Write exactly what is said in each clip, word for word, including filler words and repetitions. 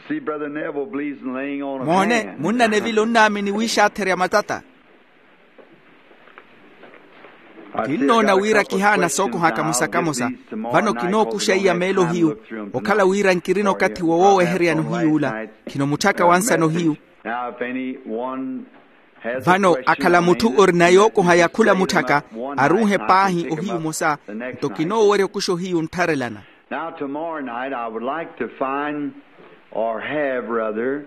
See, Brother Neville believes in laying on of moone hands. Munna neville onnaamini wiixaatherya matata. Kinnoona wira kihaana sookoha kamosa-kamosa. Vano kinookuxa iya meelo hiyu okhala wira nkirina okathi woowoweheryani ohiyuula. Khino mutthaka wa nsano hiyu. Vano akhala mutthu orina yookoha ya khula mutthaka, aruuhe paahi ohiyu omosa. Nto kinoowerya okuxa ohiyu nttharelana. Now, tomorrow night I would like to find, or have rather,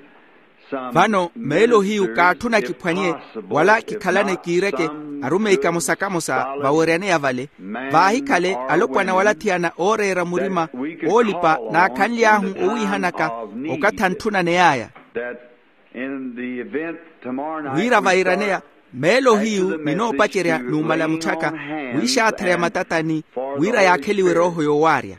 some vano meelo hiyu kaatthuna kiphwanye wala kikhalane kiireke arumeyi kamosa-kamosa vaweryaneya vale, vaahikhale alopwana wala thiyana ooreera murima oolipa naakhanly'ahu owiihanaka okathi antthunaney'aya. Wira vairaneya meelo hiyu ninoopacerya numala mutthaka wiixaatherya matatani wira yaakheliwe erooho yoowaarya.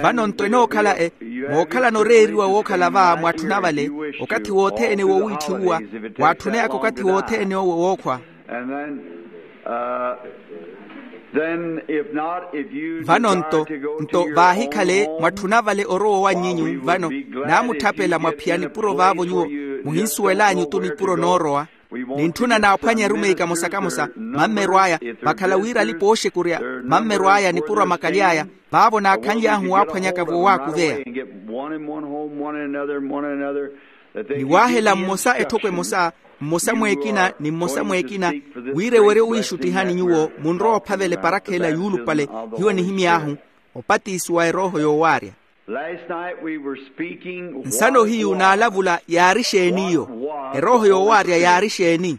Vano nto enookhala e mookhalana oreeriwa wookhala va mwatthuna vale okathi wothene wowiitthiwuwa waatthuneyaka okathi wothene owo wookhwa. Vano nto nto vaahikhale mwatthuna vale orowa owanyinyu vano naamutthapela mwaphiyani puro vaavo nyuwo muhinsuwel'anyu tu nipuro noorowa. Nintthuna naaphwanye arumeyi kamosa-kamosa mammero aya vakhala wira alipa ooxekurya mammero aya nipuro a makaly'aya vaavo naakhanly'ahu waaphwanyaka voowaakuveya. Niwaahela mmosa etthoko emosa mmosa mw'ekina ni mmosa mw'ekina wira ewerye owiixuttihani nyuwo munrowa ophavela eparakha ela yuulupale hiyo nihimy'ahu opatisiwa erooho yoowaarya. Nsano hiyu naalavula yaari exeeni iyo? Erooho yoowaarya yaari exeeni?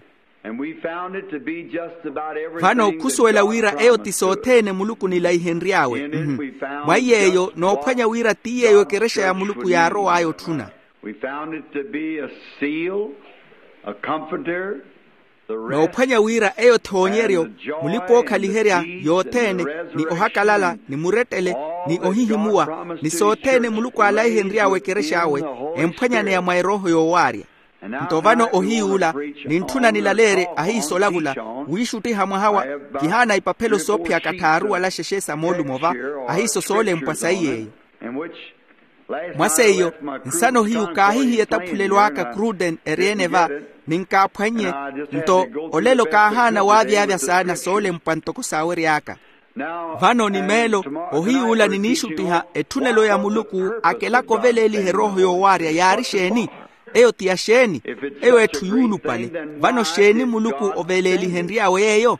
Vano khusuwela wira eyo ti sothene muluku nilaihenry'awe. Mwa iy'eyo noophwanya wira ti yeeyo ekerexa ya muluku yaarow'aya otthuna. Noophwanya wira eyo thoonyeryo mulipa-ookhaliherya yothene ni ohakalala ni murettele ni ohihimuwa ni sothene muluku aalaihenry'awe ekerex'awe emphwanyaneya mwa erooho yoowaarya. Nto vano ohiy'ula nintthuna nilaleerye ahiiso olavula wiixuttiha mwaha wa kihaana ipaphelo soophiyaka tthaaru wala xexe sa moolumo va ahiiso soolempwa sayi yeeyo. Mwa seiyo nsano hiyu kaahihiya etaphulelo aka cruden eri-ene va ninkaaphwannye nto olelo kaahaana waavyavya saana soolempwa ntoko saawery'aka. Vano ni meelo ohiyuula niniixuttiha etthunelo ya muluku akelaka oveleeliha erooho yoowaarya yaari exeeni? Eyo ti ya xeeni? Eyo etthu yuulupale. Vano xeeni muluku oveleelihenry'awe yeeyo?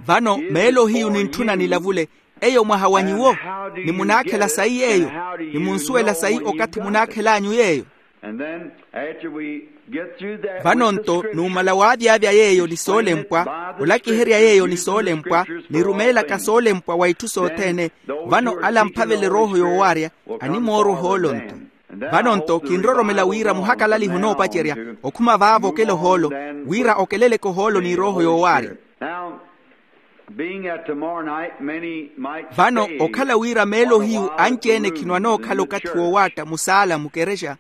Vano meelo hiyu nintthuna nilavule eyo mwaha wa nyuwo? Ni munaakhela sayi yeeyo? Ni munsuwela sayi okathi munaakhel'anyu yeeyo? Vano nto numala waavyavya yeeyo ni soolempwa olakiherya yeeyo ni soolempwa nirumeelaka soolempwa wa itthu sothene. Vano ala amphavela erooho yoowaarya animoorwa ohoolo nto. Vano nto kinroromela wira muhakalaliha onoopacerya okhuma vaavo okela ohoolo wira okeleleke ohoolo n'irooho yoowaarya. Vano okhala wira meelo hiyu anci-ene khino anookhala okathi woowaatta musaala mukerexa.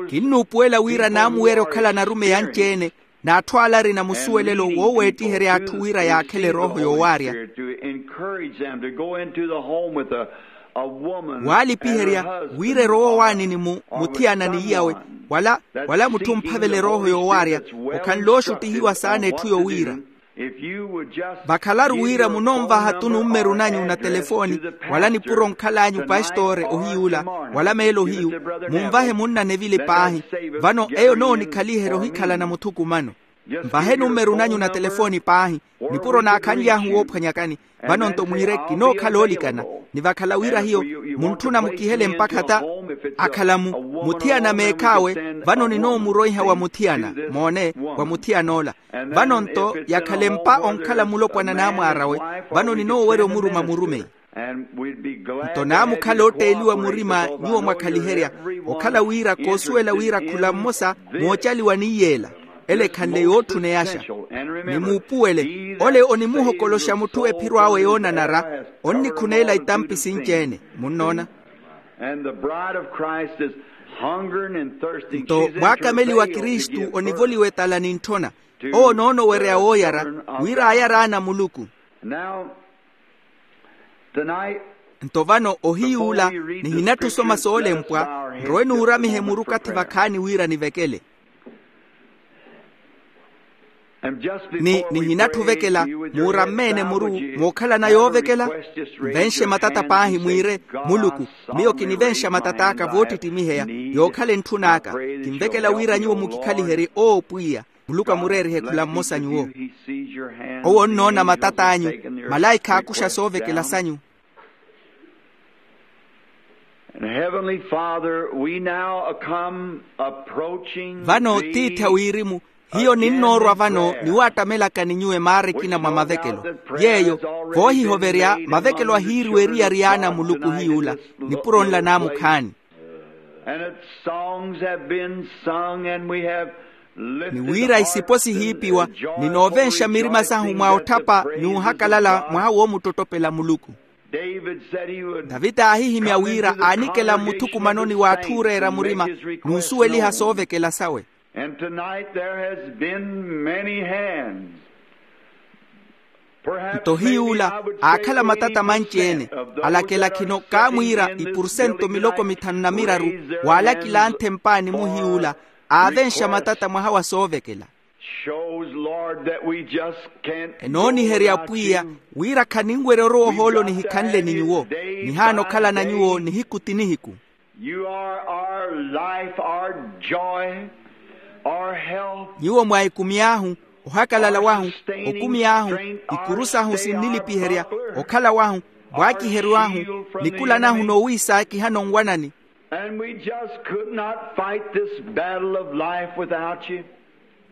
Kinnuupuwela wira naamuweerya okhala narumeyi anci-ene n'atthu ala arina musuwelelo wooweettiherya atthu wira yaakhele erooho yoowaarya. Waalipiherya wira erowa owaani ni muthiyana ni iyawe wala wala mutthu omphavela erooho yoowaarya okhanle ooxuttihiwa saana etthu yowiira. Vakhalaru wira munonvaha tu nummeru nanyu na telefooni wala nipuro onkhal'anyu pastoore ohiyuula wala meelo hiyu munvahe munna nevile paahi. Vano eyo noonikhaliherya ohikhalana muthukumano. Nvahe nummeru nanyu na telefooni paahi nipuro naakhanly'ahu woophwanyakani. Vano nto mwiire kinookhala oolikana ni vakhala wira hiyo muntthuna mukihele mpakha ta akhala-mu muthiyana meekh'awe. Vano ninoomuroiha wa muthiyana moone wa muthiyan'ola. Vano nto yakhala empa onkhala mulopwana n'amwaar'awe. Vano ninoowerya omuruma murumeyi. Nto naamukhala otteeliwa murima nyuwo mwakhaliherya okhala wira koosuwela wira khula mmosa moocaliwa ni yeela ele ekhanle yootthuneyaxa. Nimuupuwele ole onimuhokoloxa mutthu ephiro awe yoonanara onnikhuneela itampi sinci-ene. Munnoona? Nto mwaakameli wa kristu onivoliwa etala nintthona. Owo noonowerya wooyara wira ayari ana a muluku. Nto vano ohiyuula, nihinatthu osoma soolempwa nrowe nuuramihe muru okathi vakhaani wira nivekele. Ni nihinatthu ovekela, muuramme-ene muru mookhalana yoovekela. Nvenxe matata paahi mwiire, muluku, miyo kinivenxa matat'aka voottittimiheya, yookhala entthu n'aka. Kinvekela wira nyuwo mukikhaliherye owo pwiya. Muluku amureerihe khula mmosa nyuwo. Owo onnoona matat'anyu. Malaikha aakuxa soovekela sanyu. Vano tiithi a wirimu, hiyo ninnoorwa vano niwaattamelaka ni nyuwo emaara ekina mwa mavekelo. Yeeyo voohihoverya mavekelo ahiiriwa eriyari y'ana a muluku hiyuula, nipuro nla naamukhaani. Ni wira isipo sihiipiwa, ninoovenxa mirima sahu mwa otthapa ni ohakalala mwaha woomuttottopela muluku. Tavita aahihimya wira aanikela mmuthukumanoni w'atthu ooreera murima n'usuweliha soovekela sawe. Nto hiyuula aakhala matata manci-ene, alakela khino kaamwiira ipursento miloko mithanu na miraru waalakila anthempaani muhiyuula, aavenxa matata mwaha wa soovekela. Enooniherya pwiya wira khaninwerya orowa ohoolo nihikhanle ni nyuwo, nihaana okhalana nyuwo nihiku ti nihiku. Nyuwo mwa ekumi ahu, ohakalala wahu, okumi ahu, ikuru sahu sinnilipiherya, okhala wahu, mwaakiheryo ahu, nikula nahu noowiisaakihana onwanani.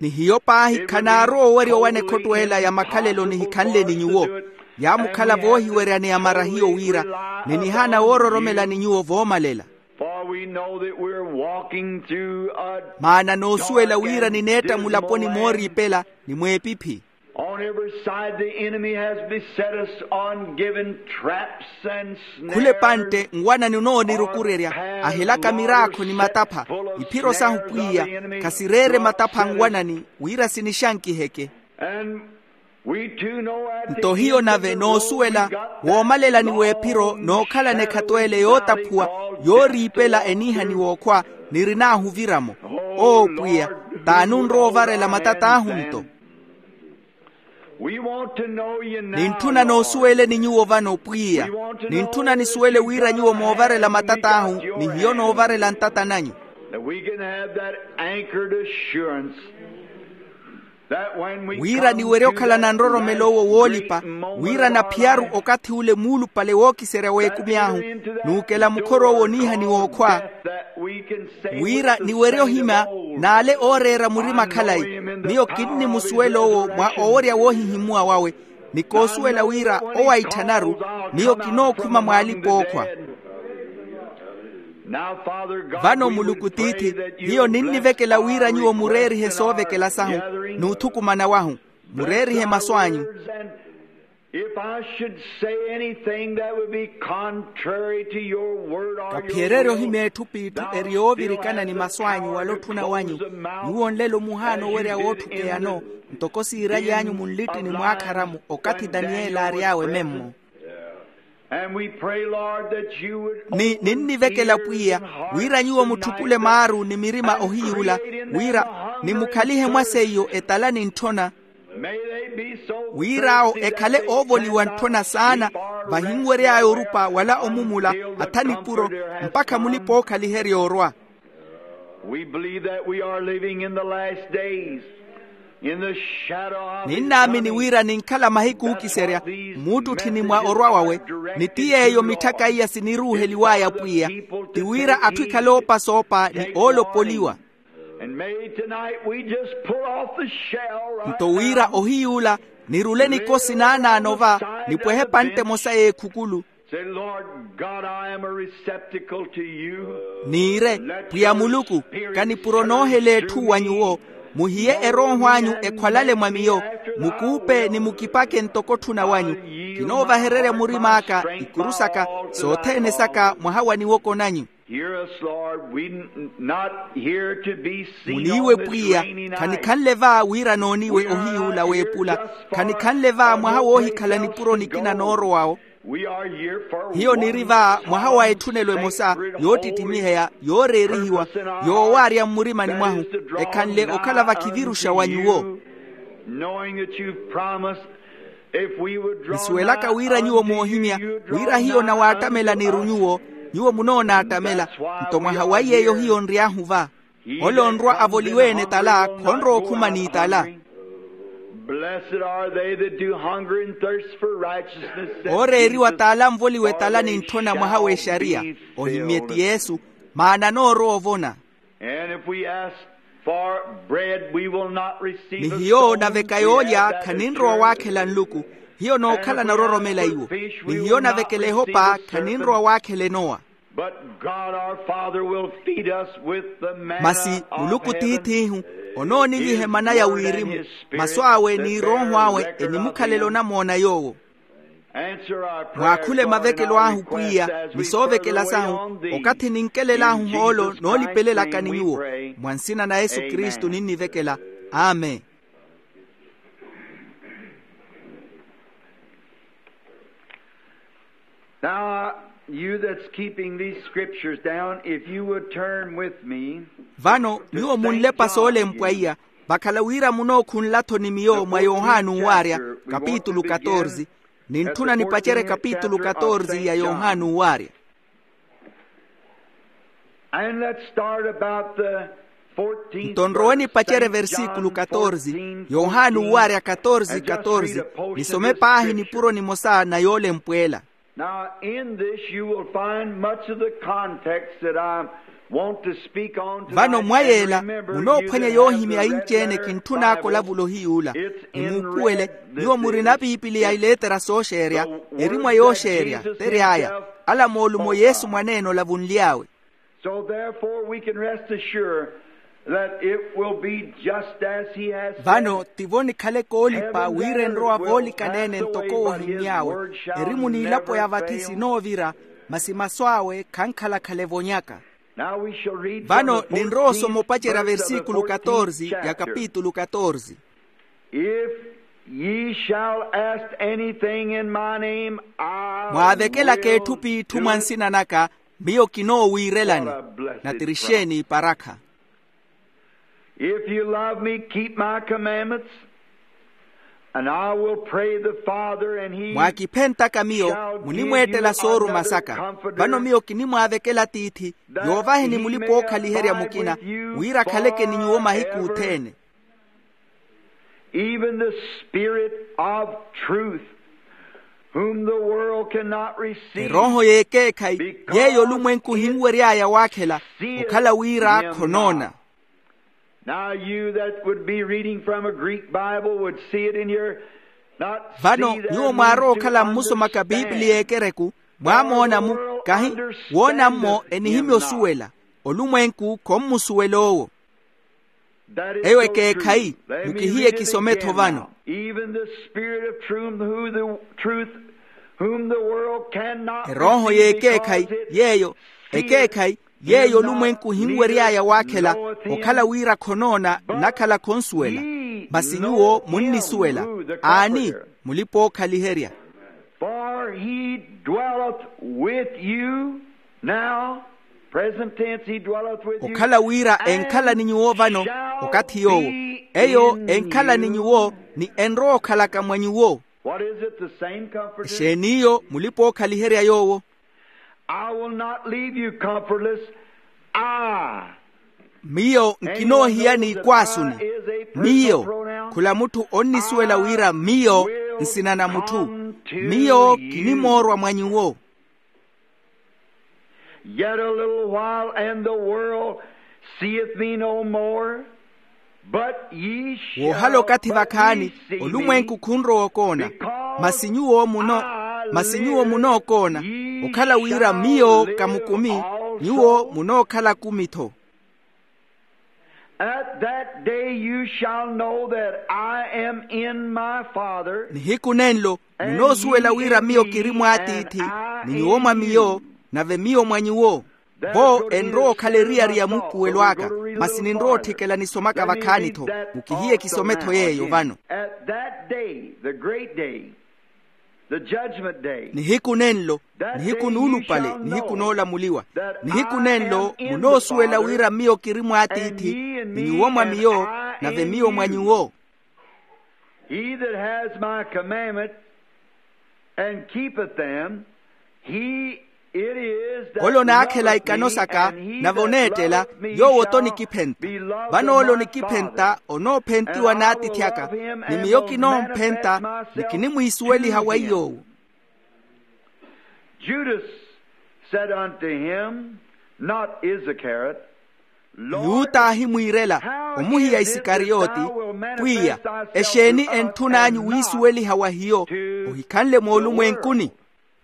Ni hiyo paahi khanaarowa owerya owana ekhotto ela ya makhalelo nihikhanle ni nyuwo. Yaamukhala voohiweryaneya mara hiyo wira, ni nihaana woororomela ni nyuwo voomalela. Maana noosuwela wira nineetta mulaponi mooriipela ni mweepiphi. Khula epantte nwanani onoonirukurerya, ahelaka miraakho ni matapha. Iphiro sahu pwiya khasireere matapha a nwanani wira sinixankiheke. Nto hiyo nave noosuwela, woomalela ni w'ephiro nookhalana ekhato ele yootaphuwa, yooriipela eniihaniwa okhwa, nirinahu oviramo. Oo pwiya, t'anunrowa ovarela matat'ahu nto. Nintthuna noosuweleni nyuwo vano pwiya. Nintthuna nisuwele wira nyuwo moovarela matat'ahu, ni hiyo noovarela ntata nanyu. Wira niwerye okhalana nroromelo owo woolipa, wira naphiyaru okathi ule muulupale wookiserya w'ekumi ahu, nuukela mukhor'owo oniihaniwa okhwa. Wira niwerye ohimya n'ale ooreera murima khalayi, miyo kinnimusuwela owo mwa owerya woohihimuwa wawe, ni koosuwela wira owo aitthanaru, miyo kinookhuma mw'alipa ookhwa. Vano muluku tiithi, hiyo ninnivekela wira nyuwo mureerihe soovekela sahu n'uthukumana wahu, mureerihe masu anyu. If I should say anything that would be contrary to your word or your will, kaphiyereerye ohimya etthu p'itthu eri yoovirikana ni masu anyu wala otthuna wanyu. Nyuwo nlelo muhaana owerya wootthukeyano, ntoko siiralyanyu munlittini mwaakhara-mo okathi daniyeli aary'awe memmo. Ni ninnivekela pwiya wira nyuwo mutthukule maaru ni mirima ohiyuula, wira nimukhalihe mwa seiyo etala ni ntthona. Wir'awo ekhale oovoliwa ntthona saana, vahinwery'aya orupa wala omumula, atha nipuro, mpakha mulipa-ookhaliherya orwa. Ninnaamini wira ninkhala mahiku ookiserya mmuuttutthini mwa orwa wawe. Ni ti yeeyo mitthaka iya siniruuheliw'aya pwiya, ti wira atthu ekhale oopasoopa ni oolopoliwa. Nto wira ohiyuula nirule nikosi naanaano va, nipwehe epantte emosa y'ekhukulu. Niire, pwiya muluku, kanipuro noohela etthu wa nyuwo. Muhiye erooho anyu ekhwalale mwa miyo, mukuupe ni mukipake ntoko otthuna wanyu. Kinoovahererya murim'aka, ikuru saka, sothene saka mwaha wa niwoko nanyu. Hear us, Lord. We n- not here to be seen. Muniiwe on this pwiya, rainy night. Khanikhanle va wira nooniwe ohiyuula weepula. Khanikhanle va mwaha woohikhala nipuro nikina noorowawo. We are here for hiyo niri va mwaha wa etthunelo emosa, yoottittimiheya, yooreerihiwa, yoowaarya mmurimani mwahu, ekhanle okhala vakhiviruxa wa nyuwo. Knowing that you've promised, if we would draw nisuwelaka wira nyuwo moohimya, wira hiyo nawaattamela niru nyuwo, nyuwo munoonaattamela. Nto mwaha wa yeeyo hiyo nry'ahu va. Ole onrwa avoliwe-ene tala khonrowa okhuma n'itala. Blessed are they that do hunger and thirst for righteousness, said Jesus, ooreeriwa tala nvoliwe tala nintthuna mwaha w'exariya, ohimye ti yesu, maana anoorowa ovona. And if we ask for bread, we will not receive a stone. Ni hiyo naveka yoolya khaninrowa waakhela nluku. Hiyo nookhala naroromela iwo. Ni hiyo navekela ehopa khaninrowa waakhela enowa. But God our Father will feed us with the manna of heaven. Masi muluku tiith'ihu onooniliha emana ya wirimu. Masu awe n'irooho awe enimukhalela onamoona yoowo. Mwaakhule mavekelo ahu pwiya ni soovekela sahu, okathi ninkelel'ahu hoolo noolipelelaka ni nyuwo. Mwa nsina na yesu kristu ninnivekela. Amen. Now, you that's keeping these scriptures down, if you would turn with me. Vano nyuwo munlepa soolempwa iya, vakhala wira munookhunla-tho ni miyo mwa yohani uwaarya, kapitulu katorze. Nintthuna nipacerye kapitulu katorze ya yohani uwaarya. And let's start about the fourteenth verse. Nto nrowe nipacerye versikulu katorze, yohani uwaarya katorze katorze. Nisome paahi nipuro nimosa na yoolempwela. Now in this you will find much of the context that I want to speak on tonight. Vano mwa yeela munoophwanya yoohimya inci-ene kintthun'aka olavula ohiyuula. Nimuupuwele, nyuwo murina piipiliya ileetera sooxeerya, eri mwa yooxeerya tery'aya, ala moolumo yesu mwaneene olavunly'awe. So therefore we can rest assured that it will be just as he has said. Vano tivo nikhale koolipa wira enrowa voolikaneene ntoko woohimmy'awe. Erimu n'ilapo ya vathi sinoovira, masi masu awe khankhala-khala evonyaka. Vano ninrowa osoma opacerya versikulu katorze ya kapitulu katorze. If ye shall ask anything in my name, I will do it. Mwaavekelaka etthu p'itthu mwa nsina naka, miyo kinoowiirelani. Natirixeeni iparakha. If you love me, keep my commandments, and I will pray the Father, and he shall give you another comforter. Mwaakiphentaka miyo, munimweettela sooruma saka. Vano miyo kinimwaavekela tiithi, yoovaheni mulipa-ookhaliherya mukina, wira akhaleke ni nyuwo mahiku othene. Even the Spirit of truth, whom the world cannot receive. Erooho y'ekeekhayi, yeeyo olumwenku ohinwery'aya waakhela, okhala wira khonoona. Now you that would be reading from a Greek Bible would see it in your, not see there. Vano nyuwo mwaarowa okhala mmusomaka piipiliya y'ekereku, mwaamoona-mu, kahi, woona-mmo enihimya osuwela. Olumwenku khommusuwela owo. Eyo ekeekhayi, mukihiye kisome-tho vano. Even the Spirit of truth, who the truth, whom the world cannot receive. Erooho y'ekeekhayi yeeyo, ekeekhayi yeeyo olumwenku ohinwery'aya waakhela, okhala wira khonoona, nnakhala khonsuwela. Masi nyuwo munnisuwela. Aani, mulipa-ookhaliherya. For he dwelleth with you now, present tense, he dwelleth with you. Okhala wira enkhala ni nyuwo vano, okathi yoowo. Eyo enkhala ni nyuwo, ni enrowa okhalaka mwa nyuwo. What is it, the same comforter? Exeeni iyo, mulipa-ookhaliherya yoowo. I will not leave you comfortless. I Miyo nkinoohiyani ikwaasuni. Miyo, khula mutthu onnisuwela wira miyo nsina na mutthu. Miyo kinimoorwa mwa nyuwo. Yet a little while, and the world seeth me no more, but ye shall, woohala okathi vakhaani, olumwenku khunrowa okoona. Masi nyuwo muno, masi nyuwo munookoona, okhala wira miyo kamukumi, nyuwo munookhala akumi-tho. At that day you shall know that I am in my Father. Nihiku nenlo munoosuwela wira miyo kiri mw'atiithi, ni nyuwo mwa miyo, nave miyo mwa nyuwo. Vo enrowa okhala eriyari ya muupuwelo aka, masi ninrowa otthikela nisomaka vakhaani-tho. Mukihiye kisome-tho yeeyo vano. At that day, the great day, the judgment day. Nihiku nenlo, nihiku nuulupale, nihiku noolamuliwa. Nihiku nenlo munoosuwela wira miyo kiri mw'atiithi, ni nyuwo mwa miyo, nave miyo mwa nyuwo. He that has my commandments and keepeth them, he it is that ole onaakhela ikano saka, nave oneettela, yoowo t'onikiphenta. Vano ole onikiphenta onoophentiwa n'atiithi aka, ni miyo kinoomphenta, ni kinimwiisuweliha wa iy'owo. Judas said unto him, not Iscariot, Lord, yuta aahimwiirela, omuhiya isikariyoti, pwiya, exeeni entthun'anyu wiisuweliha wa hiyo, ohikhanle moolumwenkuni?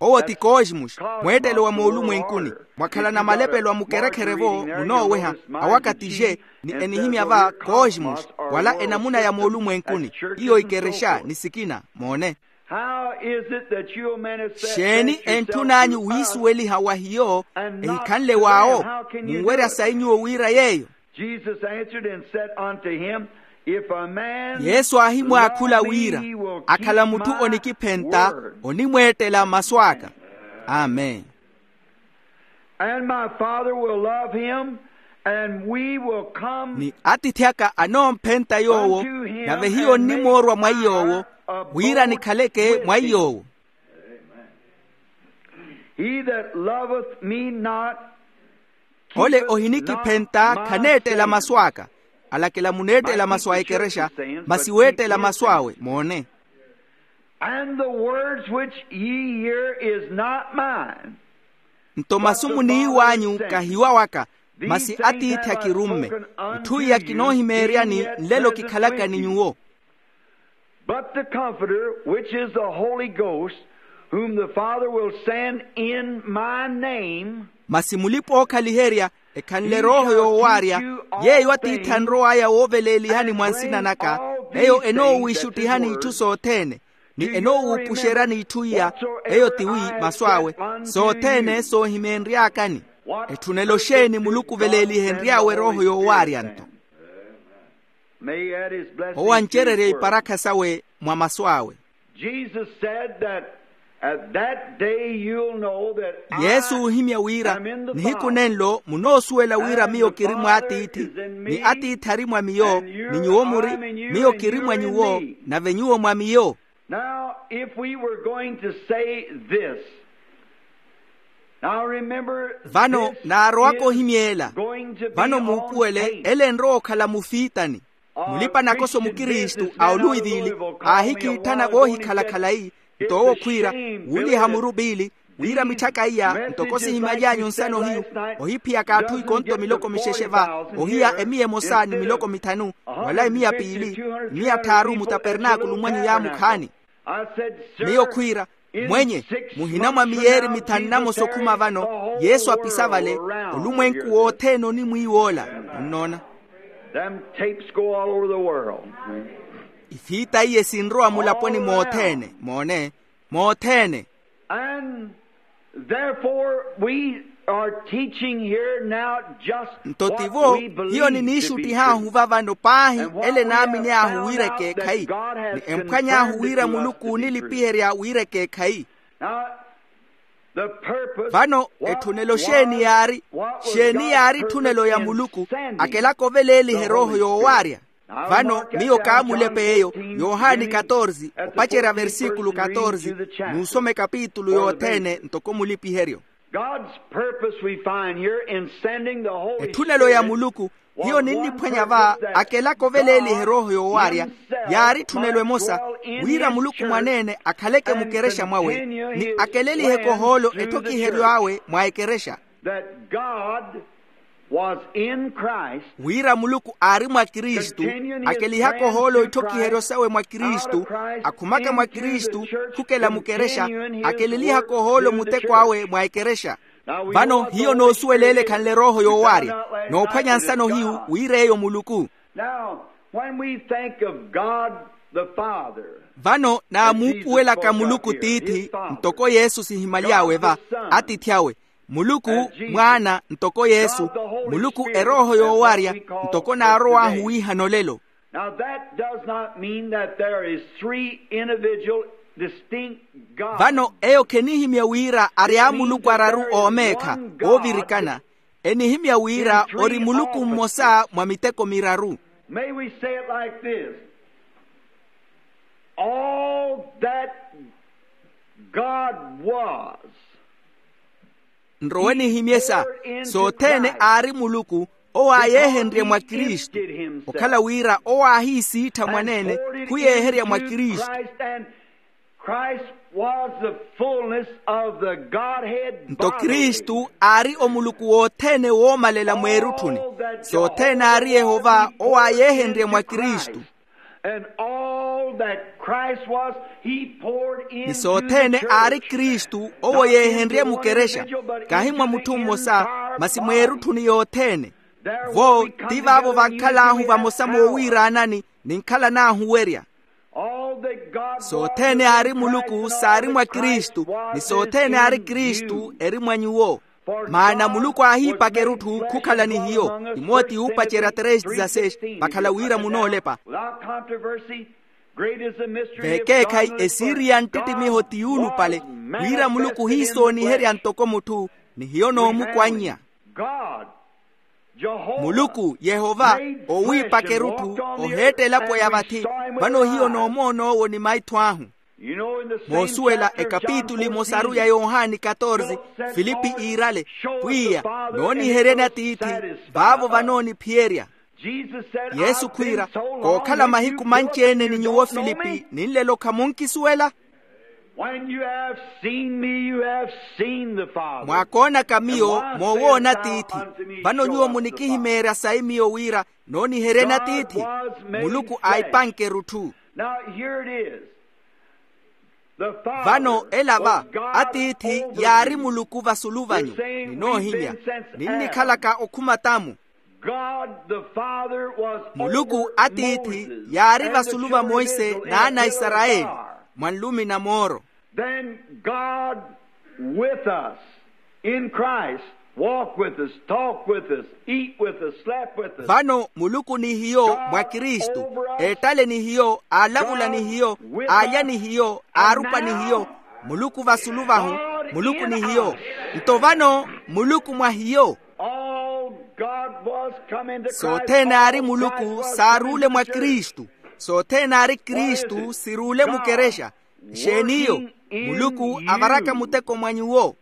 Owo ti koosmuxi, mweettelo wa moolumwenkuni. Mwakhalana malepelo a mukerekhere-vo munooweha, awaka ti xe, ni enihimya va koosmuxi, wala enamuna ya moolumwenkuni. Iyo ikerexa ni sikina moone. Xeeni entthun'anyu wiisuweliha wa hiyo, ehikhanle w'awo? Munwerya sayi nyuwo wira yeeyo? Jesus answered and said unto him, if a man yesu aahimwaakhula wira, akhala mutthu onikiphenta, onimweettela masu aka. Amen. And my Father will love him, and we will come. Ni atiithi aka anoomphenta yoowo, nave hiyo nnimoorwa mwa iy'owo, wira nikhaleke mwa iy'owo. He that loveth me not, ole ohinikiphenta khaneettela masu aka. Alakela muneettela masu a ekerexa, masi weettela masu awe moone. And the words which ye hear is not mine. Nto masu muniiw'anyu kahiwawaka, masi atiithi akirumme. Itthu iya kinoohimeeryani nlelo kikhalaka ni nyuwo. But the Comforter, which is the Holy Ghost, whom the Father will send in my name. Masi mulipa-ookhaliherya, ekhanle erooho yoowaarya, yeeyo atiithi anrow'aya wooveleelihani mwa nsina naka, eyo enoowiixuttihani itthu sothene, ni enoowuupuxeryani itthu iya, eyo tiwi masu awe, sothene soohimeenry'akani. Etthunelo xeeni muluku oveleelihenry'awe erooho yoowaarya nto? Owo ancererye iparakha sawe mwa masu awe. Jesus said that at that day you'll know that I yesu oohimya wira, am in the Father. Nihiku nenlo munoosuwela wira miyo kiri mw'atiithi, ni atiithi ari mwa miyo, ni nyuwo muri, miyo kiri mwa nyuwo, nave nyuwo mwa miyo. Now, if we were going to say this, now remember, vano naarowaka ohimyeela. Vano muupuwele ele enrowa okhala mufiitani. Mulipa-nakoso mukristu a oluivili aahikiitthana voohikhala khalayi, nto owo khwiira, wuuliha muru piili, wira mitthaka iya ntoko sihimaly'anyu nsano hiyu, ohiphiyaka atthu ikonto miloko mixexe va, ohiya emiya emosa ni miloko mithanu, wala emiya piili, emiya tthaaru mutapernaakulu mwanyu yaamukhaani. Miyo khwiira, mwenye, muhina mwa miyeeri mithanu namosa okhuma vano, yesu apisa vale, olumwenku wothene onimwiiw'ola. Munnoona? Them tapes go all over the world. Ifiita iye sinrowa mulaponi mothene, moone, mothene. And therefore we are teaching here now just nto tivo hiyo niniixuttih'ahu vavano paahi ele naamini ahu wira ekeekhayi, ni emphwany'ahu wira muluku oonilipiherya wira ekeekhayi. Vano etthunelo xeeni yaari? Xeeni yaari etthunelo ya muluku? Akelaka oveleeliha erooho yoowaarya. Vano miyo kaamulepa eyo, yohani katorze, opacerya versikulu katorze, n'usoma ekapitulu yothene ntoko mulipiheryo. God's purpose we find here in sending the Holy Spirit. Etthunelo ya muluku hiyo ninniphwanya va, akelaka oveleeliha erooho yoowaarya, yaari etthunelo emosa, wira muluku mwaneene akhaleke mukerexa mwawe, ni akeleliheke ohoolo etthokiheryo awe mwa ekerexa. That God was in Christ. Wira muluku aari mwa kristu, akelihaka ohoolo itthokiheryo sawe mwa kristu, akhumaka mwa kristu, khukela mukerexa, akelelihaka ohoolo muteko awe mwa ekerexa. Vano hiyo noosuwela ele ekhanle erooho yoowaarya, noophwanya nsano hiyu wira eyo muluku. Now, when we think of God the Father, vano naamuupuwelaka muluku tiithi, ntoko yesu sihimaly'awe va, atiithi awe, Muluku mwaana ntoko yesu. Muluku erooho yoowarya ntoko naarow'ahu wiihana olelo. Now that does not mean that there is three individual distinct gods. Vano eyo khenihimya wira ari amuluku araru oomeekha oovirikana. Enihimya wira ori muluku mmosa mwa miteko miraru. May we say it like this? All that God was. Nrowe nihimyesa sothene aari muluku owo aayeehenrye mwa kristu. Okhala wira owo aahiisiittha mwaneene khuyeeherya mwa kristu. Christ was the fullness of the Godhead. Nto kristu aari omuluku wothene woomalela mweerutthuni. Sothene aari yehova owo aayeehenrye mwa kristu. And all that Christ was, he poured into the church. Ni sothene aari kristu owo yeehenrye mukerexa. Kahi mwa mutthu mmosa masi mweerutthuni yothene. Vo ti vaavo vankhal'ahu vamosa moowiiraanani ninkhalan'ahu werya. Sothene aari muluku saari mwa kristu. Ni sothene aari kristu eri mwa nyuwo. Maana muluku aahiipaka erutthu khukhala ni hiyo. Timoti yuupacerya três dezasseis. Vakhala wira munoolepa. Veekeekhayi esiiri ya nttitimiho ti yuulupale wira muluku ohiisooniherya ntoko mutthu. Ni hiyo noomukwannya. Muluku yehova owiipaka erutthu oheetta elapo ya vathi. Vano hiyo noomoon'owo ni maitho ahu. Moosuwela ekapituli emosaru ya yohani katorze, filipi iirale, pwiya, nooniheryani atiithi vaavo vanooniphiyerya. Yesu khwiira, kookhala mahiku manci-ene ni nyuwo filipi ninlelo khamunkisuwela? When you have seen me, you have seen the Father. Mwaakoonaka miyo moowoona atiithi. Vano nyuwo munikihimeerya sayi miyo wira nooniheryeni atiithi. Muluku aahipanke erutthu. Now here it is. Vano ela va atiithi yaari muluku vasulu vanyu. Ninoohimya ninnikhalaka okhuma tamu. Muluku atiithi yaari vasulu va monse n'ana a isarayeli mwa nlumi na mooro. Then God with us in Christ, walk with us, talk with us, eat with us, slept with us. Vano muluku ni hiyo mwa kristu, eettale ni hiyo, aalavula ni hiyo, aalya ni hiyo, aarupa ni hiyo. Muluku vasulu vahu. Muluku ni hiyo. Nto vano muluku mwa hiyo. Sothene aari muluku saaruule mwa kristu. Sothene aari kristu siruule mukerexa. Nxeeni iyo? Muluku avaraka muteko mwa nyuwo.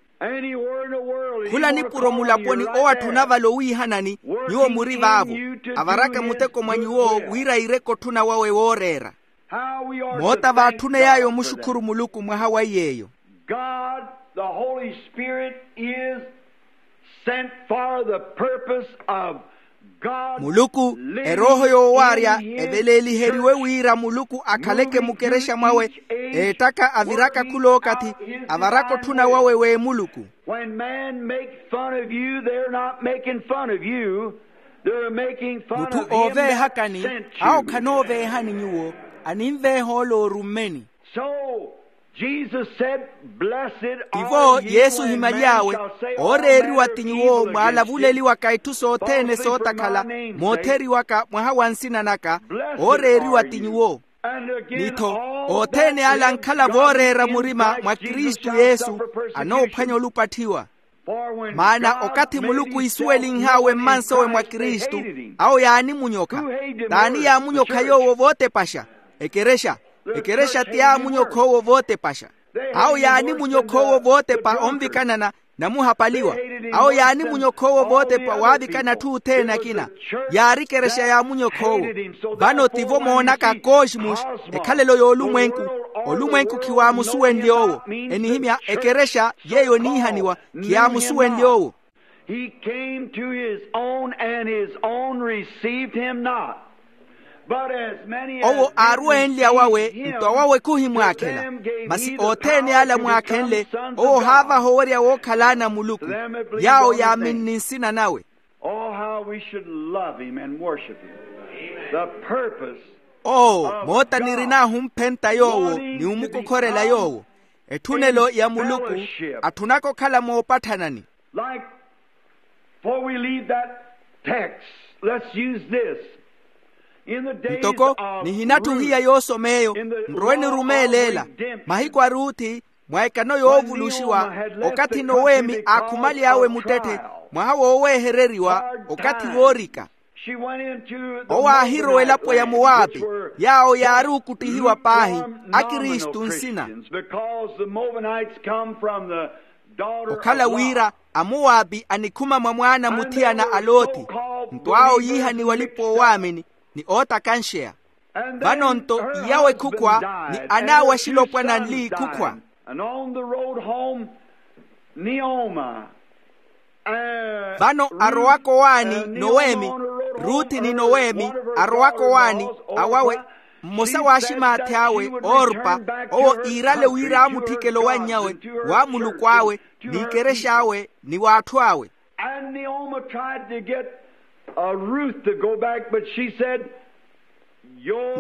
Khula nipuro mulaponi owo atthuna vale owiihanani. Nyuwo muri vaavo. Avaraka muteko mwa nyuwo wira iireke otthuna wawe wooreera. Moota vaatthuney'aya omuxukhuru muluku mwaha wa iy'eyo. God the Holy Spirit is sent for the purpose of God. Muluku erooho yoowaarya eveleeliheriwe wira muluku akhaleke mukerexa mwawe. Eettaka aviraka khulookathi avaraka otthuna wawe w'emuluku. When man make fun of you, they're not making fun of you. They're making fun of him that sent you. Mutthu ooveehakani awo khanooveehani nyuwo, aninveeha ole oorummeni. So Jesus said, blessed are you when men shall say all manner of evil against you falsely for my name. Tivo yesu ohimaly'awe, ooreeriwa ti nyuwo mwaalavuleliwaka itthu sothene sootakhala mootheriwaka mwaha wa nsina naka. Ooreeriwa ti nyuwo. Nitho othene ala ankhala vooreera murima mwa kristu yesu anoophwanya olupatthiwa. Maana okathi muluku isuwelinh'awe mmansowe mwa kristu, awo yaanimunyokha. T'ani yaamunyokha yoowo vootepaxa? Ekerexa. Ekerexa ti yaamunyokha owo vootepaxa. Awo yaanimunyokha owo vootepa onvikanana namuhapaliwa. Awo yaanimunyokha owo vootepa waavikana atthu othene akina. Yaari ekerexa yaamunyokha owo. Vano tivo moonaka cosmos, ekhalelo y'olumwenku. Olumwenku khiwaamusuwenlye owo. Enihimya ekerexa yeeyo eniihaniwa khiyaamusuwenlye owo. He came to his own and his own received him not. Owo aaruwenle awawe nto awawe khuhimwakhela. Masi othene ala mwaakhenle owo ohaavaha owerya wookhala ana a muluku, yaawo yaaminni nsina nawe. Oh how we should love him and worship him. The purpose. Oo moota nirin'ahu omphenta yoowo ni omukokhorela yoowo. Etthunelo ya muluku atthunaka okhala moopatthanani. Like, before we leave that text, let's use this. Ntoko nihinatthuhiya yoosom'eyo, nrowe nirumeele ela mahiku a ruthi, mwa ekano yoovuluxiwa, okathi noweemi aakhumale awe muttetthe, mwaha woowehereriwa, okathi woorika. Owo aahirowa elapo ya mowaapi, yaawo yaari okuttihiwa paahi, akristu nsina. Okhala wira amowaapi anikhuma mwa mwaana muthiyana a loti, nto awo yiihaniwa alipa oowaamini, ni ootakanxeya. Vano nto iyawo ekhukhwa, ni anaawaxile opwana nli ikhukhwa. Vano arowaka owaani noweemi, ruthi ni noweemi, arowaka owaani awawe, mmosa w'aximaathi awe, orpa, owo iirale wira aamutthikela owanny'awe, wa muluku awe, n'ikerexa awe, ni w'atthu awe. And Naomi tried to get, uh, Ruth to go back, but she said,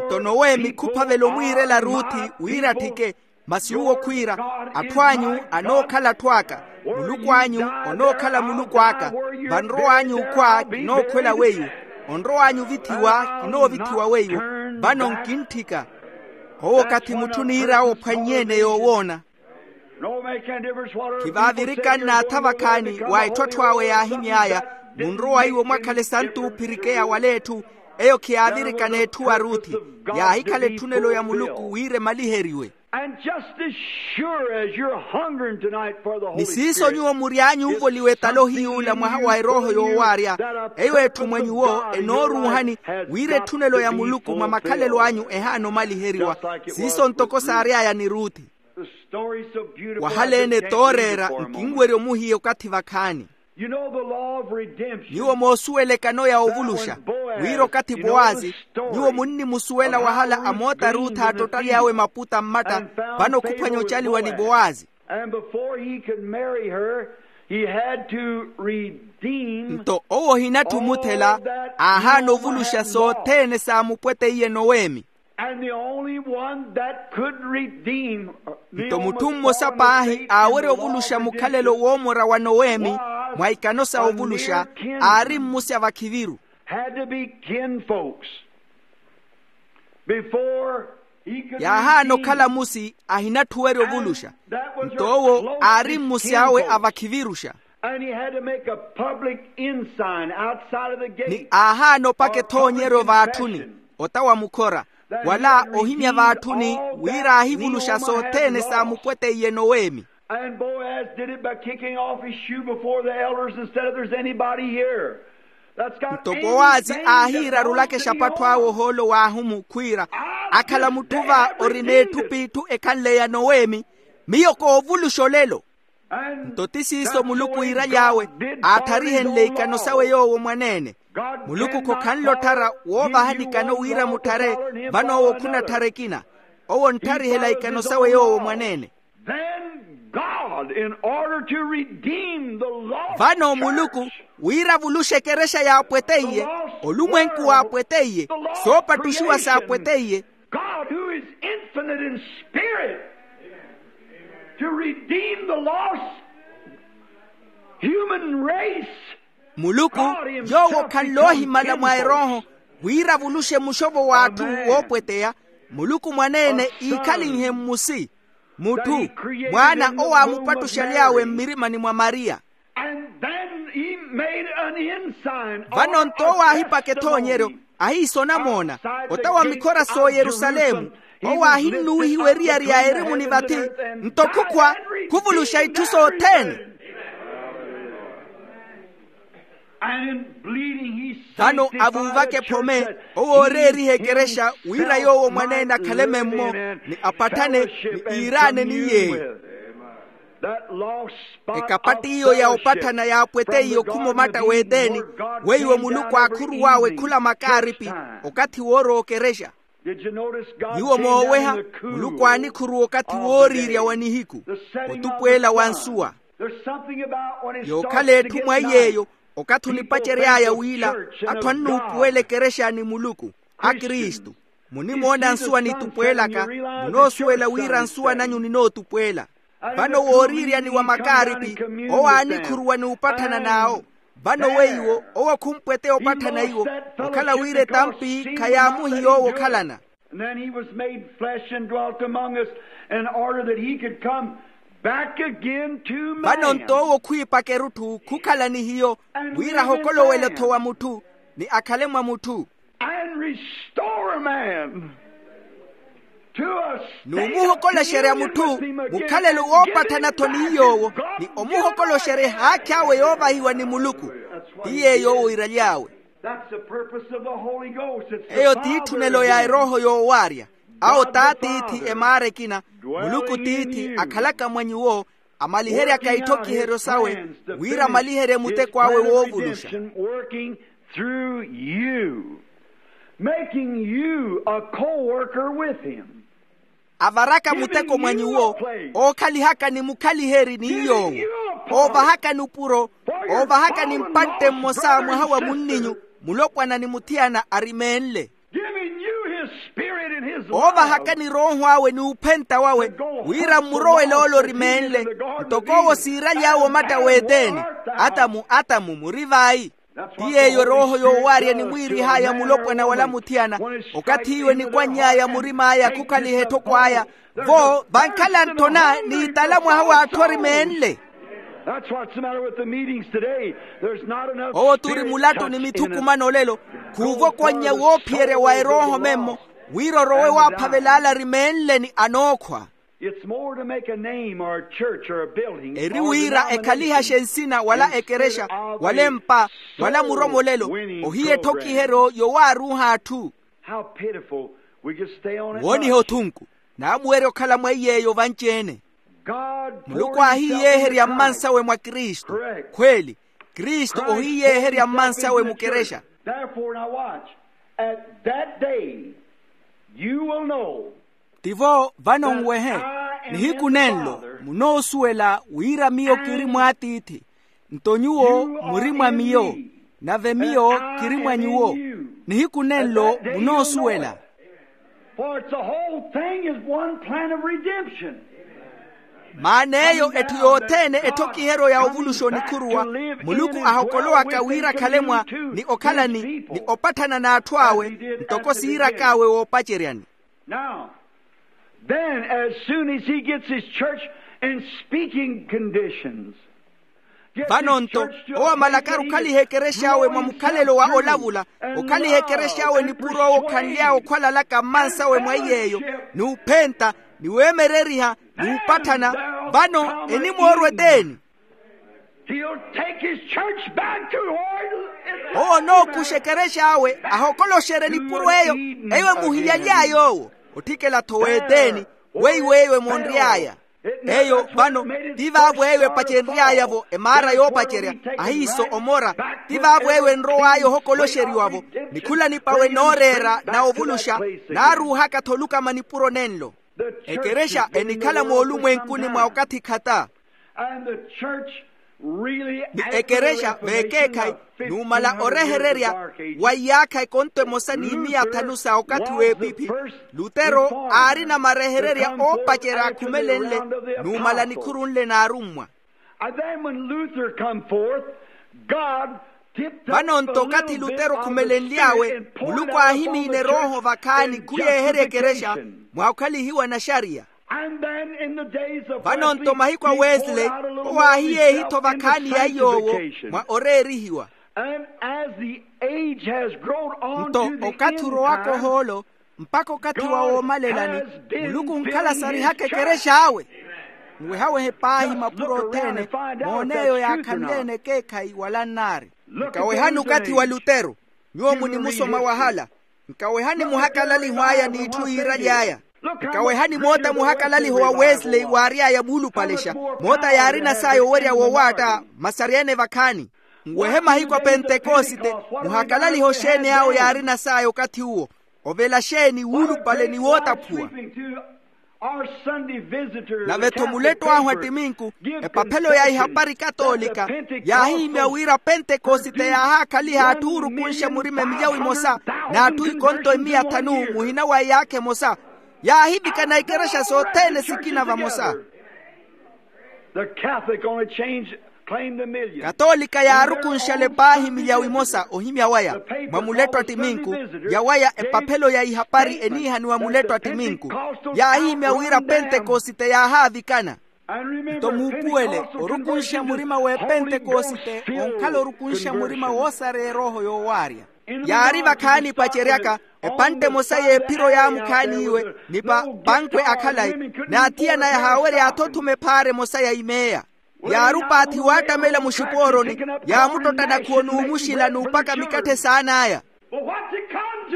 nto noweemi khuphavela omwiirela ruthi wira atthike. Masi uwo khwiira, atthu anyu anookhala atthu aka, muluku anyu onookhala muluku aka. Vanrow'anyu okhwa kinookhwela weiwo, onrow'anyu ovithiwa kinoovithiwa weiwo. Vano nkintthika. Owo okathi mutthu oniir'awe ophwannye-ene yoowoona. Khivaavirika nnaatha vakhaani wa etthu atthu awe yaahimy'aya, munrowa iwo mwakhale esantu oophirikeya wala etthu. Eyo khiyaavirikana etthu wa ruthi, yaahikhala etthunelo ya muluku wira emaliheriwe. And just as sure as you're hungering tonight for the Holy Spirit, ni siiso nyuwo mury'anyu ovoliwa etalohi y'ula mwaha wa erooho yoowaarya, eyo etthu mwa nyuwo enooruuhani, wira etthunelo ya muluku mwa makhalelo anyu ehaana omaliheriwa, siiso ntoko saary'aya ni ruthi. Wahaleene tooreera, nkinwerya omuhiya okathi vakhaani. Nyuwo moosuwela ekano ya ovuluxa, wira okathi powazi, nyuwo munnimusuwela wahala amoota ruutha attottaly'awe maputa mmatta, vano khuphwanya ocaliwa ni powazi. Nto owo ohinatthu omuthela, aahaana ovuluxa sothene saamupweteiye noweemi. Nto mutthu mmosa paahi aawerya ovuluxa mukhalelo woomora wa noweemi, mwa ikano sa ovuluxa, aari mmusi a vakhiviru. Yaahaana okhala mmusi ahinatthu owerya ovuluxa. Nto owo aari mmusi awe a vakhiviruxa. Ni aahaana opaka ethoonyeryo vaatthuni, ota wa mukhora, wala ohimya vaatthuni, wira aahivuluxa sothene saamupweteiye noweemi. And Boaz did it by kicking off his shoe before the elders and said, "If there's anybody here that's got anything that wants to be on the Lord." Nto powazi aahiirarulaka exapattho awe ohoolo w'ahumu khwiira, akhala mutthu va ori n'etthu p'itthu ekhanle ya noweemi, miyo koovuluxa olelo. Nto ti siiso muluku iiraly'awe, aatharihenle ikano sawe yoowo mwaneene. Muluku khokhanle otthara woovahani ikano wira mutthare, vano owo khunatthara ekina. Owo ontharihela ikano sawe yoowo mwaneene. Vano muluku, wira avuluxe ekerexa yaapweteiye, olumwenku waapweteiye, soopattuxiwa saapweteiye. God, who is infinite in spirit, to redeem the lost human race. Muluku, yoowo khanle ohimala mwa erooho, wira avuluxe muxovo w'atthu woopweteya. Muluku mwaneene iikhalinhe mmusi, mutthu, mwaana owo aamupattuxaly'awe mmirimani mwa maria. And then he made an ensign. Vano nto owo aahipaka ethoonyeryo, ahiisa onamoona, ota wa mikhora s'oyerusalemu. Owo aahinnuwihiwa eriyari ya erimu ni vathi, nto khukhwa, khuvuluxa itthu sothene. Vano avuuvaka ephome, owo ooreeriha ekerexa wira yoowo mwaneene akhale memmo, ni apatthane, ni iiraane ni yeeyo. Ekapattiyo ya opatthana yaapweteiye okhuma omatta w'eteni, weiwo muluku aakhuruw'awe khula makaaripi, okathi woorowa okerexa. Nyuwo mooweha, muluku aanikhuruwa okathi wooriirya wa nihiku, otupweela wa nsuwa. Yookhala etthu mwa iy'eyo, okathi onipacery'aya wiila, atthu annuupuwela ekerexa ni muluku, akristu, munimoona nsuwa nitupweelaka, munoosuwela wira nsuwa nanyu ninootupweela. Vano wooriiryani wa makaaripi, owo aanikhuruwa n'upatthana n'awo. Vano weiwo owo khumpweteya opatthana iwo, okhala wira etampi khayaamuhi yoowo okhalana. And then he was made flesh and dwelt among us, in order that he could come back again to man. Vano-nto owo khwiipaka erutthu khukhala ni hiyo, wira ahokolowele-tho wa mutthu, ni akhale mwa mutthu. And restore man to a state of union with him again. N'umuhokolosherya mutthu mukhalelo woopatthana-tho ni yoowo, ni omuhokolosherya ehaakhi awe yoovahiwa ni muluku. Ti yeeyo owo iiraly'awe. That's the purpose of the Holy Ghost. Eyo ti etthunelo ya erooho yoowaarya. Awo t'atiithi emaara ekina, muluku tiithi akhalaka mwa nyuwo, amaliheryaka itthokiheryo sawe, wira amaliherye muteko awe woovuluxa. Working through you, making you a co-worker with him. Avaraka muteko mwa nyuwo, ookhalihakani mukhaliheri ni yoowo, oovahakani upuro, oovahakani mpantte mmosa mwaha wa munninyu, mulopwana ni muthiyana arimeenle. Giving you his spirit and his love. Oovahakani rooho awe ni uphenta wawe, wira mmurowele ole orimeenle, ntoko owo siiraly'awe omatta w'eteeni. Atamu, atamu muri vayi. Ti yeeyo erooho yoowaarya enimwiirih'aya mulopwana wala muthiyana, okathi iwe enikwanny'aya murim'aya khukhaliha etthoko aya, vo vankhala ntthona n'itala mwaha w'atthu orimeenle. That's what's the matter with the meetings today. There's not enough spirit touch in it. Owo t'uri mulattu ni mithukumano olelo, khuuvokonnya woophiyerya wa erooho memmo, wira orowe waaphavela ala arimeenle ni anookhwa. It's more to make a name or a church or a building. Eri wira ekhalihaxe nsina wala ekerexa, wala empa, wala muromolelo, ohiya etthokihero yowaaruuha atthu. How pitiful. We just stay on it. Wooniha othunku, naamuwerya okhala mweiy'eyo vanci-ene. Muluku aahiyeeherya mmansawe mwa kristu. Khweeli, kristu ohiyeeherya mmansawe mukerexa. Therefore, now watch. At that day, you will know. Tivo vano nwehe, nihiku nenlo munoosuwela wira miyo kiri mw'atiithi, nto nyuwo muri mwa miyo, nave miyo kiri mwa nyuwo. Nihiku nenlo munoosuwela. For it's the whole thing is one plan of redemption. Maana eyo etthu yothene etthokihero ya ovuluxa onikhuruwa, muluku ahokolowaka wira akhale mwa, ni okhalani, ni opatthana n'atthu awe, ntoko siirak'awe woopaceryani. Now, then, as soon as he gets his church in speaking conditions, gets his church to a place that he is, vano-nto owo amalakari okhaliha ekerex'awe mwa mukhalelo wa olavula, okhaliha ekerex'awe nipuro owo okhanly'awe okhwalalaka mmansawe mwa iy'eyo, ni uphenta, ni weemereriha, ni upatthana, vano enimoorwa eteeni. He'll take his church back to where it is. Owo onookuxa ekerex'awe ahokoloxerye nipuro eyo, eyo emuhiyaly'aya owo. Otthikela-tho w'eteeni, weiwo eyo emonry'aya. Eyo vano, ti vaavo eyo epacenry'aya-vo emaara yoopacerya, ahiiso omora. Ti vaavo eyo enrow'aya ohokoloxeriwa-vo, ni khula nipawe nooreera na ovuluxa, naaruuhaka-tho olukama nipuro nenlo. Ekerexa enikhala moolumwenkuni mwa okathi khata. Ni ekerexa veekeekhayi, numala orehererya wa iyaakha ekonto emosa ni miya thanu sa okathi w'epiphi, lutero aarina marehererya oopacerya akhumelenle, numala nikhuru nle n'arummwa. And then when Luther come forth, God tipped up a little bit of the Spirit and poured it out upon the church in justification. Vano-nto okathi lutero khumeleleiyawe, muluku aahimiine erooho vakhaani khuyeeherya ekerexa, mwa okhalihiwa naxariya. And then in the days of Wesley, he poured out a little more of himself in the sanctification. Vano-nto mahiko a wesley owo aahiyeehi-tho vakhaani ya iy'owo, mwa oreerihiwa. And as the age has grown on to the end time, nto okathi orowaka ohoolo, mpakha okathi wa woomalelani, muluku onkhala sarihaka ekerex'awe. Nwehawehe paahi mapuro othene, moone eyo yaakhanleene ekeekhayi wala nnaari. Nkawehani okathi wa lutero. Nyuwo munimusoma wahala. Nkawehani muhakalaliho aya n'itthu yiiraly'aya. Nkawehani moota muhakalaliho wa wesley waary'aya muulupalexa. Moota yaarina saya owerya wowaatta, masaryene vakhaani. Nwehe mahiku a pentekosite, muhakalaliho xeeni awo yaarina saya okathi uwo. Ovela xeeni wuulupale ni wootaphuwa. Nave-tho mulettu ahu attiminku, epaphelo ya ihapari katoolika, yaahihimya wira pentekosite yaahaakhaliha atthu oorukunxa murima emiyawu emosa, n'atthu ikonto emiya thanu muhina wa iyaakha emosa. Yaahivikana ikerexa sothene sikina vamosa. The Catholic only change, claim the million. Katoolika yaarukunxale paahi milyawu imosa ohimya waya mwa muletto a ttiminku, yawaya epaphelo ya ihapari eniihaniwa muletto a ttiminku. Yaahihimya wira pentekosite yaahaavikana. Nto muupuwele orukunxa murima w'epentekosite onkhala orukunxa murima woosareya erooho yoowaarya. Yaari vakhaani paceryaka epantte emosa y'ephiro yaamukhaaniiwe ni pa pankwe a khalayi, n'athiyana yahaawerya athothuma ephaara emosa ya imeeya. Yaari opaathi waattamela muxipooroni, yaamuttotta nakhuwo n'umuxila n'upaka mikatthe saan'aya. But what's it come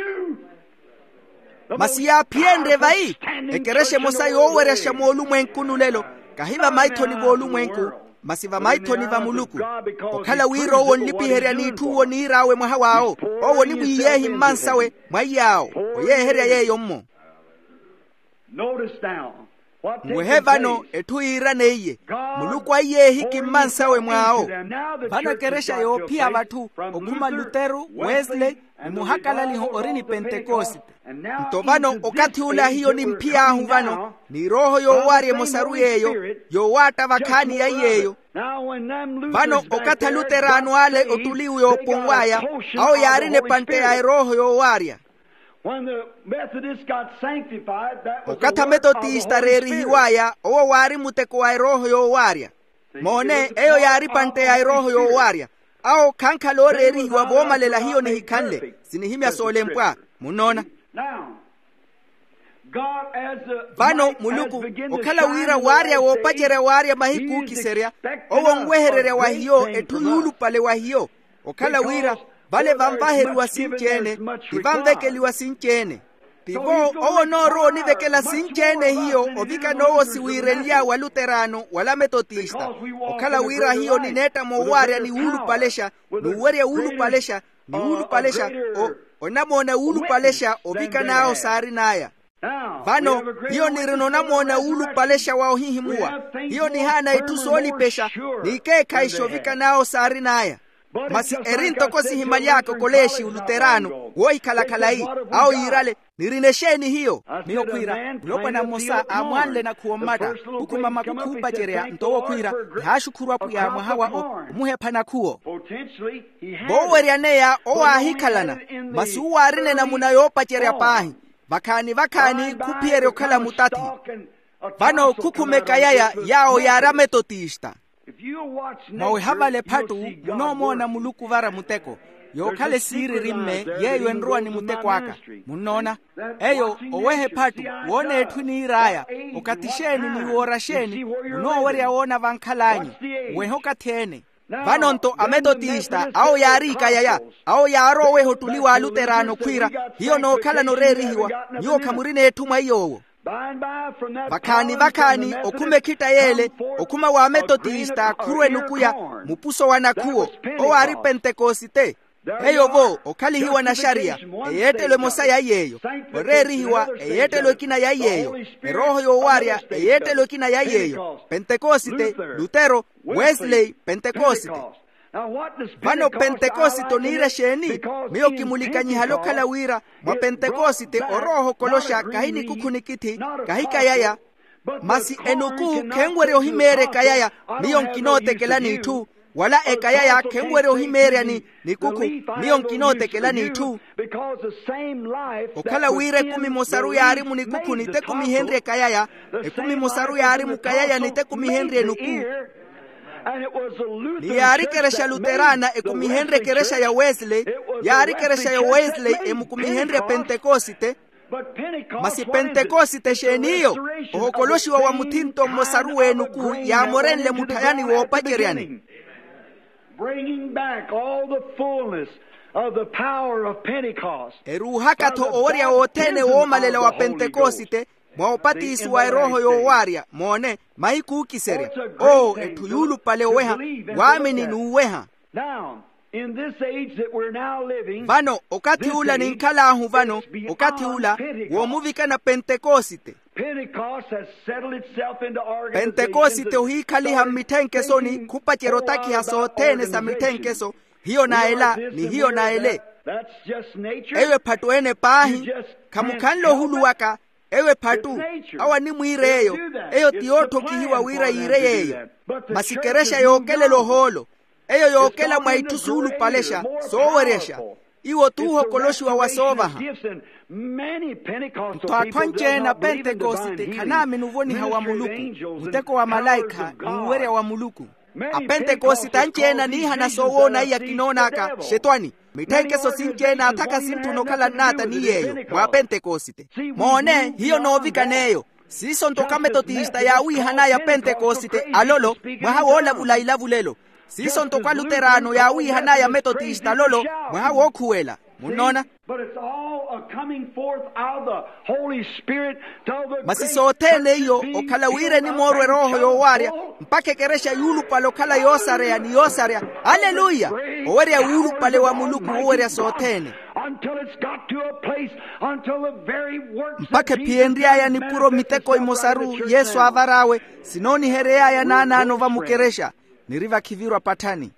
to? Masi yaaphiyenrye vayi? Ekerexa emosa yooweryaxa moolumwenkuni olelo, kahi vamaithoni v'olumwenku, masi vamaithoni va muluku. Okhala wira owo onlipiherya n'itthu owo oniir'awe mwaha w'awo, owo onimwiiyeehi mmansawe mwa iy'awo, oyeeherya yeeyo-mmo. Notice now. Nwehe vano etthu yiiraneiye, muluku aiyeehiki mmansawe mw'awo. Vano ekerexa yoophiya vatthu okhuma luteru, wesley, ni muhakalaliho ori ni pentekosite. Nto vano okathi ula hiyo nimphiy'ahu vano, ni erooho yoowaarya emosaru yeeyo, yoowaatta vakhaani yaiy'eyo. Vano okathi aluteraano ale ottuliwe yooponw'aya, awo yaarina epantte ya erooho yoowaarya. When the Methodists got sanctified, that was the work of the Holy Spirit. Okathi ametotista areerihiw'aya owo waari muteko wa erooho yoowaarya. Moone, eyo yaari epantte ya erooho yoowaarya. Awo khankhala ooreerihiwa voomalela hiyo nihikhanle. Sinihimya soolempwa. Munnoona? Now, God, as the vano light has muluku begun to okhala shine wira in the waarya last days, woopacerya waarya mahiku ookiserya, owo onwehererya wa hiyo etthu yuulupale wa hiyo. Okhala wira vale vanvaheriwa sinci-ene, ti vanvekeliwa sinci-ene. Tivo owo onoorowa onivekela sinci-ene hiyo ovikana owo siwiirenly'awe aluteraano wala ametotista. Okhala wira hiyo nineetta moowaarya ni wuulupalexa, n'uwerya wuulupalexa, ni wuulupalexa, o onamoona wuulupalexa ovikan'awe osaarin'aya. Vano hiyo nirina onamoona wuulupalexa wa ohihimuwa. Hiyo nihaana itthu soolipexa n'ikeekhayi xoovikan'awe osaarin'aya. Masi eri ntoko sihimaly'aka okoleexi oluteraano woohikhala khalayi. Awo yiirale, nirina exeeni hiyo? Miyo khwiira, mulopwana mmosa aamwaanle nakhuwo mmatta, khukhuma makukhu oopacerya nto owo khwiira, nihaaxukhuru apwiya mwaha wa o omuhepha nakhuwo. Vooweryaneya owo aahikhalana, masi uwo aarina enamuna yoopacerya paahi. Vakhaani vakhaani khuphiyerya okhala mutathi. Vano khukhuma ekayaya yaawo yaari ametotista. Mwaweha vale ephattu munoomoona muluku ovara muteko, yookhala esiiriri-mme. Yeeyo enrowa ni muteko aka. Munnoona? Eyo oweha ephattu, woona etthu eniir'aya, okathi xeeni ni woora xeeni, munoowerya woona vankhal'anyu. Weha okathi-ene. Vano-nto ametotista awo yaari ikayaya, awo yaarowa oweha ottuli w'aluteraano khwiira, hiyo nookhalana oreerihiwa, nyuwo khamurina etthu mwa iy'owo. Vakhaani vakhaani okhuma ekhitta y'ele, okhuma w'ametotista khurwa enukuya, mupuso wa nakhuwo, owo aari pentekosite. Eyo-vo okhalihiwa naxariya, eyeettelo emosa yaiy'eyo. Oreerihiwa, eyeettelo ekina yaiy'eyo. Erooho yoowaarya, eyeettelo ekina yaiy'eyo. Pentekosite, lutero, wesley, pentekosite. Vano pentekosite oniira exeeni? Miyo kimulikanyihale okhala wira mwa pentekosite orooho okoloxa kahi nikukhu nikithi, kahi kayaya. Masi enuku khenwerya ohimeerya ekayaya. Miyo nkinootekela n'itthu, wala ekayaya khenwerya ohimeerya ni nikukhu. Miyo nkinootekela n'itthu. Okhala wira ekumi emosaru yaari munikukhu nitekumihenrye ekayaya, ekumi emosaru yaari mukayaya nitekumihenrye enuku. Ni yaari ekerexa luterana ekumihenrye ekerexa ya wesley. Yaari ekerexa ya wesley emukumihenrye pentekosite. Masi pentekosite exeeniyo? Ohokoloxiwa wa muthinto mmosaru w'enuku yaamorenle mutthayani woopaceryani. Bringing back all the fullness of the power of Pentecost. Eruuhaka-tho owerya wothene woomalela wa pentekosite, mwa opatisiwa erooho yoowaarya. Moone, mahiku ookiserya. Oo etthu yuulupale oweha, waamini n'uweha. Now, in this age that we're now living, vano okathi ula ninkhal'ahu vano, okathi ula woomuvikana pentekosite. Pentecost has settled itself into organization. Pentekosite ohiikhaliha mmitthenkeso ni khupacerya otakiha sothene sa mitthenkeso. Hiyo na ela ni hiyo na ele. Eyo ephattu ene paahi. Khamukhanle ohuluwaka. Eyo ephattu. Awo animwiira eyo. Eyo ti yootthokihiwa wira yiire yeeyo. Masi kerexa yookelela ohoolo. Eyo yookela mwa itthu suulupalexa, sooweryaxa. Iwo t'uhokoloxiwa wa soovaha. Nto atthu anci-ene a pentekosite khanaamini ovoniha wa muluku, muteko wa malaikha n'uwerya wa muluku. Apentekosite anci-ene aniihana soowoona iya kinoonaka xetwani. Mitthekeso sinci-ene athaka sintthuna okhala nnaata ni yeeyo mwa apentekosite. Moone hiyo noovikana eyo. Siiso nto ka metotista yaawiihan'aya apentekosite alolo, mwaha woolavula ilavulelo. Siiso nto ka luteraano yaawiihan'aya ametotista alolo, mwaha wookhuwela. Munnoona? Masi sothene iyo okhala wira enimoorwa erooho yoowaarya, mpakha ekerexa yuulupale okhala yoosareya ni yoosarya. Aleluya. Owerya wuulupale wa muluku wowerya sothene. Mpakha ephiyenry'aya nipuro miteko imosaru yesu aavar'awe, sinoonihery'aya naanaano va mukerexa. Niri vakhivirwa patthani.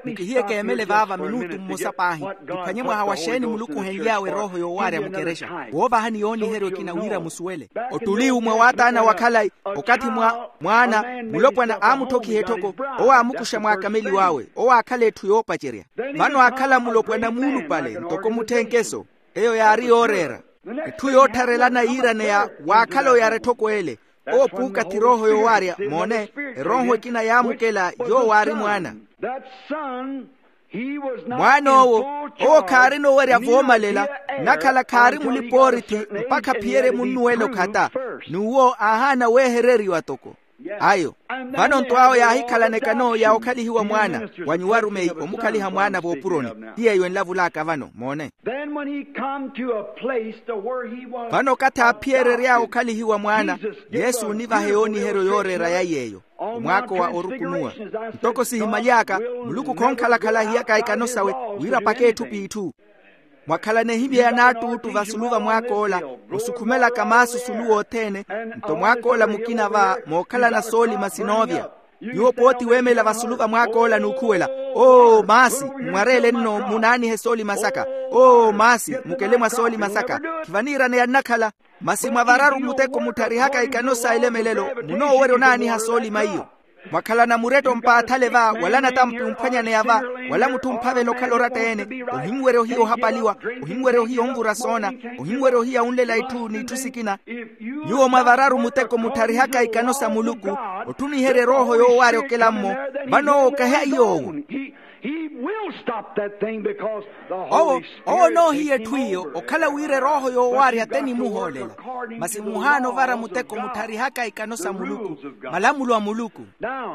Mukihiye keemele vaava minutu mmosa paahi. Kiphwanye mwaha wa xeeni muluku ohenly'awe erooho yoowaarya mukerexa, woovaha ni yooniherya okina wira musuwele. Ottuli umwe wa ataana wa khalayi, okathi mwa mwaana mulopwana aamutthokhiha etthoko, owo aamukuxa mwaakameliw'awe owo aakhala etthu yoopacerya. Vano aakhala mulopwana muulupale ntoko mutthenkeso. Eyo yaari yooreera. Etthu yoottharelana yiiraneya waakhala oyara etthoko ele. Owo puukathi erooho yoowaarya. Moone, erooho ekina yaamukela, yoowo aari mwaana. Mwaana owo, owo khaarina owerya voomalela, nnakhala khaari mulipa-oorithi mpakha aphiyerye munnuwela okhata. N'uwo aahaana weehereriwa toko. Ayo. Vano nto awo yaahikhalana ekano ya okhalihiwa mwaana. Wa nyuwo arumeyi omukhaliha mwaana voopuroni. Ti yeeyo enlavul'aka vano moone. Vano okathi aaphiyerery'awe okhalihiwa mwaana, yesu onivaha yooniheryo yooreera ya yeeyo. Omwaako wa orukunuwa. Ntoko sihimaly'aka, muluku khonkhalakhala ahiyaka ekano sawe, wira apake etthu p'itthu. Mwakhalana ehimya ya naattuuttu vasulu va mwaak'ola, musukhumelaka maasu sulu wothene. Nto mwaak'ola mukina va mookhalana soolima sinoovya. Nyuwo pooti weemela vasulu va mwaak'ola n'ukhuwela, oo maasi, mmwareele nno munaanihe soolima saka. Oo maasi, mukele mwa soolima saka. Khivaniiraneya nnakhala. Masi mwa vararu muteko muttharihaka ikano sa elemelelo, munoowerya onaaniha soolima iyo. Mwakhalana muretto mpaathale va wala natampi omphwanyaneya va, wala mutthu omphavela okhala oratta-ene. Ohinwerya ohiya ohapaliwa. Ohinwerya ohiya onvura soona. Ohinwerya ohiya onlela itthu n'itthu sikina. Nyuwo mwa vararu muteko muttharihaka ikano sa muluku, otthuniherya erooho yoowaarya okela-mmo. Vano owo kahi a iy'owo. Owo onoohiya etthu iyo okhala wira erooho yoowaarya te nimuhoolela. Masi muhaana ovara muteko muttharihaka ikano sa muluku, malamulo a muluku.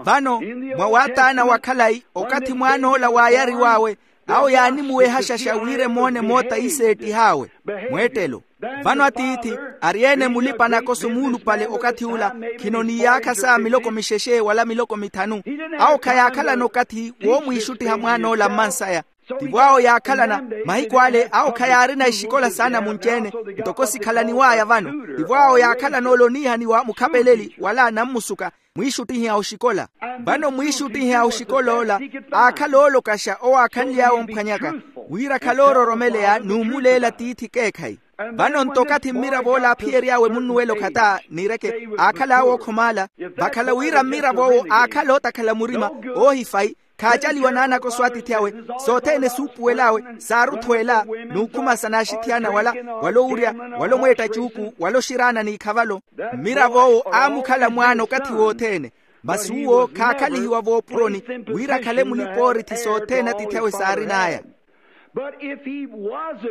Vano, mwa wataana wa khalayi, okathi mwaan'ola waayariw'awe, awo yaanimuwehaxaxa wira emoone moota iseettih'awe. Mweettelo. Vano atiithi, ari-ene mulipa-nakoso muulupale okathi ula, khino n'iyaakha sa miloko mixexe wala miloko mithanu. Awo khayaakhalana okathi woomwiixuttiha mwaan'ola mmansaya. Tivo awo yaakhalana. Mahiku ale awo khayaarina exikola saana munci-ene, ntoko sikhalaniw'aya vano. Tivo awo yaakhalana ole oniihaniwa mukhapeleli wala nammusuka, mwiixuttihi a oxikola. Vano mwiixuttihi a oxikol'ola, aakhala oolokaxa owo aakhanly'awe omphwanyaka, wira akhale oororomeleya n'umuleela tiithi ekeekhayi. Vano nto okathi mmirav'ola aaphiyery'awe munnuwela okhata, niireke, aakhal'awe ookhomaala. Vakhala wira mmirav'owo aakhala ootakhala murima, oohifayi, khaacaliwa naanakoso a atiithi awe. Sothene suupuwel'awe, saaruthweela, n'ukhumasa n'axithiyana wala, wala owurya, wala omweetta cuuku wala oxiraana n'ikhavalo. Mmirav'owo aamukhala mwaana okathi wothene. Masi uwo khaakhalihiwa voopuroni, wira akhale mulipa-oorithi sothene atiithi awe saarin'aya.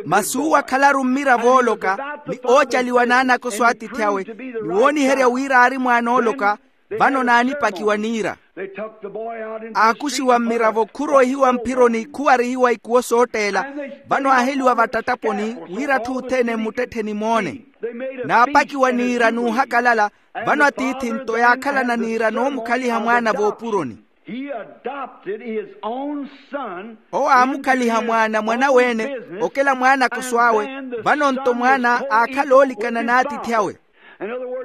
Masi uwo akhalaru mmiravo ooloka, ni oocaliwa naanakoso a atiithi awe, ni wooniherya wira aari mwaana ooloka. Vano naanipakiwa niira. Aakuxiwa mmiravo khuroihiwa mphironi khuwarihiwa ikuwo sootteela. Vano aaheliwa vattattaponi, wira atthu othene mmuttettheni moone. Naapakiwa niira n'uhakalala. Vano atiithi nto yaakhalana niira noomukhaliha mwaana voopuroni. Owo aamukhaliha mwaana mwan'awe-ene, okela mwaanakoso awe. Vano nto mwaana aakhala oolikana n'atiithi awe.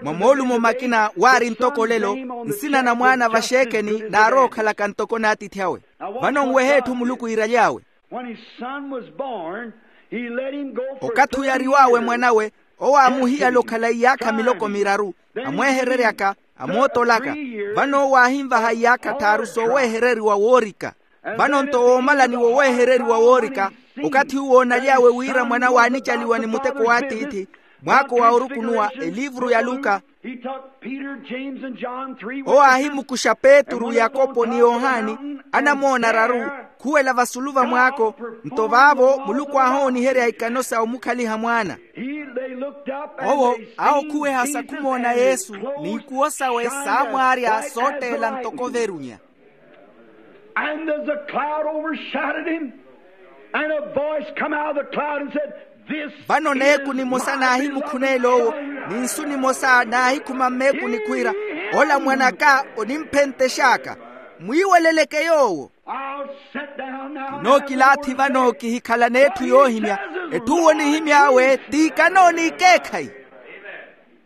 Mwa moolumo makina waari ntoko olelo, nsina na mwaana vaxeekeni naarowa okhalaka ntoko n'atiithi awe. Vano nwehe etthu muluku iiraly'awe. Okathi oyariw'awe mwan'awe, Owo aamuhiyala okhala iyaakha miloko miraru, amweehereryaka, amootolaka. Vano owo aahinvaha iyaakha tthaaru sooweehereriwa woorika. Vano nto woomalani woweehereriwa woorika, okathi uwo oonaly'awe wira mwana waanicaliwa ni muteko w'atiithi, mwaako wa orukunuwa eliivuru ya luka. Owo aahimukuxa petru yakopo ni yohani, anamoona araru, khuwela vasulu va mwaako. Nto vaavo muluku aahooniherya ikano sa omukhaliha mwaana. Owo aahokhuweha sa khumoona yesu, n'ikuwo sawe saamwaarya sootteela ntoko verunya. And there's a cloud overshadowed him. And a voice come out of the cloud and said, "This." Vano neeku nimosa naahimukhuneela owo, ni nsu nimosa naahikhuma mmeekuni khwiira, "Ola mwan'aka onimphentex'aka, mwiiweleleke yoowo." I'll sit down now. Nookilaathi vano kihikhalana etthu yoohimya. Etthu onihimy'awe t'ikano n'ikeekhayi.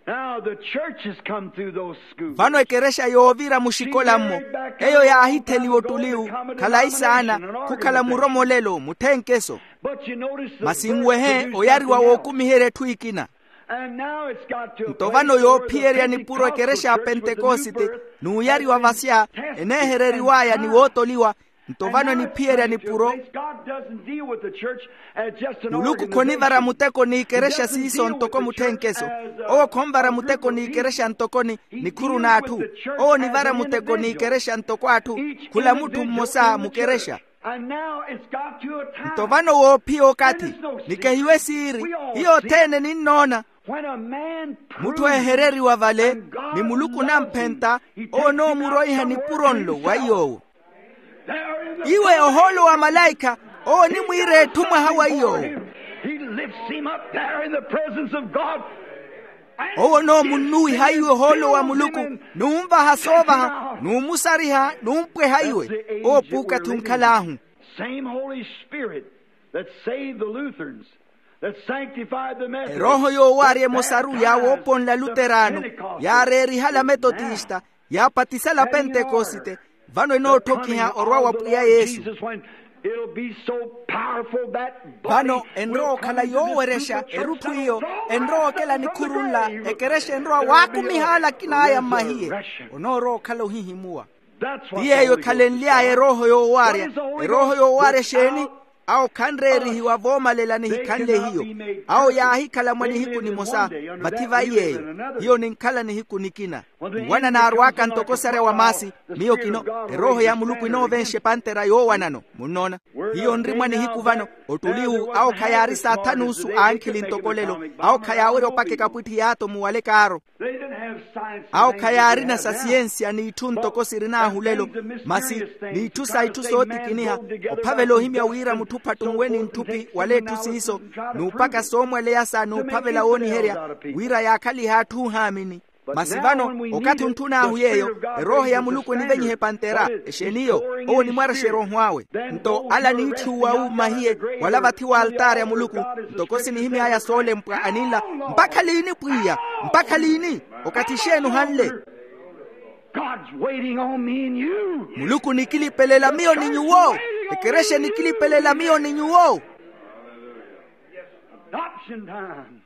Now the church has come through those schools. Vano ekerexa yoovira muxikola-mmo, eyo yaahitheliwa ottuliwu, khalayi saana, khukhala muromolelo mutthenkeso. But you notice the masi nwehe oyariwa wookumiherya etthu ekina. And now it's got to a nto vano yoophiyerya nipuro ekerexa ya pentekosite, n'uyariwa vasya, eneehereriw'aya ni wootoliwa. Nto vano eniphiyerya nipuro. Muluku khonivara muteko n'ikerexa siiso ntoko mutthenkeso. Owo khonvara muteko n'ikerexa ntoko ni nikhuru n'atthu. Owo onivara muteko n'ikerexa ntoko atthu, khula mutthu mmosa mukerexa. Nto vano woophiya okathi, nikehiwe siiri, hiyo othene ninnoona. Mutthu eehereriwa vale, ni muluku onamphenta, owo onoomuroiha nipuro nlo wa iy'owo. Iwe ohoolo wa malaikha, owo onimwiira etthu mwaha wa iy'owo. He lifts him up there in the presence of God. Owo onoomunnuwiha iwe ohoolo wa muluku, n'unvaha soovaha, n'umusariha n'umpweha iwe. Owo puukathi onkhal'ahu. Same Holy Spirit that saved the Lutherans, that sanctified the Methodists, erooho yoowaarya emosaru yaawooponla luteraano, yaareerihala metotista, yaapatisala pentekoste. Vano enootthokiha orwa wa pwiya yesu. Vano enrowa okhala yoowerexa erutthu iyo, enrowa okela nikhuru nla, ekerexa enrowa waakumiha ala akin'aya mmahiye. Onoorowa okhala ohihimuwa. Ti yeeyo ekhalenly'aya erooho yoowaarya. Erooho yoowaarya exeeni? Awo khanreerihiwa voomalela nihikhanle hiyo. Awo yaahikhala mwa nihiku nimosa, vathi vayi yeeyo. Hiyo ninkhala nihiku nikina. Nwana naarw'aka ntoko osarya wa maasi. Miyo kino, erooho ya muluku enoovenxa epantera yoowanano. Munnoona? Hiyo nri mwa nihiku vano. Ottuliwu awo khayaari saathanuusu a ankhili ntoko olelo. Awo khayaawerya opaka ekapwitthi y'atomu wala ekaaro. Awo khayaarina sa siyensiya n'itthu ntoko sirin'ahu olelo, masi n'itthu sa itthu sootikiniha, ophavela ohimya wira mutthu phattunwe ni ntthupi wala etthu siiso, n'upaka soomwaleya sa n'uphavela wooniherya, wira yaakhalihe atthu ohaamini. Masi vano, okathi ontthun'ahu yeeyo, erooho ya muluku enivenyiha epantera. Exeeni iyo? Owo onimwarexerya oho awe. Nto ala aniitthuwa wu mmahiye, wala vathi w'altaari a muluku, ntoko sinihimy'aya soolempwa aninla, mpakha liini pwiya? Mpakha liini? Okathi xeeni ohanle? God's waiting on me and you. Muluku onikilipelela miyo ni nyuwo. Ekerexa enikilipelela miyo ni nyuwo. Adoption time.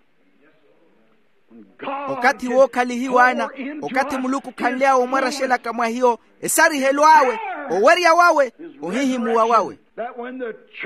Okathi wookhalihiwa ana. Okathi muluku khanly'awe omwarexelaka mwa hiyo, esarihelo awe, owerya wawe, ohihimuwa wawe.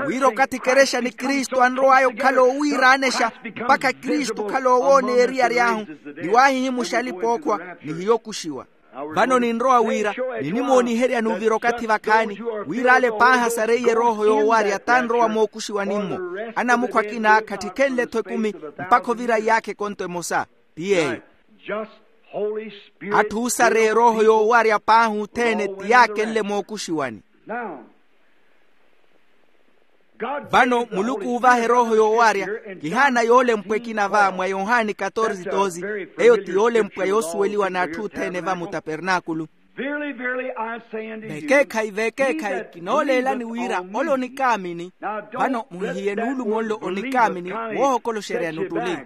Wira okathi ekerexa ni kristu anrow'aya okhala oowiiraanexa, mpakha kristu okhala oowooneya eriyari ahu, ni waahihimuxa alipa-ookhwa, ni hiyo okuxiwa. Vano ninrowa wira, ninimooniherya n'uvira okathi vakhaani, wira ale paahi asareiye erooho yoowarya t'anrowa mookuxiwani-mmo. Anamukhu akina khatthikhenle-tho ekumi, mpakha ovira iyaakha ekonto emosa. Ti yeeyo. Atthu oosareya erooho yoowarya paahi othene ti yaakenle mookuxiwani. Vano muluku uuvaha erooho yoowarya. Kihaana yoolempwa ekina va mwa yohani katorze doze. Eyo ti yoolempwa yoosuweliwa n'atthu othene va mutapernaakulu. Vekeekhayi vekeekhayi kinooleelani wira ole onikaamini. Vano muhihiye nuulumo nlo onikaamini, woohokoloxeryani ottuli.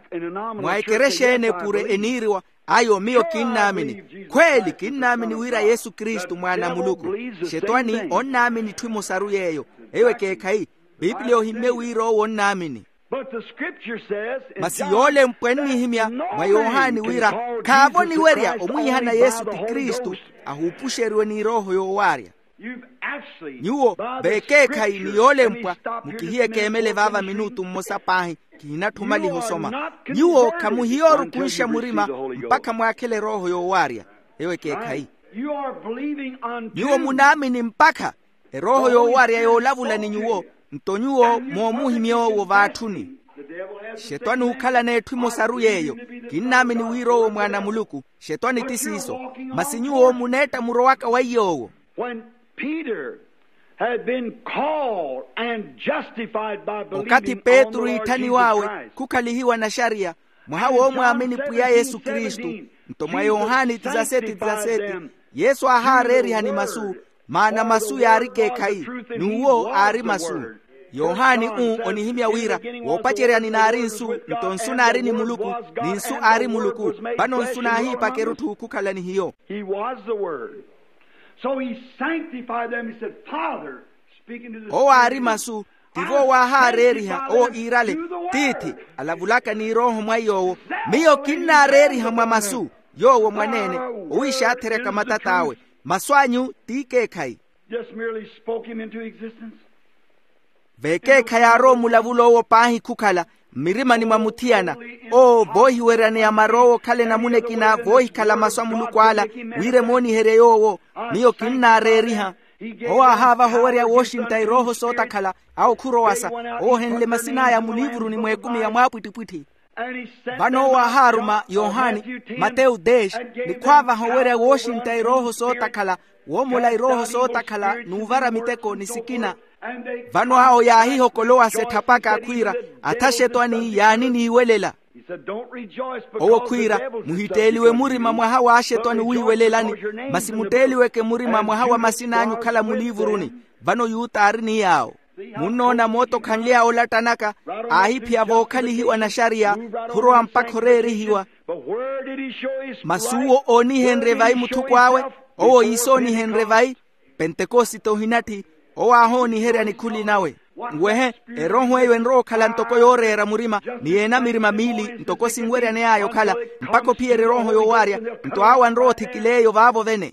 Mwa ekerexa ene pure eniiriwa. Ayo miyo kinnaamini. Khweeli kinnaamini wira yesu kristu mwaana a muluku. Xetwani onnaamini itthu emosaru yeeyo. Eyo ekeekhayi. Pipiliya ohimmye wira owo onnaamini. Masi yoolempwa ennihimya mwa yohani wira khaavo oniwerya omwiihana yesu ti kristu, ahuupuxeriwe ni erooho yoowaarya. Nyuwo veekeekhayi ni yoolempwa, mukihiye keemele vaava minutu mmosa paahi, kihinatthumaliha osoma. Nyuwo khamuhiya orukunxa murima mpakha mwaakhele erooho yoowaarya. Eyo ekeekhayi. Nyuwo munaamini mpakha erooho yoowaarya yoolavula ni nyuwo, nto nyuwo moomuhimya owo vaatthuni. Xetwani ookhalana etthu emosaru yeeyo. Kinnaamini wira owo mwaana a muluku. Xetwani ti siiso. Masi nyuwo muneetta murowaka weiya owo. When Peter had been called and justified by believing on the Lord Jesus Christ. Okathi petru iitthaniw'awe khukhalihiwa naxariya mwaha woomwaamini pwiya yesu kristu, nto mwa yohani tisaseti tisaseti, yesu aahaareerihani masu, maana masu yaari ekeekhayi, n'uwo aari masu. Yohani u onihimya wira woopaceryani naari nsu, nto nsu naari ni muluku, ni nsu aari muluku. Vano nsu naahiipaka erutthu khukhala ni hiyo. He was the Word. So he sanctified them. He said, Father, speaking to the owo aari masu, tivo waahaareeriha owo iirale, tiithi, alavulaka ni erooho mwa yoowo. Miyo kinnaareeriha mwa masu, yoowo mwaneene, owiixaatheryaka matat'awe. Masu anyu t'ikeekhayi. Just merely spoke him into existence. Veekeekhayi aarowa omulavula owo paahi khukhala mmirimani mwa muthiyana. Owo voohiweryaneya mara owo okhale namuna ekina voohikhala masu a muluku ala, wira emooniherye yoowo. Miyo kinnaareeriha. Owo aahaavaha owerya wooxintta erooho sootakhala. Awo khurowasa owo ohenle masin'aya muliivuruni mw'ekumi ya mwaapwittipwitthi. Vano owo aahaaruma yohani, mateyu dez, ni khwaavaha owerya wooxintta erooho sootakhala, woomola erooho sootakhala n'uvara miteko ni sikina. Vano awo yaahihokolowasa etthapaka khwiira, athaxetwani yaani niiwelela. Owo khwiira, muhitteeliwe murima mwaha w'axetwani wiiwelelani, masi mutteeliweke murima mwaha wa masin'anyu okhala muliivuruni. Vano yuta aari ni yaawo. Munnoona moota okhanly'awe olattanaka, aahiphiya vookhalihiwa naxariya, khurowa mpakha oreerihiwa. Masi uwo oonihenrye vayi muthukw'awe, owo iisoonihenrye vayi. Pentekosite ohinatthi, owo aahooniherya nikhuli nawe. Nwehe, erooho eyo enrowa okhala ntoko yooreera murima ni yeena mirima miili ntoko sinweryane aya okhala, mpakha ophiyerya erooho yoowaarya. Nto awo anrowa othikila eyo vaavo vene.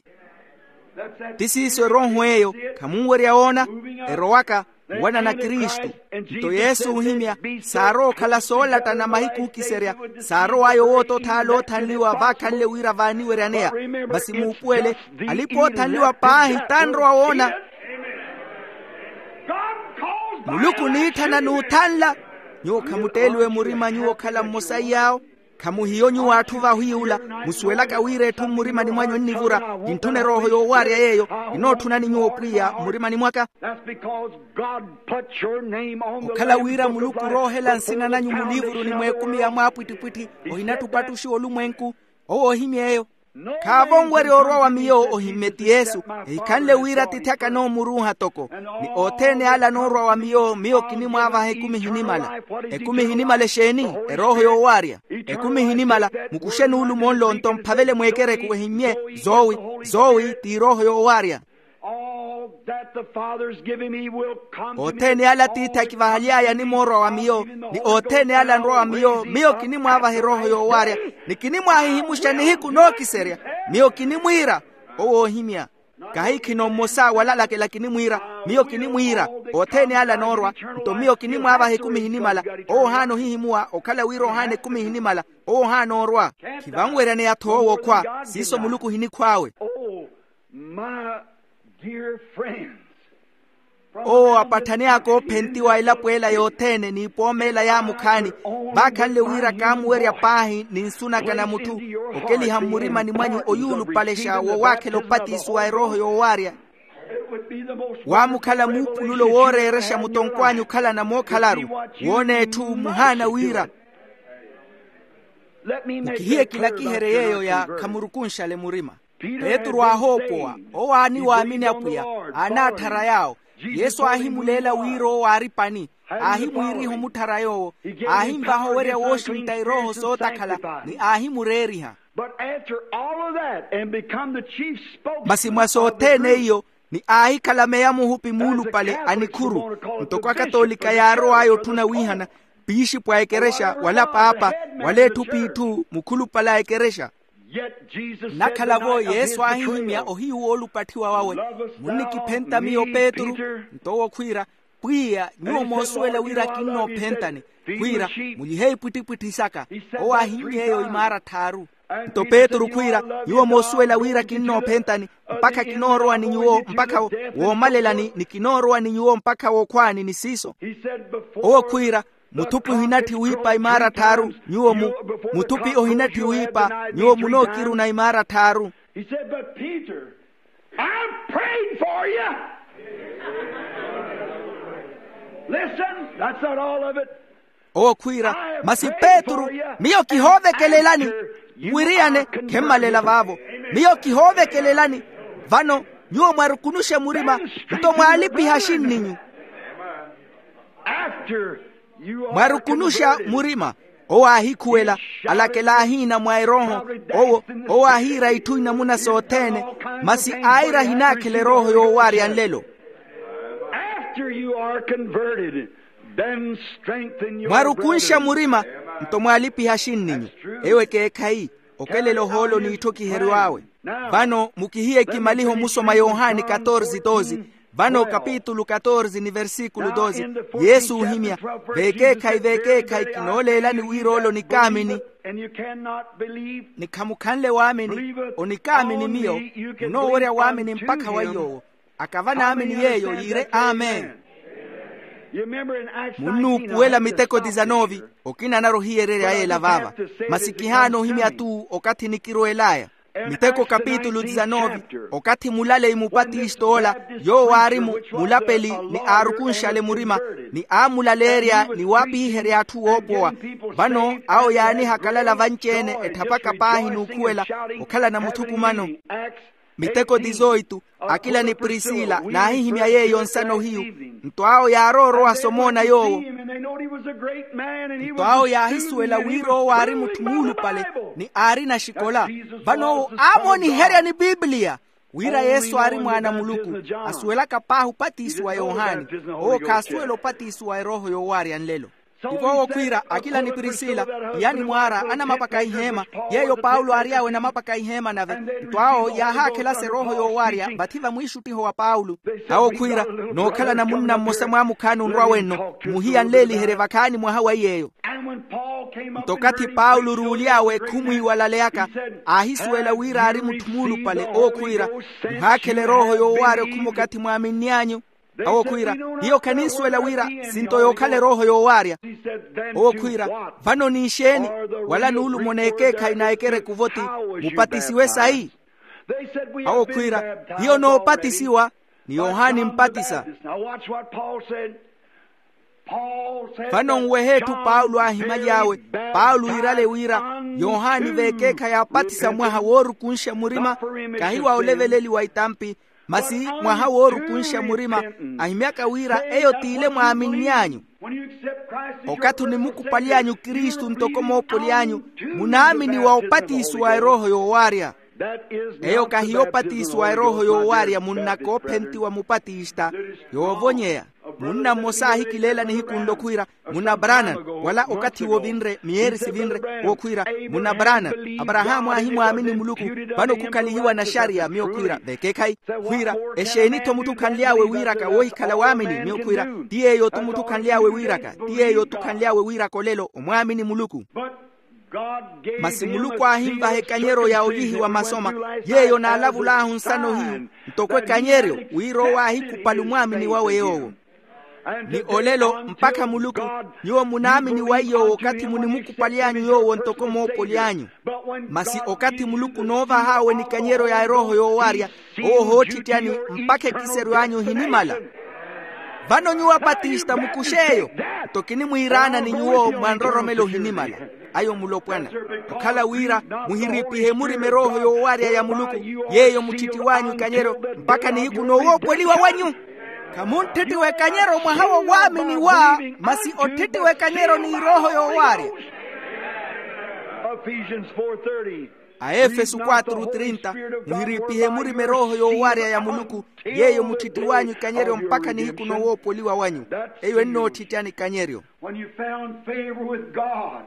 Ti siiso erooho eyo, khamunwerya woona, erowaka owanana kristu. Nto yesu oohimya, saarowa okhala soolattana mahiku ookiserya, saarow'aya owoota othaala oothanliwa vaakhanle wira vaaniweryaneya. Masi muupuwele, alipa oothanliwa paahi t'anrowa woona. Muluku oniitthana n'uthanla. Nyuwo khamutteeliwe murima nyuwo okhala mmosa iy'awo. Khamuhiyo nyuwo atthu vahwiiwula, musuwelaka wira etthu mmurimani mwanyu ennivura. Kintthuna erooho yoowaarya yeeyo. Kinootthunani nyuwo pwiya mmurimani mwaka. Okhala wira muluku oroohela nsina nanyu muliivuruni mw'ekumi ya mwaapwittipwitthi, ohinatthu opattuxiwa olumwenku. Owo ohimya eyo. Khaavo onwerya orwa wa miyo ohimmye ti yesu. Ehikhanle wira atiithi aka anoomuruuha toko. Ni othene ale anoorwa wa miyo miyo kinimwaavaha ekumi ehinimala. Ekumi ehinimala exeeni? Erooho yoowaarya. Ekumi ehinimala. Mukuxe nuulumo nlo nto mphavele mweekereku ehimmye. Zoowi, zoowi t'irooho yoowaarya. Othene ale atiithi akivahaly'aya animoorwa wa miyo, ni othene ale anrwa wa miyo miyo kinimwaavaha erooho yoowaarya, ni kinimwaahihimuxa nihiku nookiserya. Miyo kinimwiira. Owo oohimya. Kahikhino mmosa walalakela kinimwiira. Miyo kinimwiira. Othene ale anoorwa. Nto miyo kinimwaavaha ekumi ehinimala. Owo ohaana ohihimuwa okhala wira ohaana ekumi ehinimala. Owo ohaana orwa. Khivanweryaneya-tho owo okhwa. Siiso muluku ohinikhw'awe. My dear friends, owo apatthani aka oophentiwa elapo ela yothene n'ipooma ela yaamukhaani, vaakhanle wira kaamuwerya paahi ni nsu naka na mutthu okeliha mmurimani mwanyu oyuulupalexa wowaakhela opatiso wa erooho yoowaarya. Waamukhala muupululo wooreerexa mutonkw'anyu okhalana mookhalaru, woona etthu muhaana wira. Mukihiye kilakiherye yeeyo ya khamurukunxale murima. Petru aahoopowa, owo aaniwaamini apwiya, aanaatthara yaawo. Yesu aahimuleela wira owo aari pani. Aahimwiiriha omutthara yoowo. Aahinvaha owerya wooxintta erooho sootakhala ni aahimureeriha. Masi mwa sothene iyo, ni aahikhala meya muhupi muulupale a nikhuru. Ntoko akatoolika yaarow'aya otthuna wiihana, piixipwa a ekerexa wala paapa, wala etthu p'itthu mukhulupale a ekerexa. Nnakhala-vo yesu aahihimya ohiyu woolupatthiwa wawe, munnikiphenta miyo petru? Nto owo khwiira, pwiya nyuwo moosuwela wira kinnoophentani. Khwiira, mulihe ipwittipwitthi saka. Owo aahimya eyo imaara tthaaru. Nto petru khwiira, nyuwo moosuwela wira kinnoophentani, mpakha kinoorowa ni nyuwo mpakha wo- woomalelani ni kinoorowa ni nyuwo mpakha wookhwaani ni siiso. Owo khwiira, muthupwi ohinatthi wiipa imaara tthaaru nyuwo mu- muthupwi ohinatthi wiipa nyuwo munookiruna imaara tthaaru. He said, but Peter, I'm praying for you. Listen, that's not all of it. Owo khwiira, masi petru, miyo kihoovekelelani. Mwiriyane, khemmalela vaavo. Miyo kihoovekelelani. Vano nyuwo mwarukunuxe murima, nto mwaalipiha axinninyu. Mwarukunuxa murima. Owo aahikhuwela, alakela ahiina mwa erooho. Owo, owo aahiira itthu inamuna sothene, masi aira ahinaakhela erooho yoowaarya nlelo. After you are converted, then strengthen your mwarukunxa murima, nto mwaalipiha axinninyu. Eyo ekeekhayi. Okelela ohoolo n'itthokiheryo awe. Vano mukihiye ekimaliho musoma yohani katorze doze. Vano kapitulu katorze ni versikulu doze, yesu ohimya, vekeekhayi vekeekhayi kinooleelani wira ole onikaamini. Ni khamukhanle waamini. Onikaamini miyo, munoowerya waamini mpakha wa yoowo. Akava naamini yeeyo yiire amen. Munnuupuwela miteko tizanove. Okina anarwa ohiyererya yeela vaava. Masi kihaana ohimya-tu okathi nikirweel'aya. Miteko kapitulu tizanove. Okathi mulaleyi mupatist'ola, yoowo aari mu- mulapeli, ni aarukunxale murima, ni aamulaleerya ni waapihiherya atthu woopowa. Vano awo yaanihakalala vanci-ene etthapaka paahi n'ukhuwela, okhalana muthukumano. Miteko tizoitu. Akila ni prisila naahihimya yeeyo nsana ohiyu. Nto awo yaarowa orowa somoona yoowo. Nto awo yaahisuwela wira owo aari mutthu muulupale, ni aarina axikola. Vano owo aamooniherya ni pipiliya wira yesu aari mwaana a muluku. Asuwelaka paahi opatisiwa yohani. Owo khaasuwela opatisiwa erooho yoowaarya nlelo. Ivo owo khwiira, akila ni prisila, iyani mwaara anamapaka iheema, yeeyo paulo aary'awe namapaka iheema nave. Nto awo yaahaakhelasa erooho yoowaarya vathi vamwiixuttiho wa paulo. Awo khwiira, nookhalana munna mmosa mwaamukhaani onrwa wenno, muhiya nleeliherye vakhaani mwaha wa iy'eyo. Nto okathi paulo oruuly'awe ekhumwi iwalaleyaka, aahisuwela wira aari mutthu muulupale owo khwiira, muhaakhela erooho yoowaarya okhuma okathi mwaaminn'anyu. Awo khwiira, hiyo khaninsuwela wira sinto yookhala erooho yoowaarya. Owo khwiira, vano ninxeeni? Wala nuulumo n'ekeekhayi na ekereku voti, mupatisiwe sayi? Awo khwiira, hiyo noopatisiwa, ni yohani mpatisa. Vano nwehe etthu paulo aahimaly'awe. Paulo iirale wira, yohani veekeekhayi aapatisa mwaha woorukunxa murima, kahi wa oleveleliwa itampi, masi mwaha woorukunxa murima, ahimyaka wira eyo t'ile mwaaminn'anyu. Okathi onimukupaly'anyu kristu ntoko moopoli anyu, munaamini wa opatisiwa erooho yoowaarya. Eyo kahiyo opatisiwa erooho yoowaarya munnakoophentiwa mupatista. Yoovonyeya. Munna mmosa aahikileela nihiku nlo khwiira, munna branan, wala okathi-wo vinre miyeeri sivinre, wokhwiira, munna branan, aparahaamu aahimwaamini muluku. Vano khukhalihiwa naxariya miyo khwiira veekeekhayi. Khwiira, exeeni-tho mutthu khanly'awe wiiraka woohikhala waamini miyo khwiira? Ti yeeyo-tu mutthu khanly'awe wiiraka ti yeeyo-tu khanly'awe wiiraka olelo omwaamini muluku. Masi muluku aahinvaha ekanyeryo ya ovihiwa masoma, yeeyo naalavul'ahu nsana ohiyu, ntoko ekanyeryo wira owo aahikupale omwaamini wawe yoowo. Ni olelo mpakha muluku, nyuwo munaamini wa iy'owo okathi munimukupaly'anyu yoowo ntoko moopoli anyu. Masi okathi muluku onoovah'awe nikanyeryo ya erooho yoowaarya, owo ohootthittyani mpakha ekiseryo anyu ohinimala. Vano nyuwo apatista mukux'eyo, nto kinimwiiraana ni nyuwo mwanroromela ohinimala. Ayo mulopwana. Okhala wira muhiriipihe murima erooho yoowaarya ya muluku, yeeyo mutthittiw'anyu ikanyeryo mpakha nihiku noowoopoliwa wanyu. Khamunttittiwa ekanyeryo mwaha wowaaminiwa, masi otthittiwa ekanyeryo n'irooho yoowaarya. Ephesians four thirty. A efesu quatro trinta, muhiriipihe murima erooho yoowarya ya muluku, yeeyo mutthittiw'anyu ikanyeryo mpakha nihiku nowoopoliwa wanyu. Eyo ennootthittyani ikanyeryo. When you found favor with God,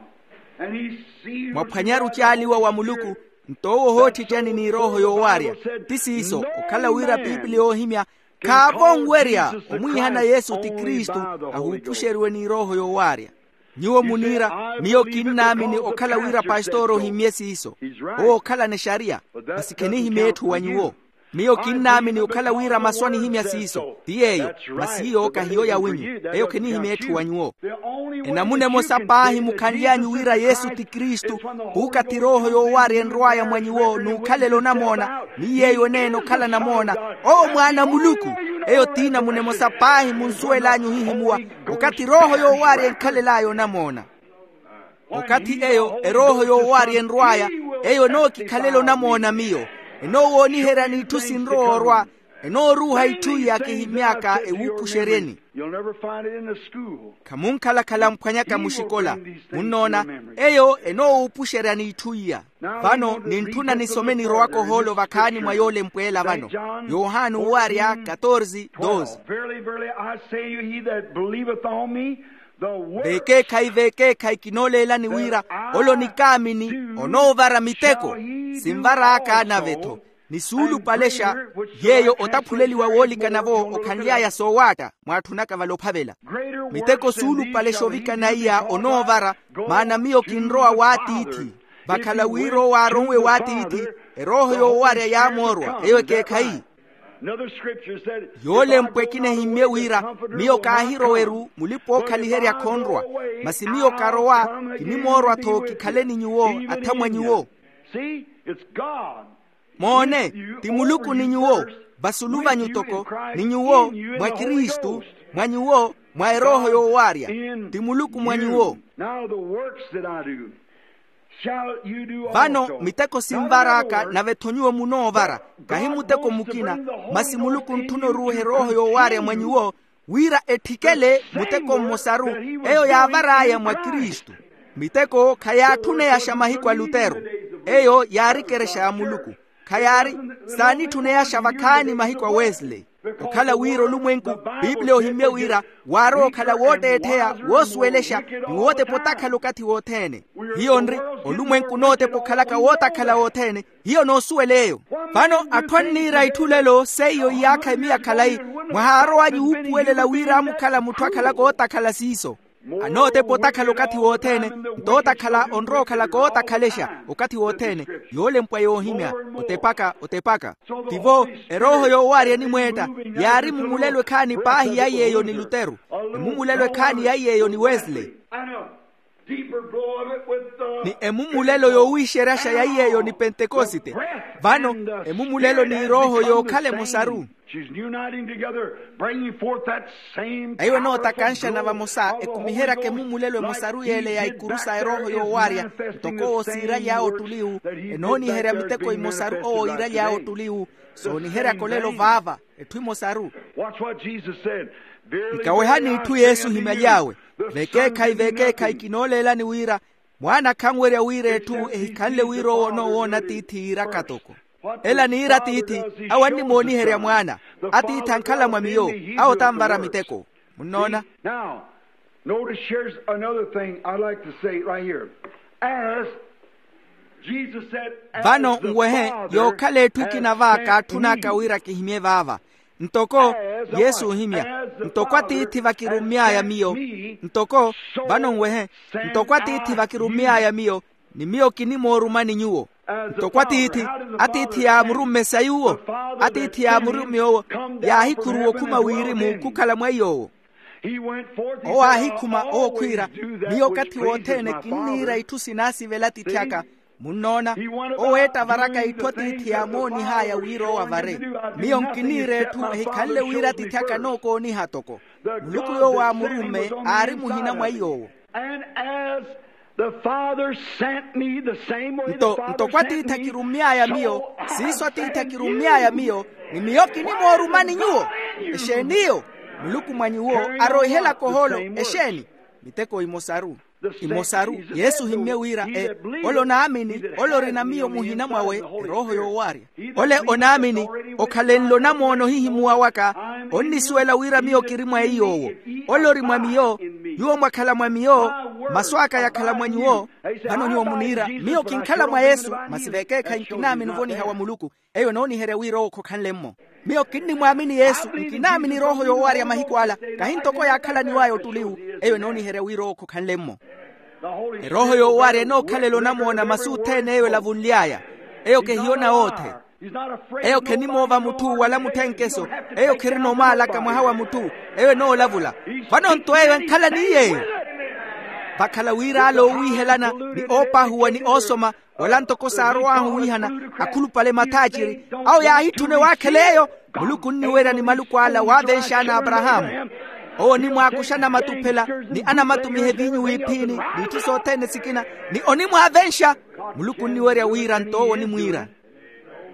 and he sealed you. Mwaphwanyaru caaliwa wa muluku, nto owo ohootthittyani n'irooho yoowarya. Ti siiso okhala wira piipili yoohimya, khaavo onwerya omwiihana yesu ti kristu, ahuupuxeriwe n'irooho yoowarya. Nyuwo muniira, miyo kinnaamini okhala wira pastor ohimmye siiso. Owo okhalana exariya, masi khenihimya etthu wa nyuwo. Miyo kinnaamini okhala wira masu anihimya siiso ti yeeyo, masi iyo kahiyo yawinyu. Eyo khenihimya etthu wa nyuwo. Enamuna emosa paahi mukhanly'anyu wira yesu ti kristu, khuukathi erooho yoowarya enrw'aya mwa nyuwo n'ukhalela onamoona, ni yeeyo eneena okhala namoona, owo mwaana a muluku. Eyo t'inamuna emosa paahi munsuwel'anyu ohihimuwa, okathi erooho yoowarya enkhalel'aya onamoona. Okathi eyo erooho yoowarya enrw'aya, eyo enookikhalela onamoona miyo, enoowooniherya n'itthu sinrowa orwa, enooruuha itthu iya kihimy'aka ewuupuxeryeni. You'll never find it in the school. Khamunkhalakhala mphwanyaka muxikola. Munnoona, eyo enoowuupuxerya n'itthu iya. Vano nintthuna nisome nirowaka ohoolo vakhaani mwa yoolempweela vano. Yohani owarya katorze doze. Verily, verily, I say you, he that believeth on me, the works. Vekeekhayi vekeekhayi kinooleelani wira, ole onikaamini onoovara miteko. Sinvar'aka nave-tho, ni suulupalexa yeeyo otaphuleliwa woolikana-vo okhanly'aya soowaatta mwaatthunaka vale ophavela. Miteko suulupalexa ovikana iya onoovara, maana miyo kinrowa w'atiithi. Vakhala wira owo aaronwe w'atiithi, erooho yoowarya yaamoorwa eyo ekeekhayi. Yoolempwa ekina ehimmye wira, miyo kaahirowa-ru mulipa-ookhaliherya khonrwa, masi miyo karowa, kinimoorwa-tho kikhale ni nyuwo, athamwa nyuwo. Moone, ti muluku ni nyuwo, vasulu vanyu toko, ni nyuwo, mwa kristu, mwa nyuwo, mwa erooho yoowarya. Ti muluku mwa nyuwo. Vano miteko sinvar'aka nave-tho nyuwo munoovara, kahi muteko mukina, masi muluku ontthuna oruuha erooho yoowarya mwa nyuwo, wira etthikele muteko mmosaru, eyo yaavar'aya mwa kristu. Miteko khayaatthuneyaxa mahiku a lutero, eyo yaarikerexa ya muluku. Khayaari, saanitthuneyaxa vakhaani mahiku a wesley. Okhala wira olumwenku, pipiliya ohimmye wira, waarowa okhala wootteettheya woosuwelexa, ni wootepa otakhala okathi wothene. Hiyo nri, olumwenku onootepa okhalaka wootakhala wothene. Hiyo noosuwela eyo. Vano atthu anniira itthu lelo seiyo iyaakha emiya khalayi, mwahaarowanyu wuupuwelela wira amukhala mutthu akhalaka ootakhala siiso. Anootepa otakhala okathi wothene, nto otakhala onrowa okhala kootakhalexa. Okathi wothene, yoolempwa yoohimya, otepaka otepaka. Tivo, erooho yoowarya enimweetta, yaari mumulelo ekhaani paahi ya yeeyo ni lutero, emumulelo ekhaani ya yeeyo ni wesley, ni emumulelo yoowixeryaxa ya yeeyo ni pentekosite. Vano emumulelo n'irooho yookhala emosaru. Eyo enootakanxana vamosa ekumiheryaka emumulelo emosaru yeele ya ikuru sa erooho yoowarya, ntoko owo siiraly'awe ottuliwu, enooniherya miteko emosaru owo iiraly'awe ottuliwu. Sooniheryaka olelo vaava, etthu emosaru. Nkawehani itthu yesu ohimaly'awe. Vekeekhayi vekeekhayi kinooleelani wira, mwaana khanwerya wira etthu ehikhanle wira owo onoowoona atiithi yiiraka toko. Ela niira atiithi, awo annimooniherya mwaana. Atiithi ankhala mwa miyo, awo tanvara miteko. Munnoona? Now, notice here's another thing I'd like to say right here. As Jesus said, vano nwehe, yookhala etthu ekina va kaatthun'aka wira kihimye vaava. Ntoko yesu ohimya, ntoko atiithi vakirummy'aya miyo, ntoko vano nwehe, ntoko atiithi vakirummy'aya miyo, ni miyo kinimoorumani nyuwo. Ntoko atiithi, atiithi yaamurumme sayuwo, atiithi yaamurumme owo, yaahikhuruwa okhuma wirimu khukhala mwa iy'owo. Owo aahikhuma owo khwiira, miyo okathi wothene kinniira itthu sinaasivela atiithi aka. Munnoona, oweetta avaraka itthu atiithi yaamoonih'aya wira owo avare. Miyo nkiniira etthu ehikhanle wira atiithi aka anookooniha toko. Muluku yoowo aamurumme aari muhina mwa iy'owo. And as the Father sent me, the same way the Father sent me, nto ntoko atiithi akirummy'aya miyo, siiso atiithi akirummy'aya miyo, ni miyo kinimoorumani nyuwo. Exeen'iyo? Muluku mwa nyuwo aroihelaka ohoolo. Exeeni? Miteko emosaru. Imosaru, yesu ohimmye wira e, ole onaamini, ole orina miyo muhina mwawe, erooho yoowarya. Ole onaamini, okhalenle onamoono ohihimuwa waka, onnisuwela wira miyo kiri mwa eiy'owo. Ole ori mwa miyo, nyuwo mwakhala mwa miyo, masu aka yakhala mwa nyuwo. Vano nyuwo muniira, miyo kinkhala mwa yesu, masi vekeekhayi nkinaamini ovoniha wa muluku. Eyo enooniherya wira owo khokhanle-mmo. Miyo kinnimwaamini yesu, nkinaamini erooho yoowarya mahiku ala. Kahi ntoko yaakhalaniw'aya ottuliwu. Eyo enooniherya wira owo khokhanle-mmo. Erooho yoowarya enookhalela onamoona masu othene eyo elavunly'aya. Eyo kehiyona oothe. Eyo khenimoova mutthu wala mutthenkeso. Eyo khirina omaalaka mwaha wa mutthu. Eyo enoolavula. Vano-nto eyo enkhala ni yeeyo. Vakhala wira ala oowiihelana, ni oopahuwa ni oosoma, wala ntoko saarow'ahu wiihana, akhulupale mathaaciri, awo yaahitthuna ewaakhela eyo. Muluku onniwerya ni maluku ala waavenx'ana aparahaamu. Owo onimwaakuxa anamatuphela, ni anamatumiha eviinyu w'iphini, n'itthu sothene sikina, ni onimwaavenxa. Muluku onniwerya wira nto owo onimwiira.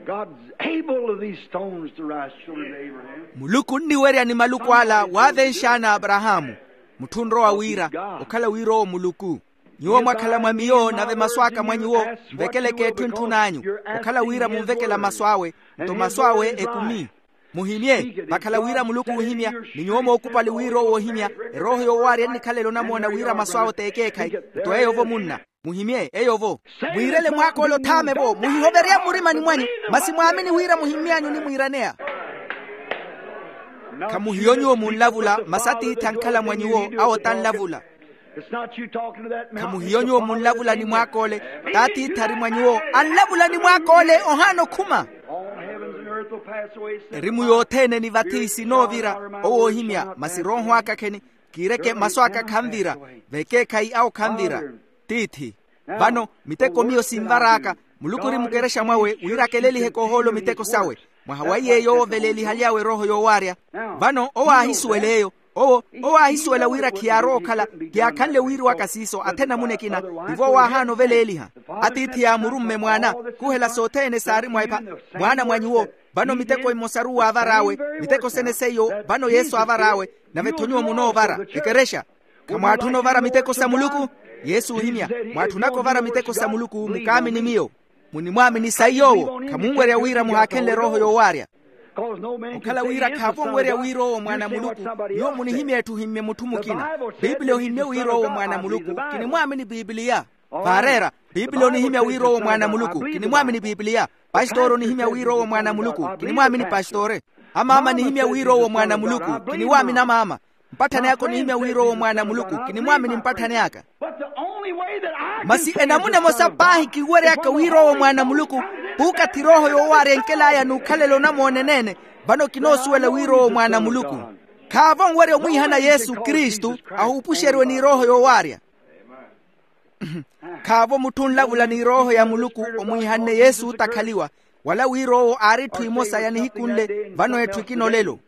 God's able of these stones to rise children of Abraham. Muluku onniwerya ni maluku ala waavenx'ana aparahaamu. Mutthu onrowa wira, okhala wira owo muluku. Nyuwo mwakhala mwa miyo nave masu aka mwa nyuwo, nvekeleke etthu entthun'anyu. Okhala wira munvekela masu awe, nto masu awe ekumi. Muhimye. Vakhala wira muluku oohimya, ni nyuwo mookupali wira owo oohimya. Erooho yoowarya ennikhalela onamoona wira masu awe t'ekeekhayi. Nto eyo-vo munna. Muhimye eyo-vo. Mwiirele mwaak'ole othaame-vo, muhihoverye mmurimani mwanyu. Masi mwaamini wira muhimmy'anyu onimwiiraneya. Khamuhiyo nyuwo munlavula, masi atiithi ankhala mwa nyuwo, awo tanlavula. Khamuhiyo nyuwo munlavula ni mwaak'ole, t'atiithi ari mwa nyuwo, anlavula ni mwaak'ole ohaana okhuma. Erimu yothene ni vathi sinoovira. Owo oohimya, masi erooho aka kheni, kiireke masu aka khanvira. Vekeekhayi awo khanvira. Tiithi. Vano miteko miyo sinvar'aka. Muluku ori mukerexa mwawe wira akeleliheke ohoolo miteko sawe. Mwaha wa iye yoowo oveleelihaly'awe erooho yoowarya. Vano owo aahisuwela eyo. Owo owo aahisuwela wira khiyaarowa okhala. Khiyaakhanle wiiriwaka siiso athe namuna ekina. Tivo owo aahaana oveleeliha. Atiithi yaamurumme mwaana, khuhela sothene saari mwa epha. Mwaana mwa nyuwo. Vano miteko emosaru waavar'awe. Miteko sene seiyo vano yesu aavar'awe. Nave-tho nyuwo munoovara ekerexa. Khamwaatthuna ovara miteko sa muluku? Yesu oohimya, mwaatthunaka ovara miteko sa muluku mukaamini miyo. Munimwaamini sayi yoowo khamunwerya wira muhaakhenle erooho yoowarya. Okhala wira khaavo onwerya wira owo mwaana a muluku. Nyuwo munihimya etthu ohimmye mutthu mukina. Piipiliya ohimmye wira owo mwaana a muluku. Kinimwaamini piipiliya. Vaareera, piipiliya onihimya wira owo mwaana a muluku. Kinimwaamini piipiliya. Pastori onihimya wira owo mwaana a muluku. Kinimwaamini pastore. Amaama anihimya wira owo mwaana a muluku. Kinimwaamini amaama. Mpatthani aka onihimya wira owo mwaana a muluku. Kinimwaamini mpatthani aka. Masi enamuna emosa paahi kinwery'aka wira owo mwaana a muluku, puukathi erooho yoowarya enkel'aya n'ukhalela onamoona eneene. Vano kinoosuwela wira owo mwaana a muluku. Khaavo onwerya omwiihana yesu kristu, ahuupuxeriwe n'erooho yoowarya. Khaavo mutthu onlavula n'erooho ya muluku omwiihanne yesu otakhaliwa, wala wira owo aari etthu emosa ya nihiku nle. Vano etthu ekina olelo.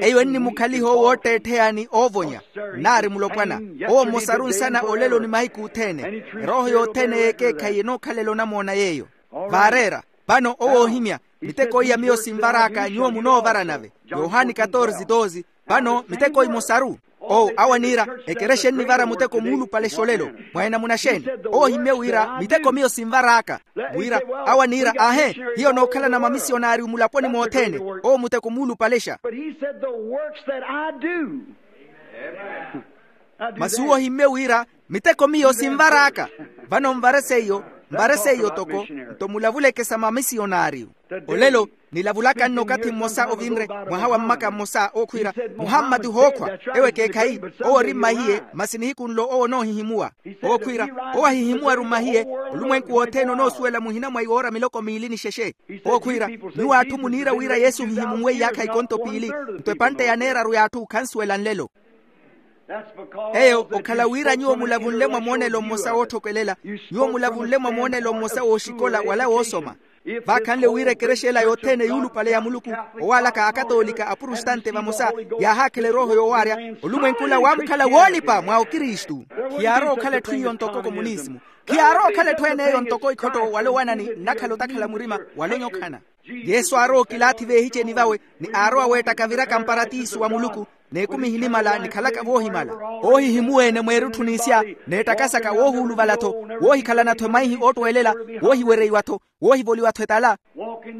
Eyo ennimukhaliha owo ootteettheya ni oovonya. Nnaari mulopwana. Owo mmosaru nsana olelo ni mahiku othene. Erooho yothene y'ekeekhayi enookhalela onamoona yeeyo. Vaareera. Vano owo oohimya, miteko iya miyo sinvar'aka nyuwo munoovara nave. Yohani katorze doze. Vano miteko emosaru. Owo awo aniira, ekerexa ennivara muteko muulupale xolelo. Mwa enamuna xeeni? Owo ohimmye wira miteko miyo sinvar'aka. Wira awo aniira aahe, hiyo nookhalana mamisiyonari mulaponi mothene. Owo muteko muulupalexa. Masi uwo ohimmye wira miteko miyo sinvar'aka. Vano nvare seiyo, nvare seiyo toko. Nto mulavuleke sa mamisiyonariyu. Olelo nilavulaka nno okathi mmosa ovinre, mwaha wa mmaka mmosa ookhwiira, muhammati ohookhwa. Ewo ekeekhayi. Owo ori mmahiye, masi nihiku nlo owo onoohihimuwa. Ookhwiira, owo ahihimuwaru mmahiye. Olumwenku wothene onoosuwela muhina mwa iwoora miloko miili ni xexe. Ookhwiira, nyuwo atthu muniira wira yesu ohihimunwe iyaakha ikonto piili. Nto epantte ya neeraru y'atthu khansuwela nlelo. Eyo okhala wira nyuwo mulavunle mwa moonelo mmosa wootthokelela. Nyuwo mulavunle mwa moonelo mmosa wooxikola wala woosoma. Vaakhanle wira ekerexa ela yothene yuulupale ya muluku, owaalaka akatoolika apurustante vamosa, yaahaakhela erooho yoowaarya. Olumwenkula waamukhala woolipa mwa okristu. Khiyaarowa okhala etthu iyo ntoko komunisimu. Khiyaarowa okhala etthu ene eyo ntoko ikhotto wala owanani nnakhala otakhala murima wala onyokhana. Yesu aarowa okilaathi veehiceni vawe, ni aarowa weettaka aviraka mparatiso wa muluku. N'ekumi ehinimala nikhalaka voohimala, oohihimuwa-ene mweerutthu n'isya, n'ettakasaka woohuuluvala-tho, woohikhalana-tho emaihi oottweelela, woohiwereiwa-tho, woohivoliwa-tho etala.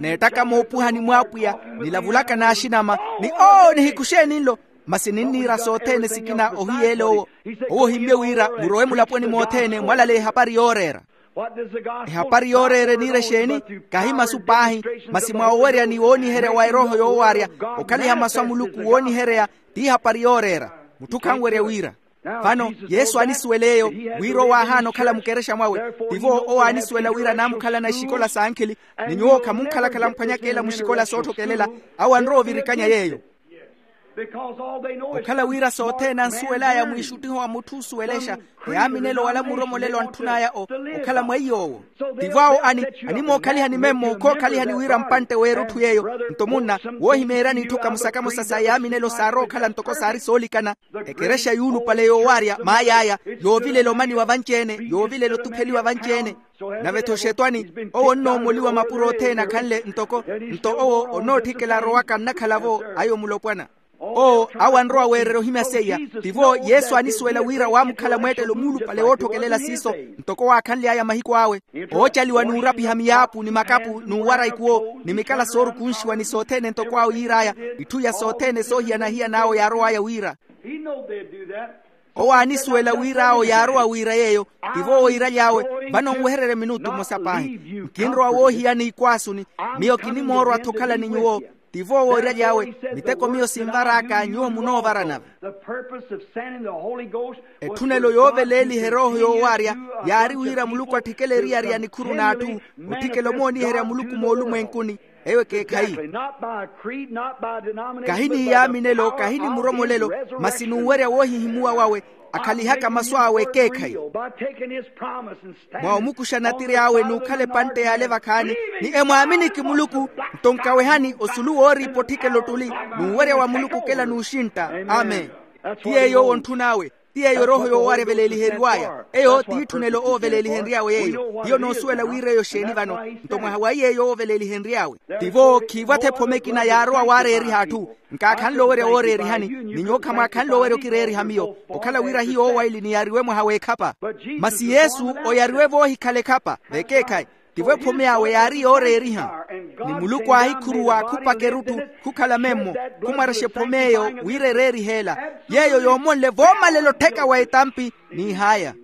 N'ettaka moopuhani mw'apwiya, nilavulaka n'axinama, ni oo nihikuxe ninlo. Masi ninniira sothene sikina ohiyeele owo. Owo ohimmye wira murowe mulaponi mothene mwalaleya ehapari yooreera. Ehapari yooreera eniira exeeni? Kahi masu paahi, masi mwa owerya ni wooniherya wa erooho yoowaarya, okhaliha masu a muluku wooniherya, t'ihapari yooreera. Mutthu khanwerya wira. Vano yesu aanisuwela eyo, wira owo aahaana okhala mukerexa mwawe. Tivo owo aanisuwela wira naamukhalana exikola s'ankhili, ni nyuwo khamunkhalakhala mphwanyaka ela muxikola sootthokelela. Awo anrowa ovirikanya yeeyo. Okhala wira sothene ansuwel'aya mwiixuttiho wa mutthu osuwelexa, eyaaminelo wala muromolelo antthun'aya okhala mweiy'owo. Tivo awo ani, animookhaliha ni memmo khookhalihani wira mpantte w'erutthu yeeyo. Nto munna, woohimeeryani itthu kamosa-kamosa sa eyaaminelo saarowa okhala ntoko saari soolikana. Ekerexa yuulupale yoowaarya maay'aya, yoovilela omaniwa vanci-ene, yoovilela otupheliwa vanci-ene. Nave-tho xetwani, owo onnoomoliwa mapuro othene akhanle ntoko, nto owo onootthikela arowaka nnakhala-vo. Ayo mulopwana. Oo awo anrowa weererya ohimya seiya. Tivo yesu aanisuwela wira waamukhala mweettelo muulupale wootthokelela siiso, ntoko waakhanly'aya mahiku awe, oocaliwa n'urapiha miyaapu ni makapu n'uwara ikuwo ni mikala soorukunxiwa ni sothene ntoko awo yiir'aya. Itthu iya sothene soohiyana-hiyan'awo yaarow'aya wira. Owo aanisuwela wira awo yaarowa wira yeeyo. Tivo owo yiiraly'awe, vano nwehererye minutu mmosa paahi. Nkinrowa woohiyana ikwaasuni. Miyo kinimoorwa-tho okhala ni nyuwo. Tivo owo yiiraly'awe, miteko miyo sinvar'aka nyuwo munoovara nave. Etthunelo yooveleeliha erooho yoowaarya yaari wira muluku atthikele eriyari ya nikhuru n'atthu, otthikela omooniherya muluku moolumwenkuni. Eyo ekeekhayi. Kahi ni yaaminelo, kahi ni muromolelo, masi n'uwerya woohihimuwa wawe, akhalihaka masu awe ekeekhayi. Mwa omukuxa natiri awe n'ukhala epantte y'ale vakhaani, ni emwaaminiki muluku. Nto nkawehani osulu wooriipa otthikela ottuli, n'uwerya wa muluku okela n'uxintta. Amen. Ti yeeyo owo ontthun'awe. Ti yeeyo erooho yoowaarya eveleeliheriw'aya. Eyo ti itthunelo owo oveleelihenry'awe yeeyo. Hiyo noosuwela wira eyo xeeni vano. Nto mwaha wa yeeyo owo oveleelihenry'awe. Tivo khiivwa-tho ephome ekina yaarowa waareeriha atthu. Nkaakhanle owerya wooreerihani, ni nyuwo khamwaakhanle owerya okireeriha miyo, okhala wira hiyo owo aili niyaariwe mwaha w'ekhapa. Masi yesu oyariwe voohikhala ekhapa vekeekhayi. Tivo ephome awe yaari yooreeriha. Ni muluku aahikhuruwa khupaka erutthu, khukhala memmo, khumwarexa ephome eyo wira ereerihe ela. Yeeyo yoomonle voomalela ottheka wa etampi. N'ihaya.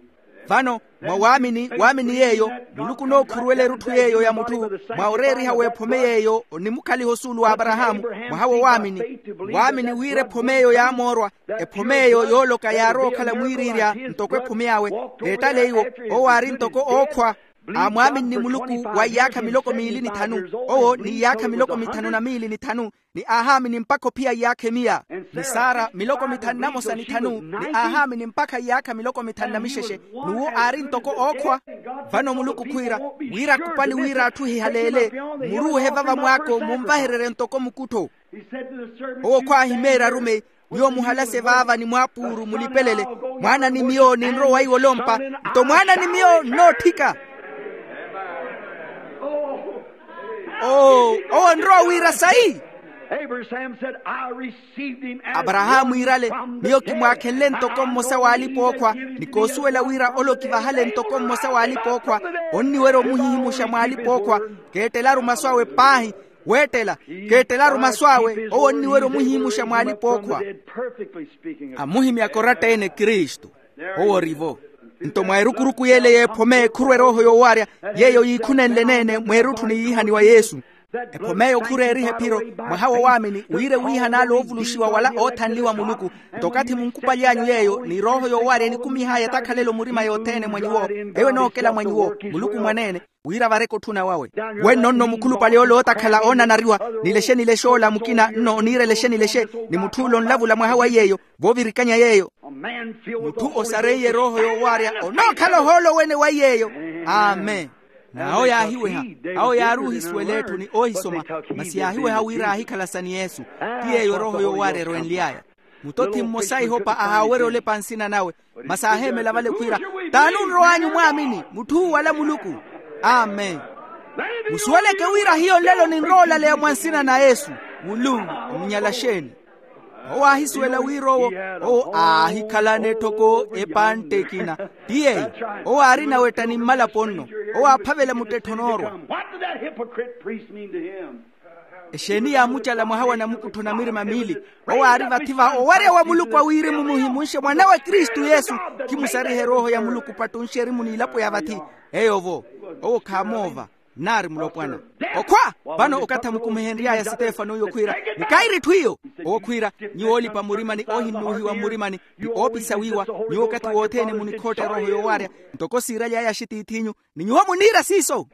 Vano mwa waamini waamini yeeyo, muluku onookhuruwela erutthu yeeyo ya mutthu. Mwa oreeriha w'ephome yeeyo onimukhaliha osuulu w'aparahaamu, mwaha wo waamini. Waamini wira ephome eyo yaamoorwa. Ephome eyo yooloka yaarowa okhala mwiiriirya ntoko ephome awe. Veettale iwo, owo aari ntoko ookhwa. Aamwaaminni muluku wa iyaakha miloko miili ni thanu. Owo ni iyaakha miloko mithanu na miili ni thanu. Ni aahaamini mpakha ophiya iyaakha emiya. Ni sara miloko mithanu na mosa ni thanu ni aahaamini mpakha iyaakha miloko mithanu na mixexe. N'uwo aari ntoko ookhwa. Vano muluku khwiira wira akupali wira atthu ehihaleele. Muruuhe vava mwaako munvahererye ntoko mukuttho. Owo khwaahimeerya arumeyi. Nyuwo muhalase vaava ni mwaapuuru mulipelele. Mwaana ni miyo ninrowa iwolompa. Nto mwaana ni miyo nnootthika. Oo owo onrowa wira sayi. Abrahaamu iirale, miyo kimwaakhenle ntoko mmosa w'alipa-ookhwa. Ni koosuwela wira ole okivahale ntoko mmosa w'alipa-ookhwa. Onniwerya omuhihimuxa mw'alipa-ookhwa. Keettelaru masu awe paahi. Weettela, keettelaru masu awe owo onniwerya omuhihimuxa mw'alipa-ookhwa. Amuhimyaka oratta-ene kristu. Owo orivo. Nto mwa erukuruku y'ele y'ephome khurwa erooho yoowaarya, yeeyo yiikhunenle-ene mweerutthu ni yiihaniwa yesu. Ephome eyo khureeriha ephiro, mwaha wo waamini wira ewiihan'ale oovuluxiwa wala oothanliwa muluku. Nto okathi munkupaly'anyu yeeyo ni erooho yoowaarya enikumih'aya etakhalelo murima yothene mwa nyuwo. Eyo enookela mwa nyuwo, muluku mwaneene. Wira vareke otthuna wawe. Wenno nno mukhulupale ole ootakhala oonanariwa, nilexe nilexe ola mukina nno oniira elexe nilexe. Ni mutth'ule onlavula mwaha wa yeeyo, voovirikanya yeeyo. Mutthu osareiye erooho yoowaarya onookhala ohoolo wene wa yeeyo. Amen. N'awo yaahiweha. Awo yaari ohisuwela etthu ni oohisoma. Masi yaahiweha wira aahikhalasa ni yesu. Ti yeeyo erooho yoowaarya erwenly'aya. Mutothi mmosa ihopa ahaawerya olepa nsina nawe. Masi aaheemela vale khwiira, t'ani onrow'anyu mwaamini mutth'uwu wala muluku? Amen. Musuweleke wira hiyo nlelo ninrowa olaleya mwa nsina na yesu. Muluku omunyala exeeni? Owo aahisuwela wira owo, owo aahikhalana etthoko epantte ekina. Ti yeeyo. Owo aarina wetta ni mmalapo nno. Owo aaphavela muttettho noorwa. What did that hypocrite priest mean to him? Exeeni yaamucala mwaha wa namukuttho na mirima miili? Owo aari vathi va owarya wa muluku a wirimu muhimunxe mwanawe kristu yesu. Khimusarihe erooho ya muluku pattunxe erimu n'ilapo ya vathi. Eyo-vo. Owo khaamoova. Nnaari mulopwana. Okhwa. Vano okathi amukumihenry'aya sitefano oyo khwiira, mukairi etthu iyo. Owo khwiira, nyuwo oolipa murimani ohinnuuhiwa mmurimani, ni oopisa wiiwa. Nyuwo okathi wothene munikhootta erooho yoowaarya, ntoko siiraly'aya axitiith'inyu, ni nyuwo muniira siiso.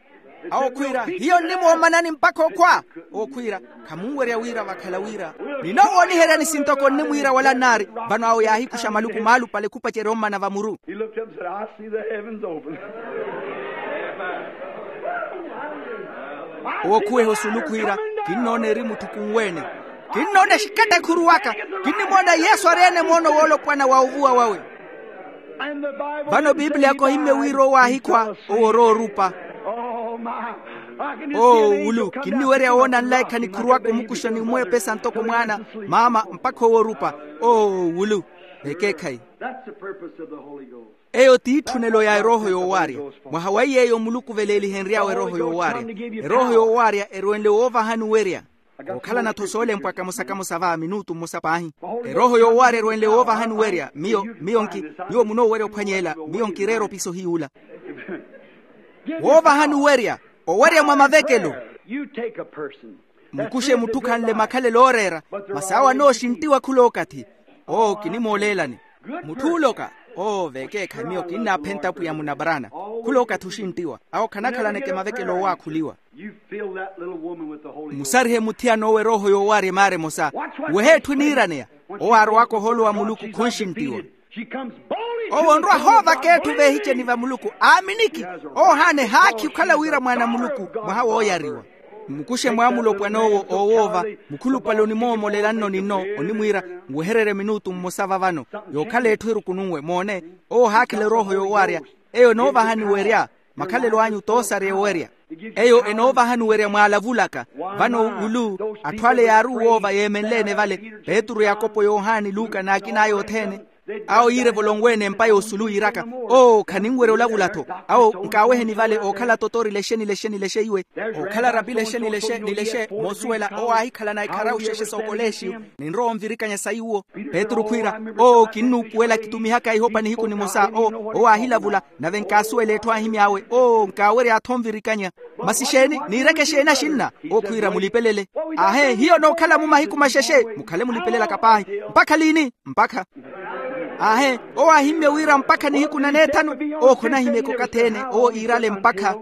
Awo khwiira, hiyo nnimoomanani mpakha okhwa. Owo khwiira, khamunwerya wira vakhala wira. Ninoowooniheryani sintoko nnimwiira wala nnaari. Vano awo yaahikuxa maluku maalupale khupacerya ommana va muru. He looked up and said, I see the heavens open. Owo khuweha osulu khwiira, kinnoona eri mutthu kunweene. Kinnoona exikatta ekhuruwaka. Kinnimoona yesu ari-ene moono woolopwana wa ovuwa wawe. Vano pipiliyaka ohimmye wira owo aahikhwa, owo oroorupa. Oo wulu, kinniwerya woona nlaikha nikhuruwaka omukuxa ni omweepesa ntoko mwaana, maama, mpakha owo orupa. Oo wulu. Vekeekhayi. Eyo t'itthunelo ya erooho yoowaarya. Mwaha wa iy'eyo muluku veleelihenry'awe erooho yoowaarya. Erooho yoowaarya erwenle woovahani werya. Ookhalana-tho soolempwa kamosa-kamosa va minutu mmosa paahi. Erooho yoowaarya erwenle woovahani werya miyo miyo nki, nyuwo munoowerya ophwanyeela. Miyo nkireera opiso hiy'ula. Woovahani werya. Owerya mwa mavekelo. Mukuxe mutthu khanle makhalelo ooreera. Masi awo anooxinttiwa khul'okathi. Oo kinimooleelani. Mutth'ule oka. Oo vekeekhayi miyo kinnaaphenta pwiya munabarana. Khul'okathi oxinttiwa awo khanakhalaneke mavekelo oowaakhuliwa. Musarihe muthiyan'owo erooho yoowaarya emaara emosa. Wehe etthu eniiraneya. Owo aarowaka ohoolo wa muluku khunxinttiwa. Owo onrwa hoovaka etthu veehiceni va muluku aaminiki. Owo ohaana ehaakhi okhala wira mwaana a muluku mwaha wooyariwa. Mmukuxe mwaamulopwan'owo oowoova. Mukhulupale onimoomolela nno ninno onimwiira, nwehererye minutu mmosa va vano. Yookhala etthu erukununwe moone. Owo ohaakhela erooho yoowaarya. Eyo enoovahani werya. Makhalelo anyu t'osarya owerya. Eyo enoovahani werya mwaalavulaka. Vano wulu atthu ale yaari owoova yeemenle-ene vale. Petru yakopo yohani luka n'akin'aya othene. Awo yiire volonweene empa y'osulu yiiraka, oo khaninwerya olavula-tho. Awo nkaaweheni vale ookhala totori lexe ni lexe ni lexe iwe. Ookhala rapi lexe ni lexe ni lexe moosuwela owo aahikhalana ekharawu xexe s'okolexiyo. Ninrowa onvirikanya sayi uwo. Petru khwiira, oo kinnuupuwela kitumihaka ihopa nihiku nimosa. Oo owo aahilavula. Nave nkaasuwela etthu aahimy'awe oo nkaawerya athu onvirikanya. Masi xeeni niireke xeeni axinna? Owo khwiira mulipelele. Aahe hiyo nookhala-mu mahiku maxexe. Mukhale mulipelelaka paahi. Mpakha liini? Mpakha. Aahe owo aahimmye wira mpakha nihiku na neethanu. Owo khonahimyeke okathi-ene owo iirale mpakha.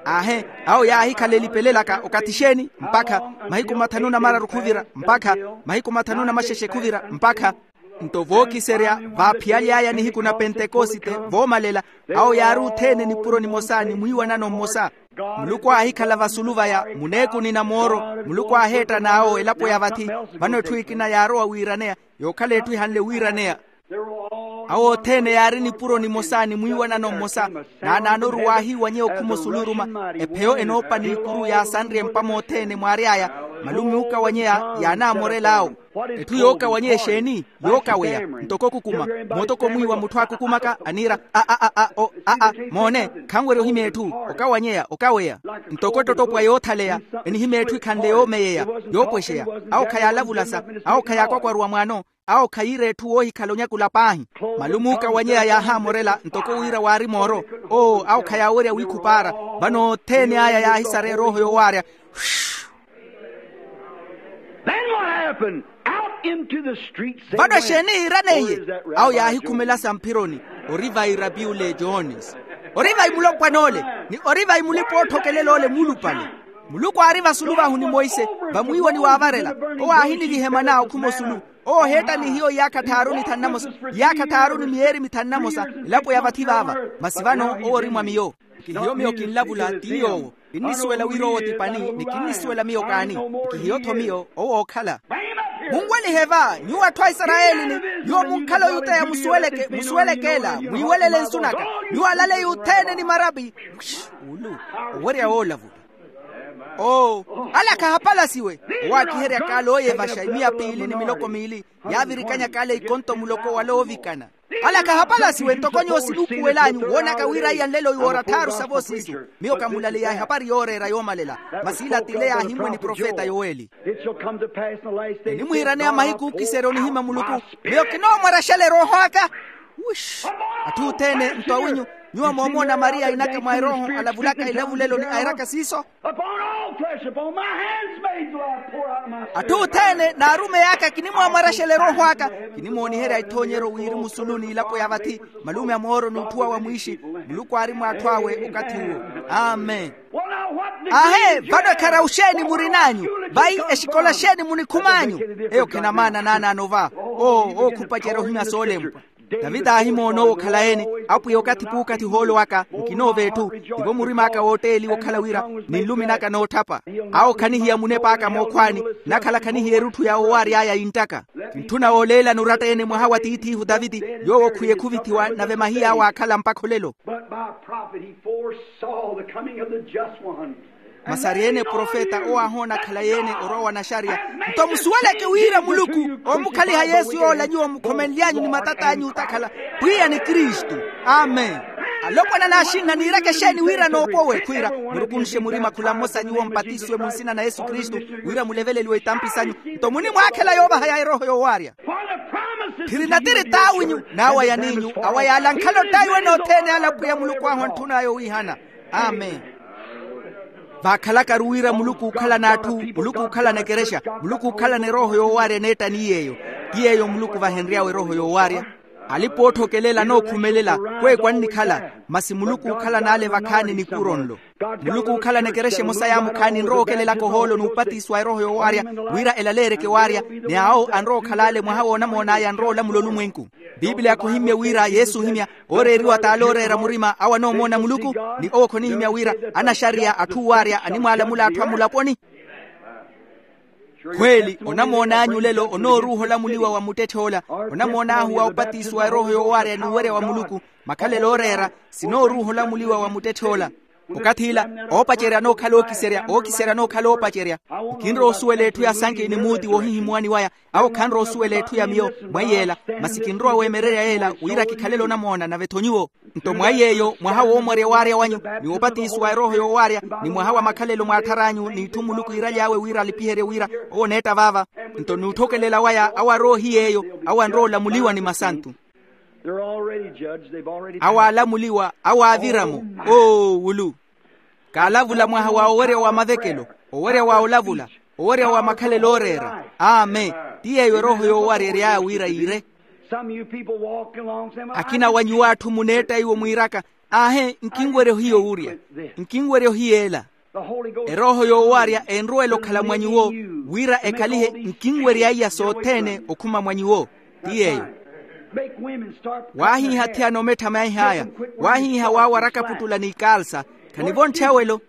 Aahe awo yaahikhala elipelelaka okathi xeeni? Mpakha. Mahiku mathanu na mararu khuvira mpakha. Mahiku mathanu na maxexe khuvira mpakha. Nto vookiserya vaaphiyaly'aya nihiku na pentekosite voomalela. Awo yaari othene nipuro nimosa ni mwiiwanano mmosa. Muluku aahikhala vasulu vaya muneekuni na mooro. Muluku aaheetta n'awo elapo ya vathi. Vano etthu ekina yaarowa wiiraneya. Yookhala etthu ehanle wiiraneya. Awo othene yaari nipuro nimosa ni mwiiwanano mmosa. Naanaanoru waahiiwanyeya okhuma osulu oruma. Epheyo enoopa n'ikuru yaasanrye mpa mothene mwaary'aya. Malume ookawanyeya yaanaamorel'awo. Etthu yookawanyeya exeeni? Yookaweya. Ntoko okukuma. Mootoko mwiiwa mutthu aakukumaka aniira, a a a a o a a moone. Khanwerya ohimya etthu. Okawanyeya okaweya. Ntoko ettottopwa yoothaleya. Enihimya etthu ekhanle yoomeyeya, yoopwexeya. Awo khayaalavulasa. Awo khayaakwakwarwa mwaano. Awo khayiira etthu woohikhala onyakula paahi. Malume ookawanyeya yaahaamorela ntoko wira waari mooro. Oo awo khayaawerya wiikhupaara. Vano othene aya yaahisara erooho yoowaarya. Then what happened? Out into the streets they went. Vano exeeni yiiraneiye? Awo yaahikhumelasa mphironi. Ori vai rapiule jones? Ori vai mulopwan'ole? Ni ori vai mulipa-ootthokelela ole muulupale? Muluku aari vasulu vahu ni monse. Vamwiiwani waavarela. Owo aahiniviha emana okhuma osulu. Owo oheetta ni hiyo iyaakha tthaaru ni thanu na mosa. Iyaakha tthaaru ni miyeeri mithanu na mosa. Elapo ya vathi vaava. Masi vano owo ori mwa miyo. Nkihiyo miyo kinlavula ti yoowo. Kinnisuwela wira owo ti pani ni kinnisuwela miyo kaani. Nkihiyo-tho miyo owo ookhala. Munwelihe va nyuwo atthu a isarayeli ni nyuwo munkhala oyuteya musuweleke musuweleke ela mwiiwelele nsu naka. Nyuwo alaleya othene ni marapi. Ulu owerya woolavula. Oo, ala khahapalasiwe. Owaakiherya kaala ooyevaxa imiya piili ni miloko miili, yaavirikanya kaala ikonto muloko wala oovikana. Ala khahapalasiwe ntoko nyuwo sinuupuwel'anyu woonaka wira iya nlelo iwoora thaaru sa voosiisu. Miyo kamulaleya ehapari yooreera yoomalela, masi ila t'ile yaahimmwe ni profeta yoweli. Enimuhiraneya mahiku ookiserya onihimya muluku. Miyo kinoomwarexela erooho aka. Atthu othene nto awinyu, nyuwo moomoona mariya ainaka mwa erooho alavulaka ilavulelo ni airaka siiso. Atthu othene n'arumeyi aka kinimwamwarexela erooho aka. Kinimooniherya ithoonyeryo wirimu sulu n'ilapo ya vathi, malume a mooro n'utthuwa wa mwiixi. Muluku aari mw'atthu awe okathi uwo. Amen. Ahe, vano ekhara oxeeni murin'anyu? Vayi exikola xeeni munikhum'anyu? Eyo khenamaana naanaano va. Oo ookhupacerya ohimya soolempwa. Tavita aahimoona owo okhala ene. Apwiya, okathi p'ukathi ohoolo waka nkinoova etthu. Tivo murim'aka wootteliwa okhala wira, ninlumi naka nootthapa. Awo khanihiya munep'aka mookhwaani, nakhala khanihiya erutthu ya owaary'aya yinttaka. Kintthuna wooleelani oratta-ene mwaha wa tiith'ihu taviti, yoowo khwiye khuvithiwa nave mahiy'awe aakhala mpakha olelo. But by a prophet he foresaw the coming of the just one. Masi ari-ene profeta owo aahoona akhala-ene orwa wa naxariya. Nto musuweleke wira muluku oomukhaliha yesu yoola nyuwo mukhomenly'anyu ni matat'anyu otakhala, pwiya ni kristu. Amen. Alopwana n'axinna niireke exeeni wira noopowe khwiira, murukunxe murima khula mmosa nyuwo mpatisiwe mu nsina na yesu kristu, wira muleveleliwe itampi sanyu. Nto munimwaakhela yoovaha ya erooho yoowaarya. Phiri natiri t'awinyu n'awa yaniinyu, awa yaalankhale ottaiwe nothene ale apwiya muluku ahu antthun'aya owiihana. Amen. Vaakhalakaru wira muluku ookhalana atthu, muluku ookhalana ekerexa, muluku ookhalana erooho yoowaarya eneettani yeeyo. Ti yeeyo muluku vahenry'awe erooho yoowaarya. Alipa ootthokelela anookhumelela, kweeku annikhala. Masi muluku ookhalana ale vakhaani nikuro nlo. Muluku ookhalana ekerexa emosa yaamukhaani enrowa okelelaka ohoolo n'upatisiwa erooho yoowaarya, wira elaleereke waarya. Ni awo anrowa okhala ale mwaha woonamoon'aya anrowa olamula olumwenku. Piipiliya khuhimmye wira yesu ohimya, ooreeriwa t'ale ooreera murima awo anoomoona muluku. Ni owo khonihimya wira anaxariya atthu oowaarya animwaalamula atthu a mulaponi. Khweeli onamoon'anyu olelo onooruuha olamuliwa wa muttetthe ola. Onamoon'ahu wa opatisiwa erooho yoowaarya n'uwerya wa muluku, makhalelo ooreera, sinooruuha olamuliwa wa muttetthe ola. Okathi ila, oopacerya anookhala ookiserya ookiserya anookhala oopacerya. Nkinrowa osuwela etthu ya sanki ni muuti woohihimuwani waya. Awo khanrowa osuwela etthu ya miyo, mweiy'ela. Masi kinrowa weemererya yeela wira kikhalele onamoona nave-tho nyuwo. Nto mwa iy'eyo mwaha woomorya owaarya wanyu, ni wopatisiwa erooho yoowaarya, ni mwaha wa makhalelo mw'atthara anyu n'itthu muluku iiraly'awe wira alipiherye wira owo oneetta vaava. Nto n'utthokelela waya awo arowa ohiy'eyo, awo anrowa olamuliwa ni masantu. Awo aalamuliwa, awo aavira-mo. Oo wulu. Kaalavula mwaha wa owerya wa mavekelo, owerya wa olavula, owerya wa makhalelo ooreera. Amen. Ti yeeyo erooho yoowarya ery'aya wira yiire. Akina wa nyuwo atthu muneetta iwo mwiiraka, aahe nkinwerya ohiya owurya, nkinwerya ohiya ela. Erooho yoowarya enruwela okhala mwa nyuwo, wira ekhalihe nkinwerya iya sothene okhuma mwa nyuwo. Ti yeeyo. Waahiiha athiyana omettha maih'aya. Waahiiha waawaraka puttula n'ikaalsa. Khanivontthe awelo.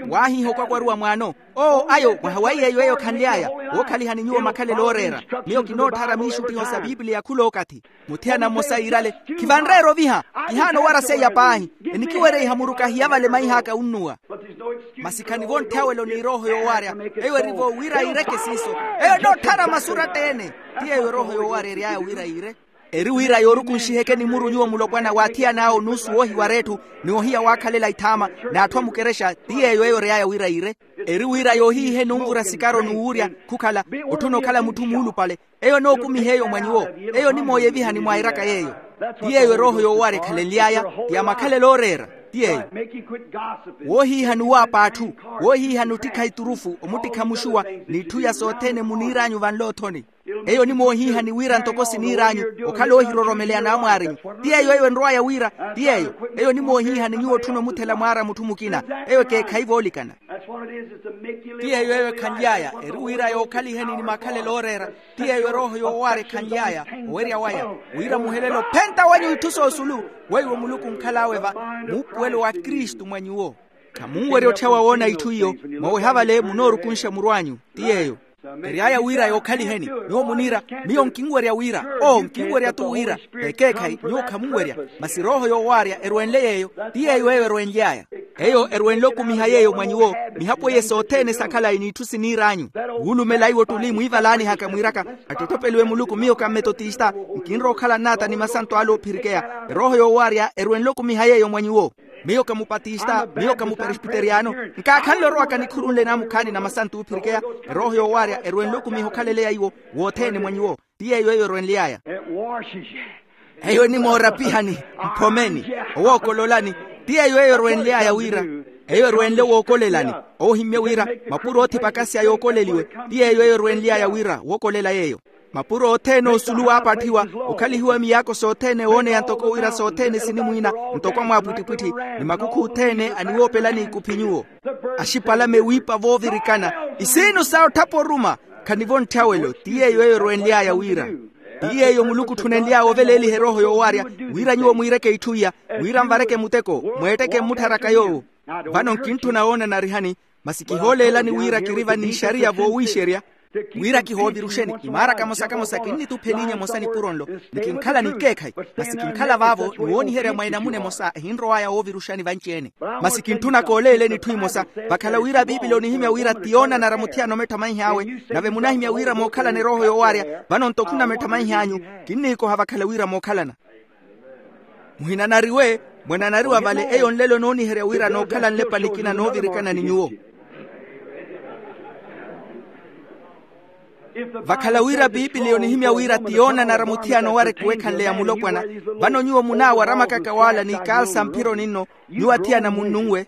Waahiiha okwakwaruwa mwaano. Oo ayo mwaha wa iyeeyo eyo khanly'aya. Wookhalihani nyuwo makhalelo ooreera. Miyo kinootthara miixuttiho sa piipiliya khul'okathi. Muthiyana mmosa yiirale, khivanreera oviha. Kihaana owara seiya paahi. Enikiwerya ihamuruka hiyavale maih'aka unnuwa. Masi khanivontthe awelo n'irooho yoowarya. Eyo erivo wira yiireke siiso. Eyo enootthara masu oratta-ene. Ti yeeyo erooho yoowarya ery'aya wira yiire. Eri wira yoorukunxihekeni muru nyuwo mulopwana w'athiyan'awe onuusu woohiwara etthu, ni ohiya waakhalela ithaama, n'atthu a mukerexa. Ti yeeyo eyo ery'aya wira yiire. Eri wira yoohiiheni onvura sikaro n'uwurya, khukhala otthuna okhala mutthu muulupale. Eyo enookumiha eyo mwa nyuwo. Eyo onimooyevihani mwairaka yeeyo. Ti yeeyo erooho yoowarya ekhalenly'aya. Ti ya makhalelo ooreera. Ti yeeyo. Woohiihani owaapa atthu. Woohiihani ottikha iturufu omuttikha muxuwa, n'itthu iya sothene muniir'anyu vanloothoni. Eyo onimoohiihani wira ntoko siniir'anyu, okhala oohiroromeleya n'amwaarinyu. Ti yeeyo eyo enrow'aya wira. Ti yeeyo. Eyo onimoohiihani nyuwo otthuna omuthela mwaara mutthu mukina. Eyo ekeekhayi voolikana. Ti yeeyo eyo ekhanly'aya eri wira yookhaliheni ni makhalelo ooreera. Ti yeeyo erooho yoowaara ekhanly'aya. Owerya waya wira muhelele ophenta wenyu itthu soosulu, weiwo muluku onkhal'awe va, muupuwelo wa kristu mwa nyuwo. Khamunwerya otthyawa woona itthu iyo. Mwaweha vale munoorukunxa muru anyu. Ti yeeyo. Ery'aya wira yookhaliheni. Nyuwo muniira, miyo nkinwerya wira. Oo nkinwerya-tu wira. Ekeekhayi nyuwo khamunwerya. Masi erooho yoowaarya erwenle yeeyo. Ti yeeyo eyo erwenly'aya. Eyo erwenle okumiha yeeyo mwa nyuwo. Mihapo eye sothene sa khalayi n'itthu siniir'anyu. Wuulumela iwo ottuli mwiivalaanihaka mwiiraka, attottopeliwe muluku miyo ka mmetotista. Nkinrowa okhala nnaata ni masanto ale oophirikeya. Erooho yoowaarya erwenle okumiha yeeyo mwa nyuwo. Miyo ka mupatista, miyo ka muperesbiteriyano. Nkaakhanle orowaka nikhuru nle naamukhaani na masanto oophirikeya. Erooho yoowaarya erwenle okumiha okhaleleya iwo wothene mwa nyuwo. Ti yeeyo eyo erwenly'aya. Eyo enimoorapihani, mphomeni, owookololani. Ti yeeyo eyo erwenly'aya wira. Eyo erwenle wookolelani. Owo ohimmye wira mapuro oothipaka sya yookoleliwe. Ti yeeyo eyo erwenly'aya wira wookolela yeeyo. Mapuro othene osulu waapatthiwa, okhalihiwa miyaako sothene wooneya ntoko wira sothene sinimwiina, ntoko amwaapwittipwitthi, ni makukhu othene aniwoopelani ikuphi nyuwo. Axipalame wiipa voovirikana, isiinu sa otthapa oruma. Khanivo ntthawelo ti yeeyo eyo erwenly'aya wira. Ti yeeyo muluku otthunenly'awe oveleeliha erooho yoowaarya, wira nyuwo mwiireke itthu iya, wira nvareke muteko, mweetteke mmuttharaka yoowo. Vano nkintthuna woona narihani, masi kihooleelani wira kiri va n'ixariya voowiixerya, wira kihooviruxeni imaara kamosa kamosa kinnituphelinya emosa nipuro nlo, ni kinkhala n'ikeekhayi. Masi kinkhala vaavo ni wooniherya mwa enamuna emosa ehinrow'aya wooviruxani vanci-ene. Masi kintthuna kooleeleni itthu imosa. Vakhala wira biipili onihimya wira ti yoonanara muthiyana omettha manhiy'awe. Nave munahimya wira mookhalana erooho yoowaarya vano nto khunamettha manhiy'anyu. Kinniikoha vakhala wira mookhalana. Muhinanariwe, mwananariwa vale eyo nlelo nooniherya wira nookhala nlepa nikina noovirikana ni nyuwo. Vakhala wira biipili onihimya wira ti yoonanara muthiyana owareke owekhanleya mulopwana. Vano nyuwo munaawaramaka kawaala n'ikaalsa mphironi nno, nyuwo athiyana munnunwe.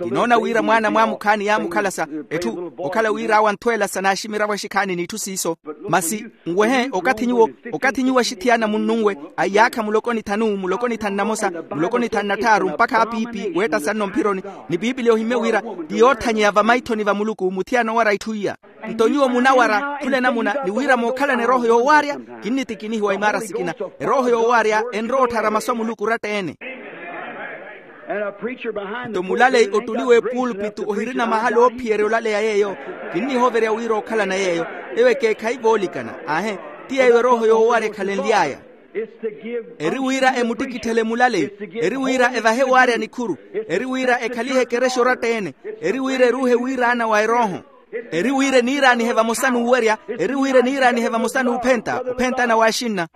Kinoona wira mwaana mwaamukhaani yaamukhalasa, etthu okhala wira awo anthweelasa naaximira vaxikhaani n'itthu siiso. Masi nwehe okathi nyuwo, okathi nyuwo axithiyana munnunwe, aiyaakha muloko ni thanu, muloko ni thanu na mosa, muloko ni thanu na tthaaru mpakha apiipi weettasa nno mphironi. Ni biipili ohimmye wira ti yoothanyeya vamaithoni va muluku muthiyana owara itthu iya. Nto nyuwo munawara khula enamuna ni wira mookhalana erooho yoowaarya. Kinnitikinihiwa imaara sikina. Erooho yoowaarya enrowa otthara masu a muluku oratta-ene. Nto mulaleyi ottuli w'epuulpitu ohirina mahala oophiyerya olaleya yeeyo. Kinnihoverya wira ookhalana yeeyo. Eyo ekeekhayi voolikana aahe. Ti yeeyo erooho yoowaarya ekhalenly'aya. Eri wira emuttikitthele mulaleyi. Eri wira evahe waarya nikhuru. Eri wira ekhalihe ekerexa oratta-ene. Eri wira eruuhe wiiraana wa erooho. Eri wira eniiraanihe vamosa n'uwerya. Eri wira eniiraanihe vamosa n'uphenta ophentana w'axinna.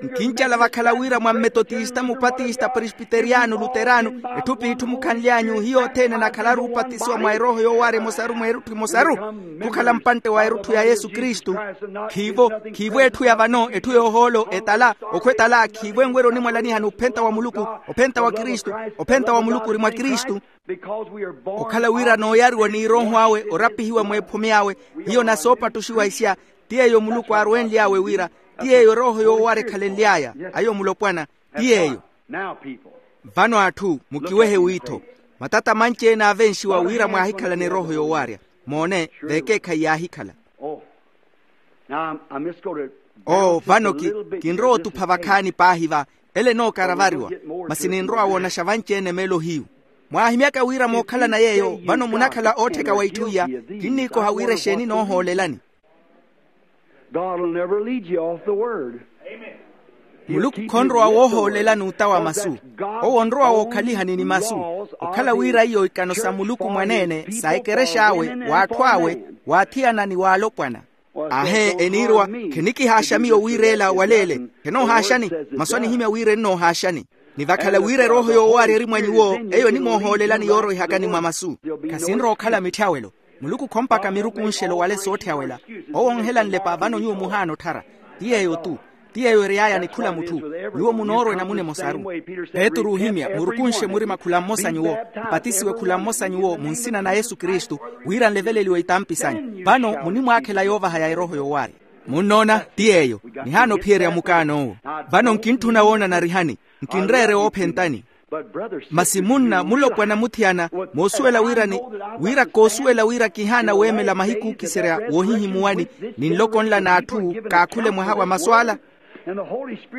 Nkincala vakhala wira mwa mmetotista mupatista presbiteriyano luterano, etthu p'itthu mukhanly'anyu hiyo othene anakhalaru oopatisiwa mwa erooho yoowaarya emosaru mwa erutthu emosaru. Khukhala mpantte wa erutthu ya yesu kristu. Khiivo, khiivo etthu ya vano etthu yoohoolo etala, okhwa etala khiivo enwerya onimwalanihani ophenta wa muluku. Ophenta wa kristu. Ophenta wa muluku ori mwa kristu. Okhala wira nooyariwa n'irooho awe orapihiwa mweephumi awe. Hiyo nasoopattuxiwa isya. Ti yeeyo muluku aarwenly'awe wira ti yeeyo erooho yoowaara ekhalenly'aya. Ayo mulopwana ti yeeyo. Vano atthu mukiwehe wiitho. Matata manci-ene aavenxiwa wira mwaahikhalana erooho yoowaarya. Moone vekeekhayi yaahikhala. Oo vano ki kinrowa otupha vakhaani paahi va ele enookaravariwa. Masi ninrowa woonaxa vanci-ene meelo hiyu. Mwaahimyaka wira mookhalana yeeyo vano munakhala oottheka wa itthu iya. Kinniikoha wira exeeni noohoolelani. God will never lead you off the word. Muluku khonrowa woohoolelani uta wa masu. Owo onrowa wookhalihani ni masu. Okhala wira iyo ikano sa muluku mwaneene sa ekerexa awe w'atthu awe, w'athiyana ni w'alopwana. Aahe eniirwa. Khenikihaaxa miyo wira ela waleele. Khenoohaaxani. Masu anihimya wira ennoohaaxani. Ni vakhala wira erooho yoowaarya eri mwa nyuwo, eyo enimoohoolelani yooroihakani mwa masu. Khasinrowa okhala mitthawelo. Muluku khompaka mirukunxelo wale sootthawela. Owo onhela nlepa vano nyuwo muhaana otthara. Ti yeeyo-tu. Ti yeeyo ery'aya ni khula mutthu. Nyuwo munoorwa enamuna emosaru. Petru oohimya murukunxe murima khula mmosa nyuwo, mpatisiwe khula mmosa nyuwo mu nsina na yesu kristu, wira nleveleliwe itampi sanyu. Vano munimwaakhela yoovaha ya erooho yoowaarya. Munnoona ti yeeyo. Nihaana ophiyerya mukaan'owo. Vano nkintthuna woona narihani. Nkinreere woophentani. Masi munna mulopwana muthiyana, moosuwela wira ni wira koosuwela wira kihaana weemela mahiku ookiserya woohihimuwani, ni nloko nla n'atthu kaakhule mwaha wa masu ala.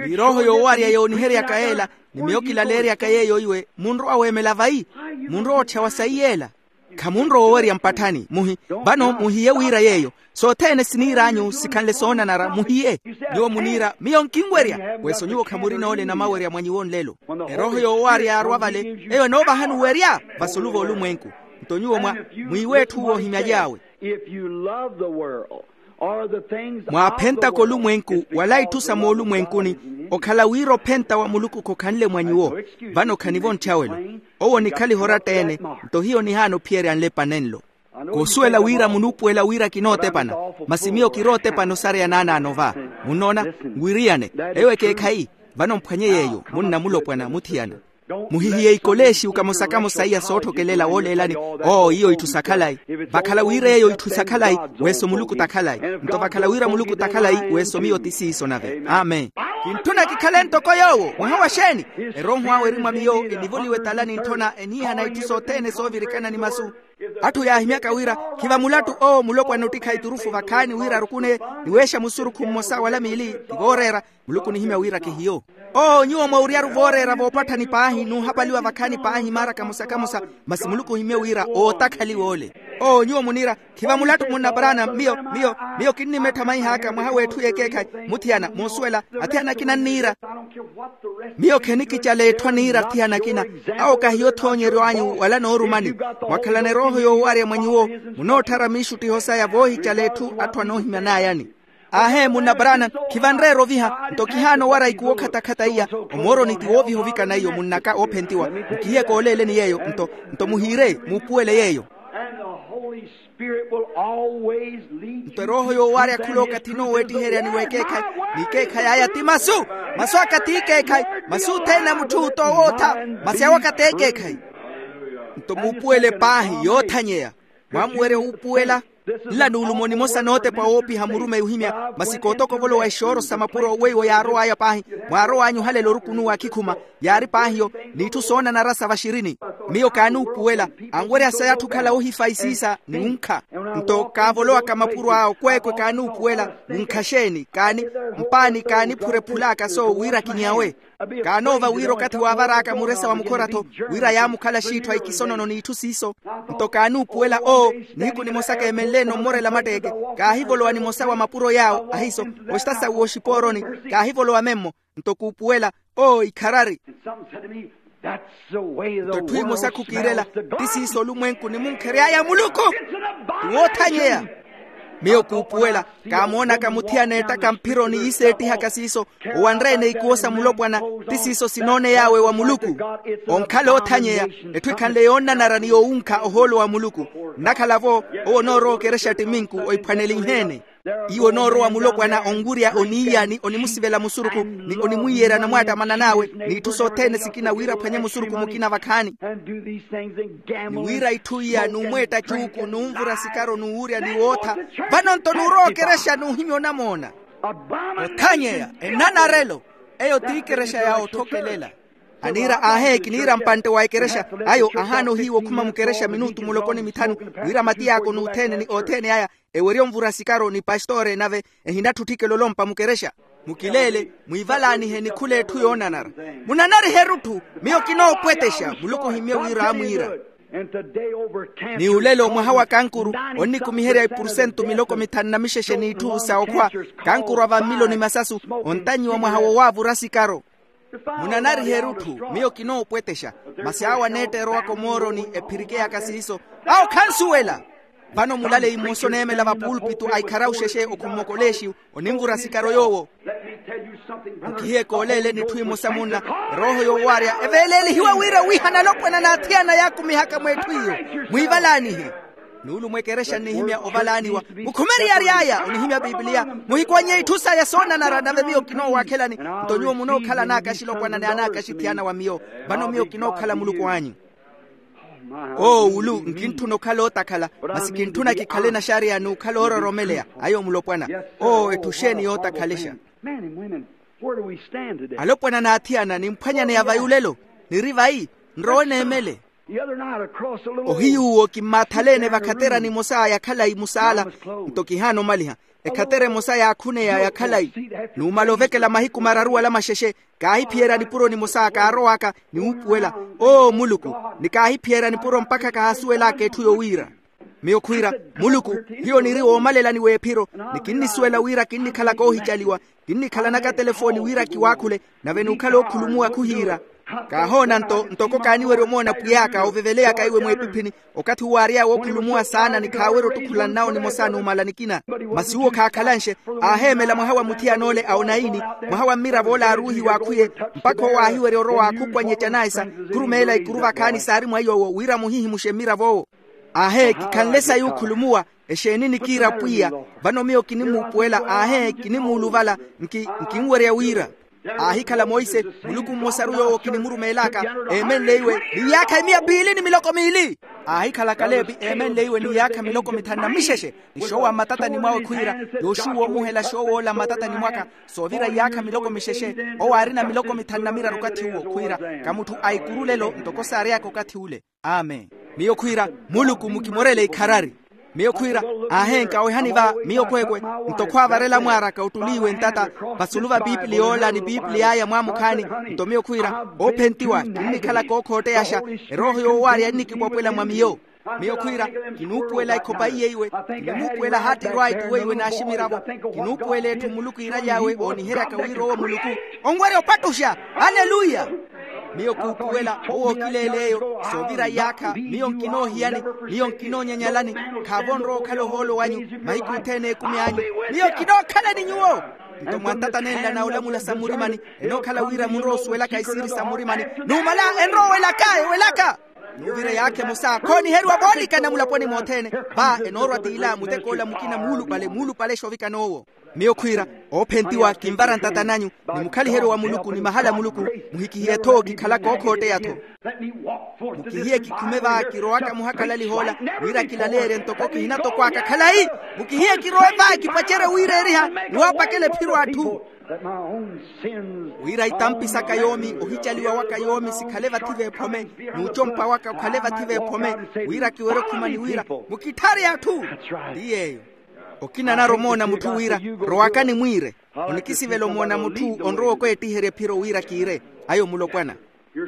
Ni erooho yoowaarya yooniheryaka yeela, ni miyo kilaleeryaka yeeyo iwe munrowa weemela vayi? Munrowa otthyawa sayi yeela? Khamunrowa owerya mpatthani muhi. Vano muhiye wira yeeyo sothene siniir'anyu sikhanle soonanara muhiye. Nyuwo muniira miyo nkinwerya. Weso nyuwo khamurina ole namawerya mwa nyuwo nlelo. Erooho yoowarya yaarwa vale eyo enoovahani werya vasulu v'olumwenku. Nto nyuwo mwa mwiiwe etthu woohimyaly'awe. Mwaaphentaka olumwenku wala itthu sa moolumwenkuni. Okhala wira ophenta wa muluku khokhanle mwa nyuwo. Vano khanivo ntthyawe-lo. Owo onikhaliha oratta-ene. Nto hiyo nihaana ophiyerya nlepa nenlo. Koosuwela wira munuupuwela wira kinootepana. Masi miyo kirootepana osareya naanaano va. Munnoona? Nwiriyane. Eyo ekeekhayi. Vano mphwanye yeeyo munna mulopwana muthiyana. Muhihiye ikoleexiu kamosa-kamosa iya sootthokelela wooleelani. Oo iyo itthu sa khalayi. Vakhala wira eyo itthu sa khalayi. Weso muluku ta khalayi. Nto vakhala wira muluku ta khalayi weso miyo ti siiso nave amen. Kintthuna kikhale ntoko yoowo mwaha wa xeeni? Erooho awe eri mwa miyo enivoliwa etala nintthona eniihana itthu sothene soovirikana ni masu. Atthu yaahimyaka wira khiva mulattu owo mulopwana ottikha iturufu vakhaani wira arukuneye. Niweexa musurukhu mmosa wala miili ti vooreera. Muluku onihimya wira kihiyo. Oo nyuwo mwauryaru vooreera voopatthani paahi nuuhapaliwa vakhaani paahi maara kamosa-kamosa. Masi muluku ohimye wira ootakhaliwa ole. Oo nyuwo muniira khiva mulattu munna paraana miyo miyo miyo kinnimettha maih'aka mwaha w'etthu y'ekeekhayi. Muthiyana moosuwela athiyana akina anniira. Miyo khenikicala etthu aniira athiyana akina. Awo kahiyo othoonyeryo anyu wala noorumani. Mwakhalana erooho yoowarya mwa nyuwo munootthara miixuttiho saya voohicala etthu atthu anoohimyan'ayani. Aahe munna paraana. Khivanreera oviha nto kihaana owara ikuwo khatakhata iya. Omooroni ti wooviha ovikana iyo munn'aka oophentiwa. Mukihiye kooleeleni yeeyo nto nto muhiire muupuwele yeeyo. Nto erooho yoowarya khula okathi nooweettiherya ni w'ekeekhayi. N'ikeekhayi aya ti masu. Masu aka t'ikeekhayi. Masu othene a mutthu t'owootha. Masi awo aka t'ekeekhayi. Nto muupuwele paahi yoothanyeya. Mwaamuwerya wuupuwela. Nla nuulumo nimosa nootepa woopiha murumeyi ohimya. Masi kootokovolowa ixooro sa mapuro weiwo yaarow'aya paahi. Mwaarow'anyu ohalela orukunuwa akhikhuma. Yaari paahiyo n'itthu soonanara sa vaxirini. Miyo kaanuupuwela. Anwerya saya atthu okhala oohifaisiisa ni wunkha. Nto kaavolowaka mapuro aya okweekwe kaanuupuwela. Wunkha xeeni kaani mpaani kaaniphurephulaka soowo wira kinyawe. Kaanoova wira okathi waavar'aka muresa wa mukhora-tho wira yaamukhala xiitthu a ikisonono n'itthu siiso. Nto kaanuupuwela oo nihiku nimosa keemenle-no mmorela matteeke. Kaahivolowa nimosa wa mapuro yaawo ahiiso. Oxita sawe oxipooroni kaahivolowa memmo. Nto kuupuwela oo ikharari. Nto etthu emosa khukiirela ti siiso olumwenku nimunkhery'aya muluku. Ti woothanyeya. Miyo kuupuwela kaamoonaka muthiyana eettaka mphiro ni yiiseettihaka siiso. Owanre-ene ikuwo sa mulopwana ti siiso sinooney'awe wa muluku. Onkhala oothanyeya. Etthu ekhanle yoonnanara ni yowunkha ohoolo wa muluku. Nnakhala-vo owo onoorowa okerexa ttiminku oiphwanelinhe-ene. Iwo onoorowa mulopwana onwurya oniiyani onimusivela musurukhu ni onimwiiyerya namwaattamana n'awe n'itthu sothene sikina wira aphwanye musurukhu mukina vakhaani. Ni wira itthu iya numweetta cuuku numvura sikaro nuwurya ni wootha. Vano-nto nurowa okerexa nuhimya onamoona. Othanyeya ennanarelo. Eyo t'ikerexa ya otthokelela. Aniira aahe kiniira mpantte wa ekerexa. Ayo ahaana ohiiwa okhuma mukerexa minutu muloko ni mithanu wira matiy'aka on'uthene ni othene aya ewerye onvura sikaro ni pastore nave ehinatthutthikela olompa mukerexa. Mukileele mwiivalaanihe ni khul'etthu yoonanara. Munanarihe erutthu. Miyo kinoopwetexa muluku ohimmye wira aamwiira. Ni olelo mwaha wa kankuru onnikumiherya ipursentu miloko mithanu na mixexe n'itthu sa okhwa. Kankuru a vammiloni masasu. Ontannyiwa mwaha wowaavura sikaro. Munanarihe erutthu. Miyo kinoopwetexa. Masi awo aneetta erowaka omooroni ephirikeyaka siiso. Awo khansuwela. Vano mulale imosa oneemela vapuulpitu a ikharawu xexe okhummokoleexiyu. Onimvura sikaro yoowo. Nkihiye kooleeleni etthu imosa munna. Erooho yoowarya eveeleelihiwa wira owiihana alopwana n'athiyana yaakumihaka mw'etthu iyo. Mwiivalaanihe. Nuulumo ekerexa nnihimya ovalaaniwa. Mukhume eriyari aya onihimya pipiliya. Muhikwan'ye itthu saya soonanara nave miyo kinoowakhelani. Nto nyuwo munookhala anaakaxi lopwana ni anaakaxi thiyana wa miyo. Vano miyo kinookhala muluku anyu. Oo wulu nkintthuna okhala ootakhala. Masi kintthuna kikhale naxariya n'ukhala oororomeleya. Ayo mulopwana. Oo etthu xeeni yootakhalexa? Alopwana n'athiyana nimphwanyaneya vayi olelo. Niri vayi? Nrowe neemele. Ohiyuwo kimmaathalene vakhaterani emosa ya khalayi musaala. Nto kihaana omaliha. Ekhatera emosa yaakhuneya ya khalayi. Numala ovekela mahiku mararu wala maxexe, kaahiphiyerya nipuro nimosa kaarowaka, ni wuupuwela, oo muluku, ni kaahiphiyerya nipuro mpakha kahaasuwelaka etthu yowiira. Miyo khwiira, muluku, hiyo niri woomalelani w'ephiro, ni kinnisuwela wira kinnikhala koohicaliwa, kinnikhalanaka telefooni wira kiwaakhule, nave nuukhala okhulumuwa khuhiira. Kaahoona nto ntoko kaaniwerya omoona pwiy'aka oveveleyaka iwe mweepiphini, okathi uwo aary'awe okhulumuwa saana ni khaawerya ottukhula nnawo nimosa numala nikina. Masi uwo khaakhalanxe, aaheemela mwaha wa muthiyan'ole a onaini, mwaha wa mmiravo ole aaruuhiwa akhwiye, mpakha owo aahiwerya orowa akhupwanye ecanayisa, khurumeela ikuru vakhaani saari mwa yoowo wira muhihimuxe mmirav'owo. Aahee kikhanle sayi okhulumuwa. Exeeni nikiira pwiya? Vano miyo kinimuupuwela. Aahee kinimuuluvala. Nkinwerya wira aahikhala monse, muluku mmosaru yoowo kinimurumeelaka, eemenle iwe ni yaakha emiya piili ni miloko miili. Aahikhala kaleepi eemenle iwe ni yaakha miloko mithanu na mixexe. Ni xoowa mmatatani mwawe khwiira, yooxuwa omuhela xoow'ola mmatatani mwaka, soovira yaakha miloko mixexe. Owo aarina miloko mithanu na miraru okathi uwo khwiira, ka mutthu a ikuru lelo ntoko saary'aka okathi ule. Amen. Miyo khwiira, muluku mukimorele ikharari. Miyo khwiira, aahenka wehani va miyo khweekhwe, nto khwaavarela mwaaraka ottuliiwe ntata, vasulu va piipili yoola ni piipili y'aya mwaamukhaani. Nto miyo khwiira, oophentiwa kinnikhala kookhootteyasha, erooho yoowaarya ennikipwapwela mwa miyo. Miyo khwiira, kinuupuwela ekhopa iye iwe, kinimuupuwela hattirwa aituwe iwe n'aximiravo. Kinuupuwela etthu muluku iiraly'awe ooniheryaka wira owo muluku onwerya opattuxa. Aleluya. Miyo kuupuwela owo okileel'eyo, soovira iyaakha miyo nkinoohiyani, miyo nkinoonyanyalani. Khaavo onrowa okhala ohoolo wanyu mahiku othene ekumi anyu. Miyo kinookhalani nyuwo. Nto mwantatanenla na olamula sa mmurimani, enookhala wira munrowa osuwelaka isiiri sa mmurimani. Numala enrowa owelaka ewelaka. Nuuvira yaakha emosa khooniheriwa voolikana mulaponi mothene. Va enoorwa t'ila mutek'ola mukina muulupale muulupale exovikana owo. Miyo khwiira, oophentiwa kinvara ntata nanyu, ni mukhaliheryo wa muluku ni mahala a muluku, muhikihiye-tho kikhalaka ookhootteya-tho. Mukihiye kikhume va kirowaka muhakalaliha ola, wira kilaleerye ntoko kihina-tho kwaaka khalayi. Mukihiye kirowe va kipacerye wiireeriha, ni waapakela ephiro atthu. Wira itampi saka yoomi, ohicaliwa waka yoomi sikhale vathi v'ephome, n'ucompa waka okhale vathi v'ephome, wira kiwerye okhuma ni wira, mukitthare atthu. Ti yeeyo. Okina anarwa omoona mutthu wira, rowakani mwiire. Onikisivela omoona mutthu onrowa okweettiherya ephiro wira kiire. Ayo mulopwana.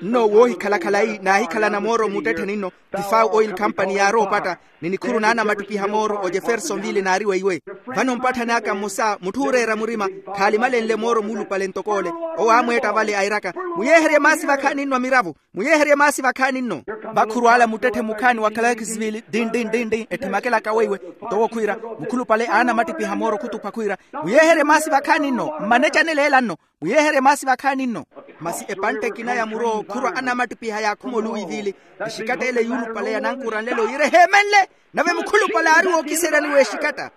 Nno woohikhala khalayi naahikhalana mooro muttettheni nno, tifaw oil company yaarowa opatta, ni nikhuru naanamattipiha mooro o jeffersonville naari weiwe. Vano mpatthani aka mmosa mutthu ooreera murima, khaalimalenle mooro muulupale ntok'ole. Owo aamweetta vale airaka, muyeeherye maasi vakhaani nno a miravo. Muyeeherye maasi vakhaani nno. Vakhuru ala muttetthe mukhaani wa clarksville din din din din etthimakelaka weiwe. Nto owo khwiira, mukhulupale aanamattipiha mooro khutupha khwiira, muyeeherye maasi vakhaani nno. Mmanecanele ela nno. Muyeeherye maasi vakhaani nno. Masi epantte ekina ya muro khurwa anamattipiha yaakhuma oluwivili. Exikatta ele yuulupale yanankuranlelo yiire eheemenle. Nave mukhulupale aari wookiseryani w'exikatta.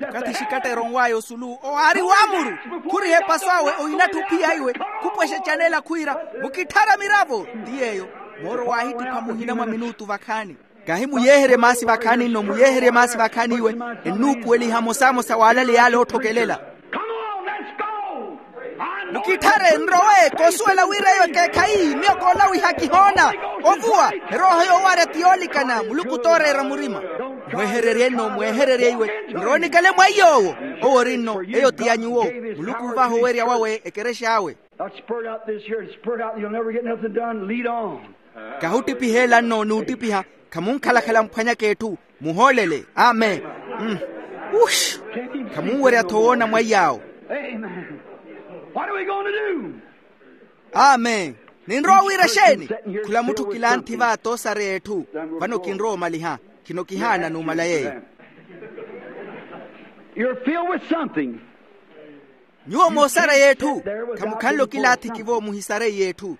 Okathi exikatta eronw'aya osulu owo aari waamuru, khuriha epaso awe ohinattha ophiya iwe, khupwexe ecanela khwiira, mukitthara miravo. Ti yeeyo. Mooro waahittipha muhina mwa minuutu vakhaani. Kahi muyeeherye maasi vakhaani nno, muyeeherye maasi vakhaani iwe. Ennuupuweliha mosamosa waalaleya ale ootthokelela. Mukitthare nrowe koosuwela wira eyo ekeekhayi miyo koolawiha kihoona. Ovuwa erooho yoowarya ti yoolikana muluku t'oreera murima. Mwehererye nno mwehererye iwe. Nrowe nikale mwa iy'owo. Owo ori nno eyo ti ya nyuwo. Muluku uuvaha owerya wawe ekerexa awe. Kahuttipihela nno n'uttipiha. Khamunkhalakhala mphwanyaka etthu. Muhoolele amen. Khamunwerya-tho woona mwaiy'awo. Amen. Ninrowa wira exeeni? Khula mutthu kilanthi va toosareya etthu. Vano kinrowa omaliha. Khino kihaana numala yeeyo. Nyuwo moosareya etthu. Khamukhanle okilaathiki vo muhisareiye etthu.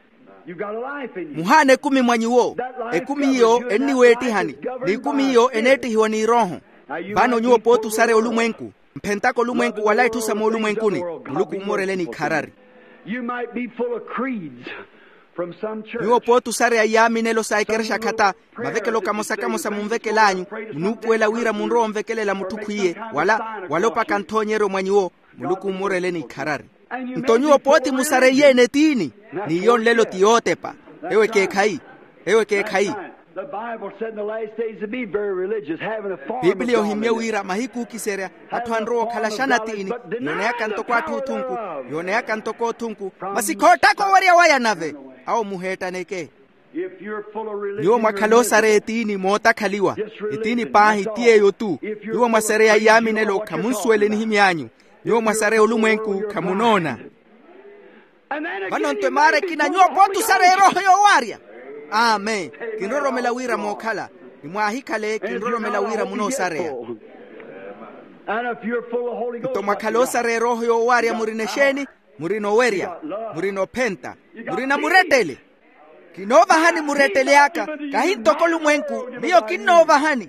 Muhaana ekumi mwa nyuwo. Ekumi iyo enniweettihani. N'ikumi iyo eneettihiwa n'irooho. Vano nyuwo pooti osareya olumwenku. Mphentaka olumwenku wala itthu sa moolumwenkuni. Muluku ommorele n'ikharari. Nyuwo pooti osareya iyaaminelo sa ekerexa khata. Mavekelo kamosa kamosa munvekel'anyu. Munuupuwela wira munrowa onvekelela mutthu khwiye wala wala opaka nthoonyeryo mwa nyuwo. Muluku ommorele n'ikharari. Nto nyuwo pooti musareiye-ene tiini? N'iyo nlelo ti yootepa. Eyo ekeekhayi. Eyo ekeekhayi. The Bible said in the last days to be very religious, having a form of godliness. Pipiliya ohimmye wira mahiku ookiserya atthu anrowa okhala xana tiini, yooneyaka ntoko atthu othunku, yooneyaka ntoko othunku, masi khoottaka owerya waya nave. Awo muheettaneke. Nyuwo mwakhala osareya etiini mootakhaliwa. Etiini paahi ti yeeyo-tu. Nyuwo mwasareya iyaaminelo khamunsuwela enihimy'anyu. Nyuwo mwasareya olumwenku khamunoona. Vano-nto emaara ekina nyuwo pooti osareya erooho yoowaarya. Amen. Kinroromela wira mookhala, ni mwaahikhale kinroromela wira munoosareya. Nto mwakhala osareya erooho yoowaarya murina exeeni? Murina owerya, murina ophenta, murina murettele. Kinoovahani murettele aka, kahi ntoko olumwenku. Miyo kinnoovahani.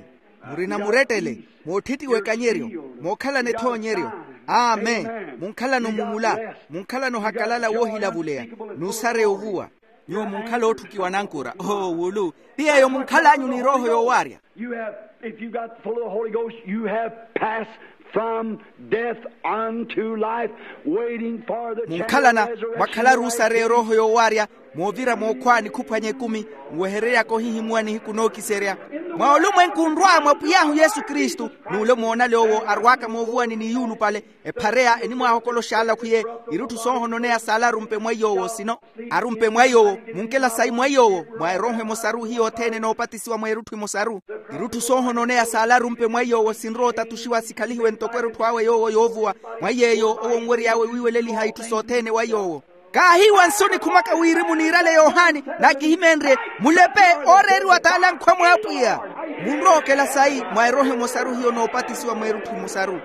Murina murettele, mootthitti wekanyeryo, mookhalana ethoonyeryo. Amen. Munkhalana omumula, munkhalana ohakalala woohilavuleya, n'usareya ovuwa. Nyuwo munkhala ootthukiwa nankura oowulu. Ti yeeyo munkhal'anyu n'erooho yoowaarya. You have, if you got full of the Holy Ghost, you have passed from death unto life, waiting for the munkhalana mwakhalaru osareya erooho yoowaarya, moovira mookhwa nikhuphwanya ekumi, nwehereryaka ohihimuwa nihiku nookiserya. Mwa olumwenku nrwa mwa pwiy'ahu yesu kristu, n'ule moonale owo arw'aka moovuwani ni yuulupale, ephareya enimwaahokola oxaala khwiye irutthu soohononeya saala arumpe mwa iy'owo sino. Arumpe mwa iy'owo, munkela sayi mwa iy'owo, mwa erooho emosaru hiyo othene noopatisiwa mwa erutthu emosaru. Irutthu soohononeya saala arumpe mwa iy'owo sinrowa otatuxiwa sikhalihiwe ntoko erutthu awe yoowo yoovuwa. Mwa yeeyo owo onwery'awe wiiweleliha itthu sothene wa iy'owo. Kaahiiwa nsu nikhumaka wirimu niirale yohani, naakihimenrye, mulepe, ooreeriwa t'ale ankhwa mw'apwiya. Munrowa okela sayi mwa erooho emosaru hiyo noopatisiwa mwa erutthu emosaru.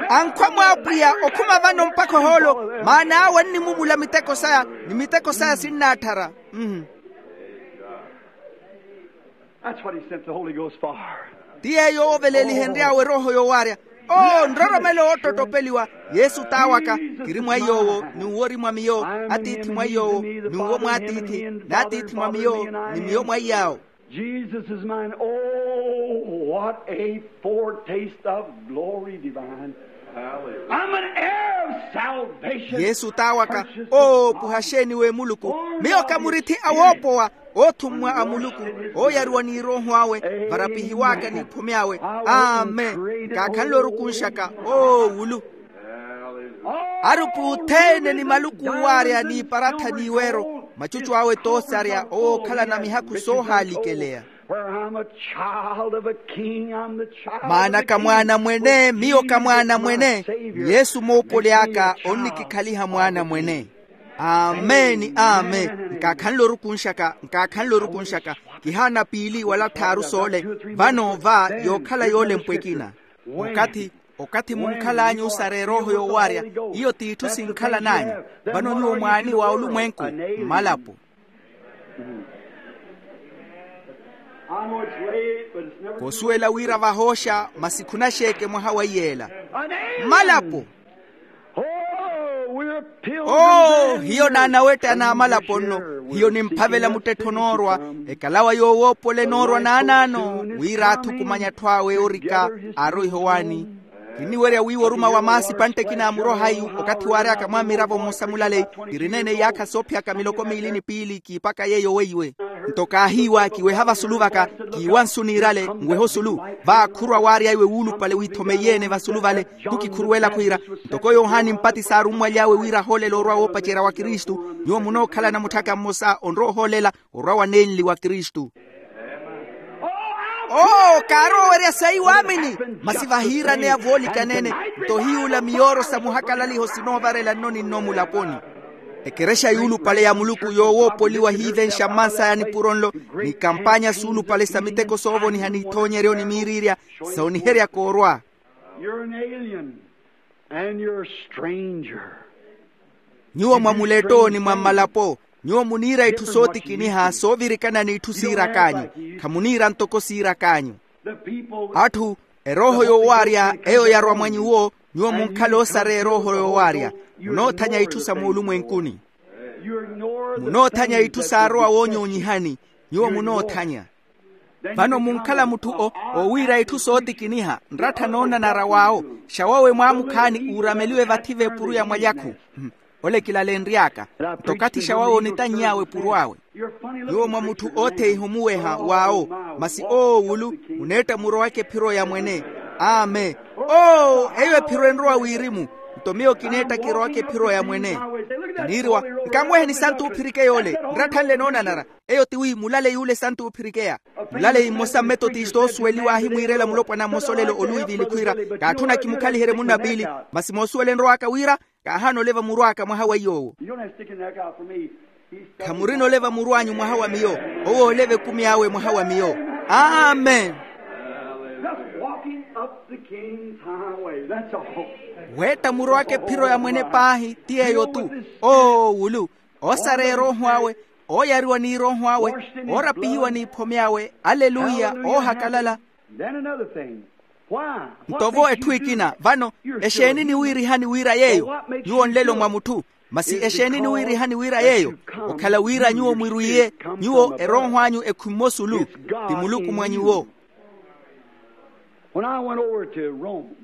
Ankhwa mw'apwiya okhuma vano mpakha ohoolo, maana awe ennimumula miteko saya, ni miteko saya sinnaatthara. That's what he sent the Holy Ghost for. Ti yeeyo ooveleelihenry'awe erooho yoowaarya. Oo nroromelo woottottopeliwa. Yesu t'awaka, kiri mwa iy'owo n'uwo ori mwa miyo. Atiithi mwa iy'owo, n'uwo mw'atiithi. N'atiithi mwa miyo, ni miyo mwa iy'awo. Jesus is mine. Oh, what a foretaste of glory divine. I'm an heir of salvation. Yesu t'awaka. Oo puhaxeeni w'emuluku. Miyo ka murithi a woopowa, oothummwa a muluku, ooyariwa n'irooho awe, varapihiw'aka n'iphome awe. Amen. Nkaakhanle orukunxaka. Oo wulu. Arupi othene ni maluku oowaarya n'iparatha n'iweero, macucu awe t'osarya owookhalana mihakhu soohaalikeleya. Maana ka mwaana mwene, miyo ka mwaana mwene. Yesu moopoli aka onnikikhaliha mwaana mwene. Amen. Amen. Nkaakhanle orukunxaka, nkaakhanle orukunxaka. Kihaana piili wala tthaaru soole. Vano va yookhala yoolempwa ekina. Okathi, okathi munkhal'anyu osareya erooho yoowaarya, iyo t'itthu sinkhalan'anyu. Vano nyuwo mwaani wa olumwenku, mmalapo. Koosuwela wira vahooxa, masi khunaxeeke mwaha wa iyeela. Mmalapo. Oo hiyo naanawettana amalapo nno. Hiyo nimphavela muttettho onoorwa, ekalawa yoowoopola enoorwa naanaano, wira athukumanya atthu awe oorika, aaroiha owaani. Kinniwerya wiiwa oruma wa maasi epantte ekina amuroha iyu, okathi waary'aka mwa miravo mmosa mulaleyi, kirineene iyaakha soophiyaka miloko miili ni piili kiipaka yeeyo weiwe. Nto kaahiiwa kiweha vasulu vaka, kiiwa nsu niirale nweha osulu. Vaakhurwa waarya iwe wuulupale withomeiye-ene vasulu vale. Khukikhuruwela khwiira, ntoko yohani mpatisi aarummwaly'awe wira ahoolele orwa woopacerya wa kristu, nyuwo munookhalana mutthaka mmosa onrowa ohoolela orwa wa nenli wa kristu. Oo kaarowa owerya sayi waamini. Masi vahiiraneya voolikaneene, nto hiy'ula miyooro sa muhakalaliho sinoovarela nno ni nno mulaponi. Ekerexa yuulupale ya muluku yoowoopoliwa hiivenxa mmansaya nipuro nlo, n'ikampanya suulupale sa miteko soovoniha n'ithoonyeryo ni miiriirya, sooniheryaka orwa. You're an alien and you're a stranger. Nyuwo mwa muletto ni mwa mmalapo. Nyuwo muniira itthu sootikiniha soovirikana n'itthu siirak'anyu. Khamuniira ntoko siirak'anyu. Atthu, erooho yoowaarya eyo yarwa mwa nyuwo. Nyuwo munkhala osareya erooho yoowaarya. Munoothanya itthu sa moolumwenkuni. Munoothanya itthu saarowa woonyoonyihani. Nyuwo munoothanya. Vano munkhala mutthu owiira itthu sootikiniha nrattha noonanara w'awo. Xawawe mwaamukhaani uurameliwe vathi v'epuru ya mwalyakhu. Ole kilalenry'aka. Nto okathi xa wawe onitany'awe epuro awe. Nyuwo mwa mutthu ootheiha omuweha w'awo. Masi oowulu, muneetta murowaka ephiro ya mwene. Amen. Oo, eyo ephiro enrowa wirimu. Nto miyo kineetta kirowaka ephiro ya mwene. Kiniiriwa, nkamuweheni santu oophirikeya ole. Nratthanle noonanara. Eyo ti wi mulaleyi ule santu oophirikeya. Mulaleyi mmosa mmetotista oosuweliwa aahimwiirela mulopwana mmosa olelo oluwivili khwiira, kaatthuna kimukhaliherye munna piili. Masi moosuwela enrow'aka wira, kaahaana oleva murw'aka mwaha wa iy'owo. Khamurina oleva murw'anyu mwaha wa miyo. Owo ooleva ekumi awe mwaha wa miyo. Amen. Weetta murowaka ephiro ya mwene paahi ti yeeyo-tu. Oowulu, oosareya erooho awe, ooyariwa n'irooho awe, oorapihiwa n'iphome awe. Aleluya. Oohakalala. Nto vo etthu ekina vano, exeeni niwiirihani wira yeeyo? Nyuwo nlelo mwa mutthu. Masi exeeni niwiirihani wira yeeyo? Okhala wira nyuwo mwirwiiye, nyuwo erooho anyu ekhwimme osulu. Ti muluku mwa nyuwo.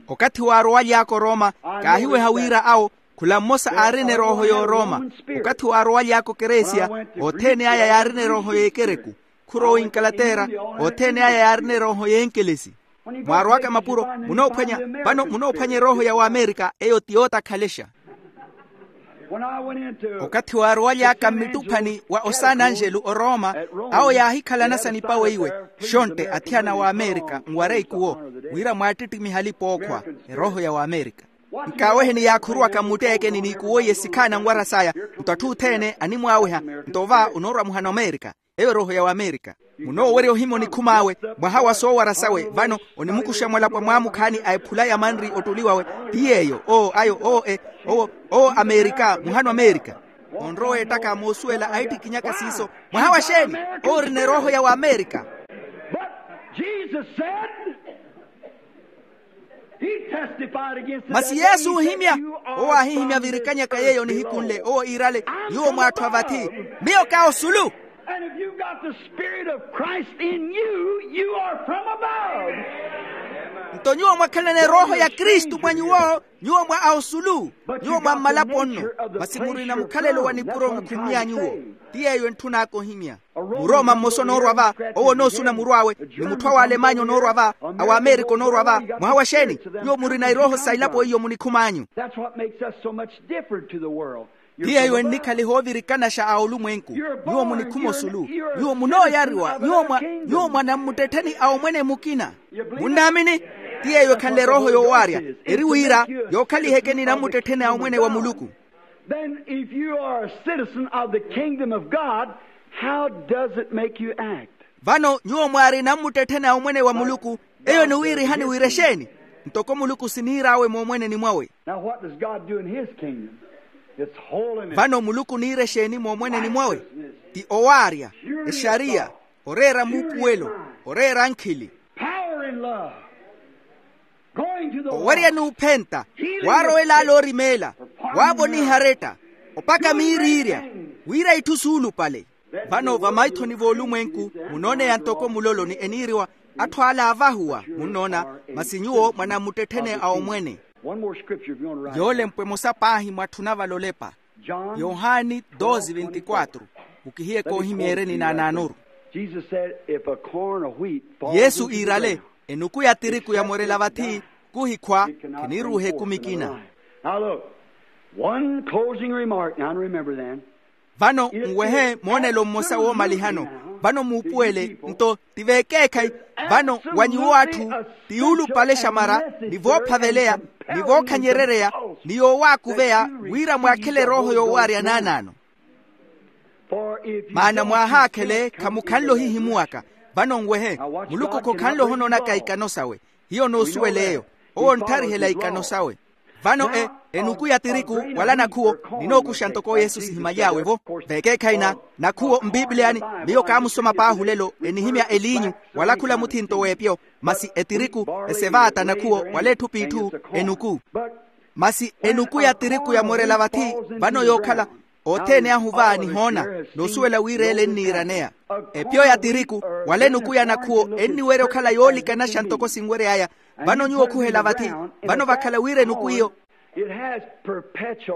Okathi waarowaly'aka orooma, kaahiweha wira awo khula mmosa aarina erooho y'orooma. Okathi waarowaly'aka okeresia, othene aya yaarina erooho y'ekereku. Khurowa oinkalateera, othene aya yaarina erooho y'enkelesi. Mwaarowaka mapuro, munoophwanya, vano munoophwanya erooho ya waamerika, eyo ti yootakhalexa. Okathi waarowaly'aka mmittuphani wa osananjelu orooma, awo yaahikhalana sa nipawe iwe, xontte athiyana a waamerika nwareikuwo, wira mwaattittimiha alipa ookhwa. Erooho ya waamerika. Nkaaweheni yaakhuruwaka mmutteekeni n'ikuwo iye sikhaana nwaras'aya. Nto atthu othene animwaaweha. Nto va onoorwa muhana omerika. Eyo erooho ya waamerika. Munoowerya ohimya onikhum'awe, mwaha wa soowara sawe vano, onimukuxa mwalapwa mwaamukhaani a ephula ya manri ottuli wawe. Ti yeeyo oo ayo oo e, owo owo amerika muhana omerika. Onrowa ettaka moosuwela aittikinyaka siiso. Mwaha wa xeeni? Owo orina erooho ya waamerika. Masi yesu oohimya, owo aahihimya virikanyaka yeeyo nihiku nle owo iirale, nyuwo mw'atthu a vathi, miyo ka osulu. Nto nyuwo mwakhalana erooho ya kristu mwa nyuwo, nyuwo mwa a osulu. Nyuwo mwa mmalapo nno. Masi murina mukhalelo wa nipuro mukhummya nyuwo. Ti yeeyo entthun'aka ohimya. Murooma mmosa onoorwa va, owo onoosuna murw'awe. Ni mutthu a waalemanya onoorwa va, a waamerika onoorwa va. Mwaha wa xeeni? Nyuwo murina irooho sa ilapo iyo munikhum'anyu. Ti yeeyo ennikhaliha oovirikanaxa a olumwenku. Nyuwo munikhuma osulu. Nyuwo munooyariwa nyuwo mwa, nyuwo mwa nammuttettheni a omwene mukina. Munnaamini? Ti yeeyo ekhanle erooho yoowaarya. Eri wira, yookhalihekeni nammuttettheni a omwene wa muluku. Then if you are a citizen of the kingdom of God, how does it make you act? Vano nyuwo mwaari nammuttettheni a omwene wa muluku, eyo eniwiirihani wira exeeni? Ntoko muluku siniir'awe moomweneni mwawe. Now what does God do in his kingdom? It's holiness. Vano muluku oniira exeeni moomweneni mwawe? Ti owaarya, exariya, oreera muupuwelo, oreera ankhili. Power and love. Owerya n'uphenta, waarowela ale orimeela, waavoniha aretta, opaka miiriirya, wira itthu suulupale. Vano vamaithoni v'olumwenku munooneya ntoko muloloni eniiriwa, atthu ale aavahuwa munnoona, masi nyuwo mwanamuttetthene a omwene. Yoolempwa emosa paahi mwatthuna vale olepa. Yohani doze veintiquatro. Mukihiye koohimya ereni naanaanoru. Yesu iirale, enuku ya tiriku yamorela vathi, kuhikhwa, khiniiruuha ekumi ekina. Now look, one closing remark now, and remember then. Vano nwehe moonelo mmosa woomalihano. Vano muupuwele nto, ti vekeekhayi. Vano wa nyuwo atthu, ti yuulupalexamara, ni voophaveleya, ni vookhanyerereya, ni yoowaakuveya, wira mwaakhele erooho yoowaarya naanaano. Maana mwaahaakhele khamukhanle ohihimuwaka. Vano nwehe, muluku khokhanle ohonoonaka ikano sawe. Hiyo noosuwela eyo. Owo ontharihela ikano sawe. Vano e, enuku ya tiriku, wala nakhuwo, ninookuxa ntoko yesu sihimaly'awe-vo. Vekeekhayi na, nakhuwo mpipiliyani, miyo kaamusoma paahi olelo enihimya eliinyu, wala khula muthinto w'epyo. Masi etiriku, esevaata nakhuwo wala etthu p'itthu, enuku. Masi enuku ya tiriku yamorela vathi, vano yookhala, othene ahu va nihoona, noosuwela wira ele enniiraneya. Epyo ya tiriku, wala enuku ya nakhuwo enniwerya okhala yoolikanaxa ntoko sinwery'aya. Vano nyuwo okhuhela vathi, vano vakhala wira enuku iyo.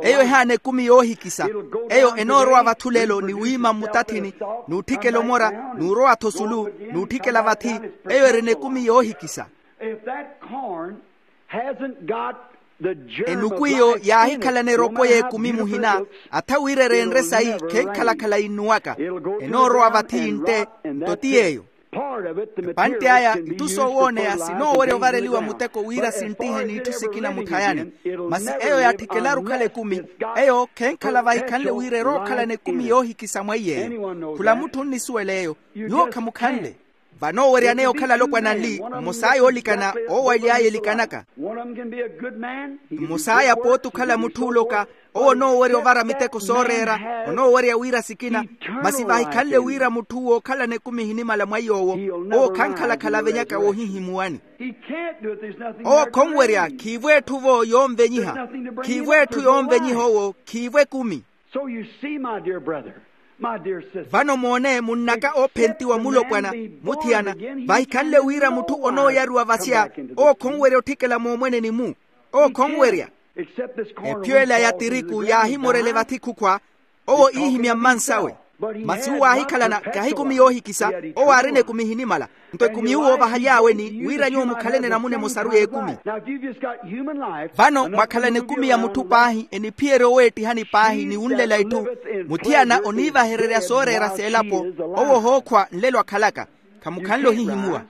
Eyo ehaana ekumi yoohikisa. Eyo enoorowa vathi olelo ni wiima mmutathini, n'utthikela omora, n'urowa-tho osulu, n'utthikela vathi. Eyo erina ekumi yoohikisa. Enukhu eyo yaahikhalana eropo y'ekumi muhina, atha wira ereenre sayi khenkhalakhala innuwaka. Enoorowa vathi yintte. Nto ti yeeyo. Epantte aya itthu soowooneya sinoowerya ovareliwa muteko wira sinttihe n'itthu sikina muthayani. Masi eyo yaatthikelaru okhala ekumi. Eyo khenkhala vahikhanle wira erookhalana ekumi yoohikisa mwa iy'eyo. Khula mutthu onnisuwela eyo. Nyuwo khamukhanle. Vanooweryaneya okhala alopwana anli. Mmos'aya oolikana owo aly'aya elikanaka. Mmos'aya pooti okhala mutthu ooloka. Owo onoowerya ovara miteko sooreera. Onoowerya wira sikina. Masi vahikhanle wira mutthu wookhalana ekumi ehinimala mwa iy'owo, owo khankhalakhala avenyaka woohihimuwani. Owo khonwerya khiivo etthu-vo yoonvenyiha. Khiivo etthu yoonvenyiha owo khiivo ekumi. Vano moone munnaka oophentiwa mulopwana, muthiyana, vahikhanle wira mutthu onooyaruwa vasya. Owo khonwerya otthikela moomweneni-mu. Owo khonwerya. Ephiyo ela ya tiriku yaahimorele vathi khukhwa. Owo iihimya mmansawe. Masi uwo aahikhalana kahi ekumi yoohikisa. Owo aarina ekumi ehinimala. Nto ekumi uwo vahaly'awe ni wira nyuwo mukhalene enamuna emosaru y'ekumi. Vano mwakhalana ekumi ya mutthu paahi eniphiyerya oweettihani paahi ni wunlela itthu. Muthiyana oniivahererya sooreera s'elapo. Owo ohookhwa nlelo akhalaka. Khamukhanle ohihimuwa.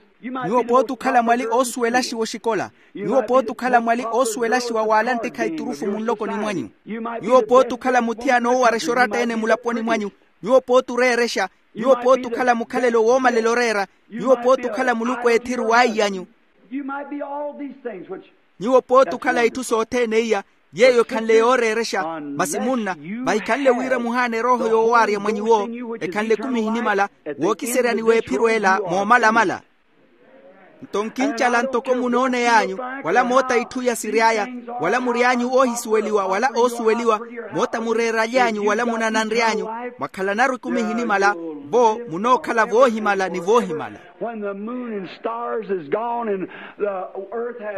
Nyuwo pooti okhala mwali oosuwelaxiwa oxikola. Nyuwo pooti okhala mwali oosuwelaxiwa w'ala nttikha iturufu munlokoni mwanyu. Nyuwo pooti okhala muthiyana oowarexa oratta-ene mulaponi mwanyu. Nyuwo pooti oreerexa. Nyuwo pooti okhala mukhalelo woomalela oreera. Nyuwo pooti okhala muluku eethiru w'aiy'anyu. Nyuwo pooti okhala itthu sothene iya yeeyo ekhanle yooreerexa. Masi munna, vahikhanle wira muhaana erooho yoowaarya mwa nyuwo, ekhanle ekumi ehinimala, wookiseryani w'ephiro ela moomalamala. Nto nkincala ntoko munooney'anyu, wala moota itthu iya siry'aya, wala mury'anyu oohisuweliwa wala oosuweliwa, moota mureeraly'anyu wala munananry'anyu, mwakhalanaru ekumi ehinimala. Vo munookhala voohimala ni voohimala.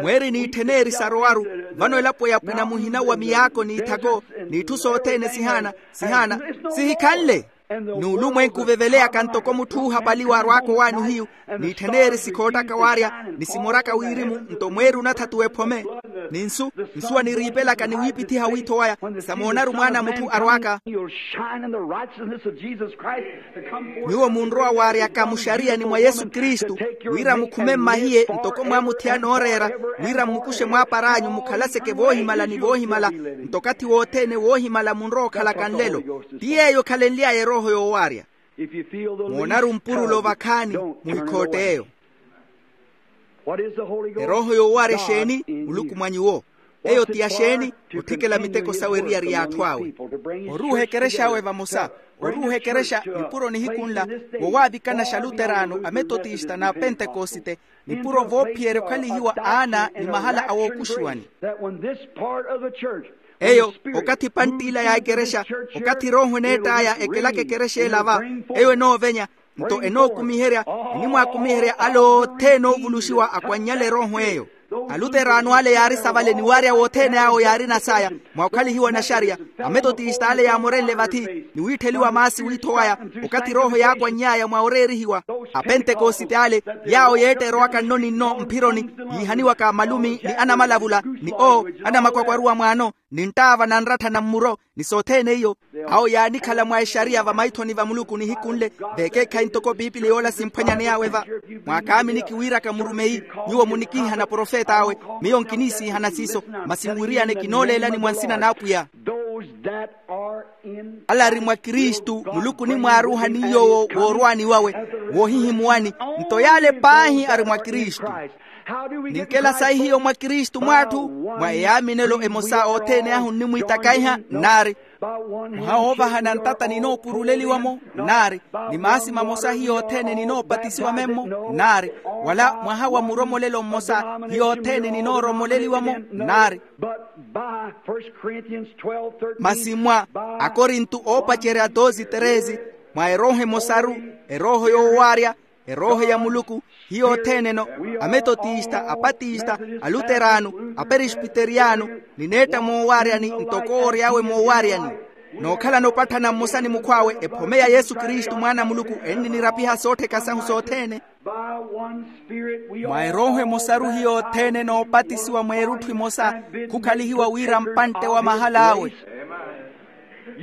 Mweeri n'itthen'eri sarowaru, vano elapo ya pwina muhina wa miyaako n'ithako, n'itthu sothene sihaana, sihaana, sihikhanle. N'ulumwenku oveveleyaka ntoko mutthu oohapaliwa arwaaka owaani ohiyu, n'itthen'eri sikhoottaka waarya, ni simoraka wirimu. Nto mweeri onathatuwa ephome, ni nsu, nsuwa niriipelaka ni wiipithiha wiitho waya. Samoonaru mwaana a mutthu arwaaka. Nyuwo munrowa waaryaka muxariyani mwa yesu kristu, wira mukhume mmahiye ntoko mwamuthiyana ooreera, wira mmukuxe mwaaparaanyu mukhalaseke voohimala ni voohimala. Nto okathi wothene woohimala munrowa okhalaka nlelo. Ti yeeyo ekhalenly'aya erooho yoowaarya. Moonaru mpurulo vakhaani, muhikhootte eyo. Erooho yoowaarya exeeni? Muluku mwa nyuwo. Eyo ti ya xeeni? Otthikela miteko sawe eriyari y'atthu awe. Oruuha ekerex'awe vamosa. Oruuha ekerexa nipuro nihiku nla, wowaavikana xaluteraano, ametotista n'apentekosite, nipuro voophiyerya okhalihiwa aana ni mahala a wookuxiwani. Eyo, okathi pantt'ila ya ekerexa, okathi erooho eneett'aya ekelaka ekerexa ela va, eyo enoovenya, nto enookumiherya, enimwaakumiherya ale othene oovuluxiwa akwannyale erooho eyo. Aluteraano ale yaari savale ni waarya wothene awo yaarina saya, mwa okhalihiwa naxariya. Ametotista ale yaamorenle vathi, ni wiittheliwa maasi wiitho waya, okathi erooho yaakwanny'aya mwa oreerihiwa. Apentekosite ale, yaawo yeetta erowaka nno ni nno mphironi, yiihaniwaka malumi ni anamalavula, ni oo anamakwakwaruwa mwaano, ni nttaava na nrattha na mmuro, ni sothene iyo. Awo yaanikhala mwa exariya vamaithoni va muluku nihiku nle, veekeekhayi ntoko piipili yoola simphwanyaney'awe va. Mwaakaaminiki wiiraka murumeyi, nyuwo munikiihana profet'awe. Miyo nkiniisiihana siiso, masi nwiriyane kinooleelani mwa nsina n'apwiya. Ale ari mwa kristu, muluku onimwaaruuha ni yoowo woorwaani wawe, woohihimuwani. Nto yaale paahi ari mwa kristu. Ninkela sayi hiyo mwa kristu mw'atthu? Mwa eyaaminelo emosa othene ahu nnimwiitakaiha? Nnaari. Mwaha woovahana ntata ninoopuruleliwa-mo? Nnaari. Ni maasi mamosa hiyo othene ninoopatisiwa memmo? Nnaari. Wala mwaha wa muromolelo mmosa hiyo othene ninooromoleliwa-mo? Nnaari. Masi mwa akorinto oopacerya dosi teresi, mwa erooho emosaru, erooho yoowaarya, Erooho ya muluku, hiyo othene-no, ametotista, apatista, aluterano, aperispiteriyano, nineetta moowaaryani ntoko oory'awe moowaaryani. Nookhalana opatthana mmosa ni mukhw'awe ephome ya yesu kristu mwaana a muluku enninirapiha soottheka sahu sothene. Mwa erooho emosaru hiyo othene noopatisiwa mweerutthu emosa, khukhalihiwa wira mpantte wa mahal'awe.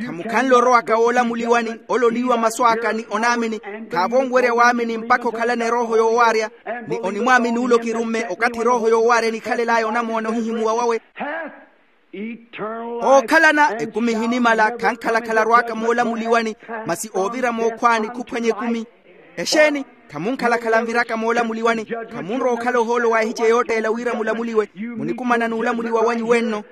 Khamukhanle orowaka woolamuliwani, ole oniiwa masu aka ni onaamini, khaavonwerya waamini mpakha okhalana erooho yoowaarya. Ni onimwaamini ole okirumme okathi erooho yoowaarya enikhalel'aya onamoona ohihimuwa wawe. Ookhalana ekumi ehinimala khankhalakhala arw'aka moolamuliwani, masi oovira mookhwaani khuphwanya ekumi. Exeeni? Khamunkhalakhala nviraka moolamuliwani. Khamunrowa okhala ohoolo wa ehice yootteela wira mulamuliwe. Munikumana n'ulamuliwa wanyu wenno.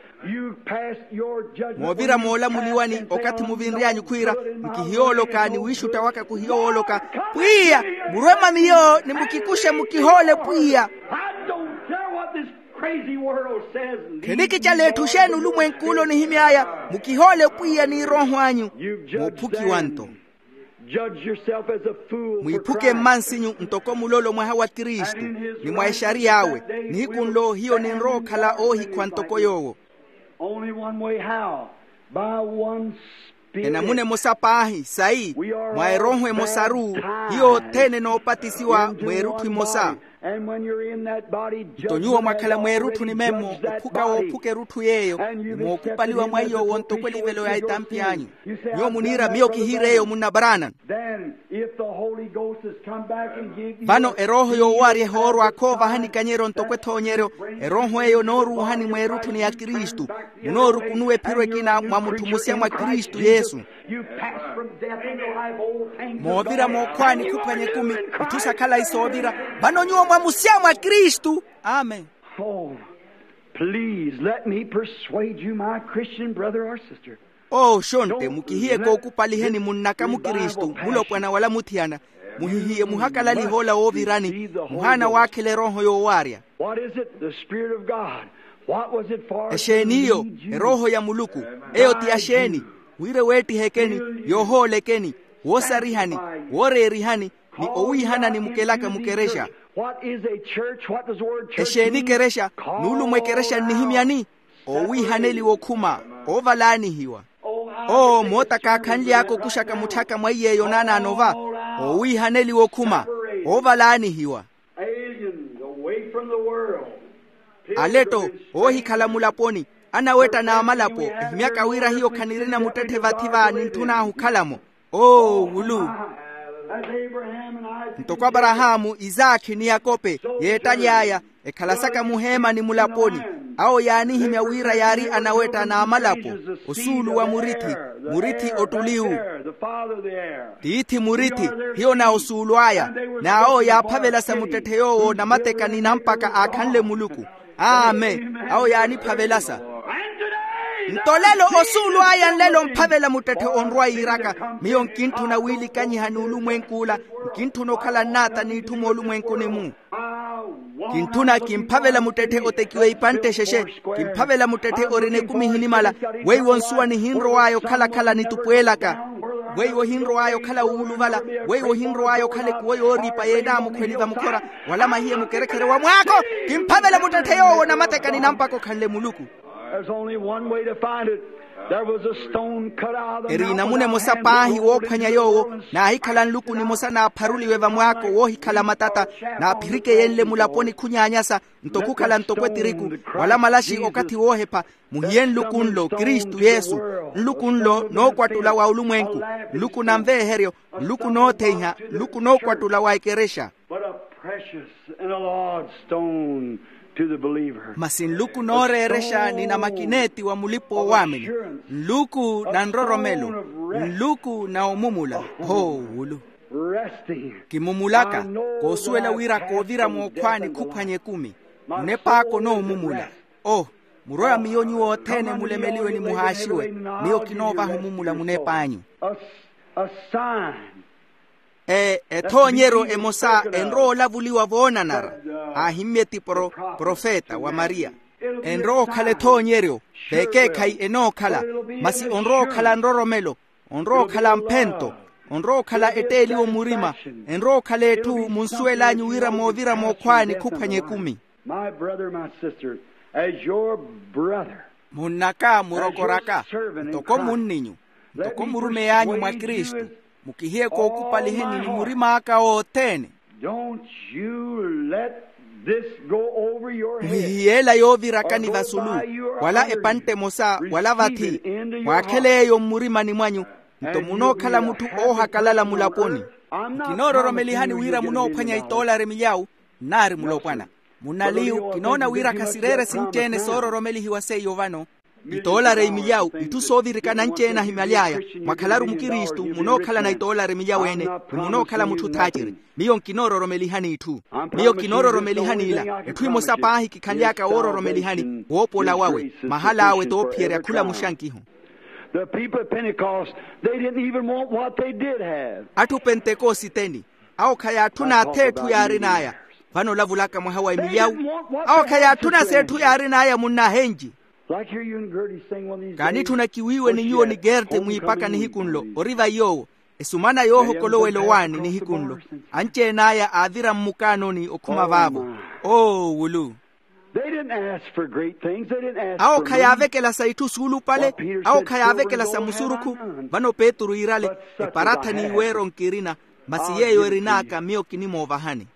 Moovira moolamuliwani okathi muvinry'anyu khwiira, nkihiyooloka ni wiixutta waka khuhiyowooloka, pwiya, murwe mwa miyo ni mukikuxe mukihoole pwiya. Khenikicala etthu xeeni olumwenk'ule onihimy'aya. Mukihoole pwiya n'irooho anyu. Muuphukiwa nto. Mwiiphuke mmansinyu ntoko mulolo mwaha wa kristu, ni mwa exariy'awe. Nihiku nlo hiyo ninrowa okhala oohikhwa ntoko yoowo. Enamuna emosa paahi sayi, mwa erooho emosaru, hiyo othene noopatisiwa mweerutthu emosa. Nto nyuwo mwakhala mweerutthu ni memmo, ophuka woophuka erutthu yeeyo, ni mookupaliwa mwa iy'owo ntoko elivelo ya etampi anyu. Nyuwo muniira miyo kihiir'eyo munna branham. Vano erooho yoowaarya ehoorwa khoovahani ikanyeryo ntoko ethoonyeryo. Erooho eyo enooruuhani mweerutthu ni akristu. Munoorukunuwa ephiro ekina mwa mutthu musya mwa kristu yesu. Moovira mookhwaani khuphwanya ekumi, itthu sakhala isoovira. Vano nyuwo mwamusya mwa kristu. Amen. Oh, please let me persuade you, my Christian brother or sister. Oo xontte mukihiye kookupaliheni munnaka mukristu mulopwana wala muthiyana. Muhihiye muhakalaliha ola woovirani, muhaana waakhela erooho yoowaarya. What is it? The Spirit of God. What was it for? Exeeni iyo? Erooho ya muluku. Eyo ti ya xeeni? Wira eweettihekeni, yoohoolekeni, woosarihani, wooreerihani, ni owiihanani mukelaka mukerexa. What is a church? What does the word church mean? Exeeni ekerexa? Nuulumo ekerexa nnihimyani? Owiihaneliwa okhuma, oovalaanihiwa. Oo moota kaakhanly'aka okuxaka mutthaka mwa iy'eyo naanaano va. Owiihaneliwa okhuma, oovalaanihiwa. Aliens away from the world. Aletto, oohikhala mulaponi, anawetta n'amalapo, ehimyaka wira hiyo khanirina muttetthe vathi va nintthun'ahu okhala-mo. Oo wulu. Ntoko aparahaamu isaakhi ni yakope, yeettaly'aya, ekhalasaka muheemani mulaponi. Awo yaanihimya wira yaari anawetta n'amalapo, osuulu wa murithi, murithi ottuliwu. Tiithi murithi, hiyo na osuulu aya. N'awo yaaphavelasa muttetthe yoowo namateka ni nampaka aakhanle muluku. Amen. Awo yaaniphavelasa. Nto lelo osuulu aya nlelo omphavela muttetthe onrwa yiiraka, miyo nkintthuna wiilikanyiha n'ulumwenk'ula. Nkintthuna okhala nnaata n'itthu moolumwenkuni-mu. Kintthuna kimphavela muttetthe otekiwa ipantte exexe. Kimphavela muttetthe orina ekumi ehinimala. Weiwo nsuwa nihinrow'aya okhalakhala nitupweelaka. Weiwo ohinrow'aya okhala wuuluvala. Weiwo ohinrow'aya okhala ekuwo yooriipa yeenaamukhweni vamukhora, wala mahiye mukerekhere wa mwaako. Kimphavela muttetthe yoowo namateka ni nampaka okhanle muluku. There's only one way to find it. There was a stone cut out of the eri namuna emosa paahi woophwanya yoowo. Naahikhala nluku nimosa naapharuliwe vamwaako woohikhala matata, naaphirikeyenle mulaponi khunyaanyasa, nto khukhala ntoko etiriku, wala malaxi okathi woohepha. Muhiye nluku nlo kristu yesu. Nluku nlo nookwattula wa olumwenku, nluku na nveeheryo, nluku nootheiha, nluku nookwattula wa ekerexa. But a precious and a large stone to the believer. Masi nluku nooreerexa ni namakineeti wa mulipa oowaamini. Nluku na nroromelo. Nluku na omumula. Hoowulu. Resting. Kimumulaka. Koosuwela wira koovira mookhwaani khuphwanya ekumi. Munepaaka onoomumula. Oh, murwe wa miyo nyuwo othene mulemeliwe ni muhaaxiwe. Miyo kinoovaha omumula munep'anyu. A sign. Ethoonyeryo emosa enrowa olavuliwa voonanara. Aahimmye ti profeta wa mariya. Enrowa okhala ethoonyeryo. Vekeekhayi enookhala. Masi onrowa okhala nroromelo. Onrowa okhala mphento. Onrowa okhala etteeliwo murima. Enrowa okhala etthu munsuwel'anyu wira moovira mookhwaani khuphwanya ekumi. My brother, my sister, as your brother, munn'aka murokor'aka, ntoko munninyu, ntoko murumey'anyu mwa kristu, mukihiye kookupaliheni ni murim'aka othene. Don't you let this go over your head. Muhihiyeela yoovirakani vasulu, wala epantte emosa wala vathi, mwaakhele yeeyo mmurimani mwanyu. Nto munookhala mutthu oohakalala mulaponi. Nkinoororomelihani wira munoophwanya itoolari milyawu. Nnaari mulopwana. Munnaliyu kinoona wira khasireere sinci-ene soororomelihiwa seiyo vano. Itoolari imilyawu itthu soovirikana anci-ene ahimyaly'aya. Mwakhalaru mukristu munookhalana itoolari milyawu ene, ni munookhala mutthu thaaciri. Miyo nkinoororomelihani itthu. Miyo kinoororomelihani ila itthu imosa paahi kikhanly'aka woororomelihani woopola wawe. Mahal'awe toophiyerya khulamuxa nkihu. The people at Pentecost, they didn't even want what they did have. Atthu pentekositeni, awo khayaatthuna ath'etthu yaarin'aya. Vano olavulaka mwaha wa emilyawu, awo khayaatthuna s'etthu yaarin'aya munnahenji. Like here you and Gertie sing one of these days. Kaanitthuna kiwiiwe ni nyuwo ni gerte mwiipaka nihiku nlo ori vaiy'owo. Esumana yoohokolowela owaani nihiku nlo. Anci-en'aya aavira mmukaanoni okhuma vaavo. Oo wulu. Awo khayaavekela sa itthu suulupale. Awo khayaavekela sa musurukhu. Vano petru iirale, eparathani iweero nkirina, masi yeeyo erin'aka miyo kinimoovahani.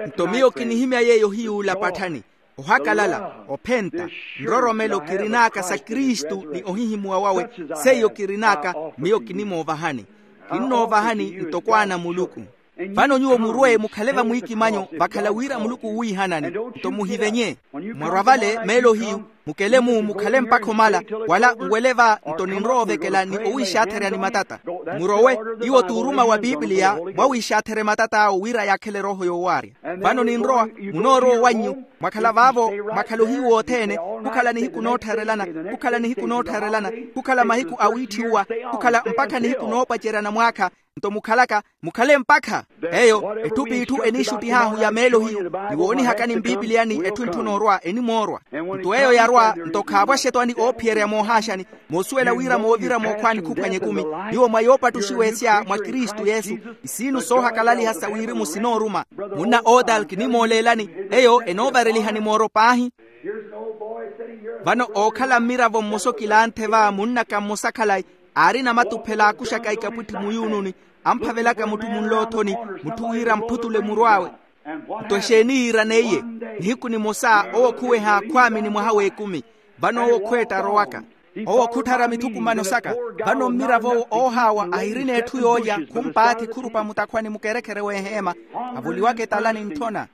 Nto miyo kinihimya yeeyo hiy'ula patthani, ohakalala, ophenta, nroromelo kirin'aka sa kristu ni ohihimuwa wawe. Seiyo kirin'aka, miyo kinimoovahani. Kinnoovahani ntoko ana a muluku. Vano nyuwo murwe mukhale vamwiikimanyo vakhala wira muluku owiihanani. Nto muhivenye, mwarwa vale meelo hiyu, mukele-mu mukhale mpakha omala, wala nwele va nto ninrowa ovekela ni owiixaatherya ni matata. Murowe, iwo t'uruma wa pipiliya, mwawiixaatherye matat'awo wira yaakhele erooho yoowaarya. Vano ninrowa, munoorowa owannyu. Mwakhala vaavo, mwakhala ohiyu wothene, khukhala nihiku noottharelana, khukhala nihiku noottharelana, khukhala mahiku a wiitthiwa, khukhala mpakha nihiku noopaceryana mwaakha. Nto mukhalaka, mukhale mpakha. Eyo etthu p'itthu eniixuttih'ahu ya meelo hiyu. Niwoonihakani mpipiliyani etthu entthuna orwa enimoorwa. Nto eyo yarwa, nto khaapwaxe-tho ani oophiyerya moohaaxani, moosuwela wira moovira mookhwaani khuphwanya ekumi. Nyuwo mwa yoopattuxiwa esya mwa kristu yesu, isiinu soohakalaliha sa wirimu sinooruma. Munna otal kinimooleelani, eyo enoovarelihani mooro paahi. Vano ookhala mmiravo mmosa okilanthe va munnaka mmosa khalayi, aarina matuphela aakuxaka ikapwitthi muyuununi, amphavelaka mutthu munloothoni, mutthu wira amphutule muru awe. Nto exeeni yiiraneiye? Nihiku nimosa owo khuweha khwaamini mwaha w'ekumi. Vano owo khweetta arowaka, owo khutthara mithukumano saka. Vano mmirav'owo oohaawa ahirina etthu yoolya khumpaathi khurupa mutakhwani mukerekhere w'eheema, avoliwaka etalani ntthona.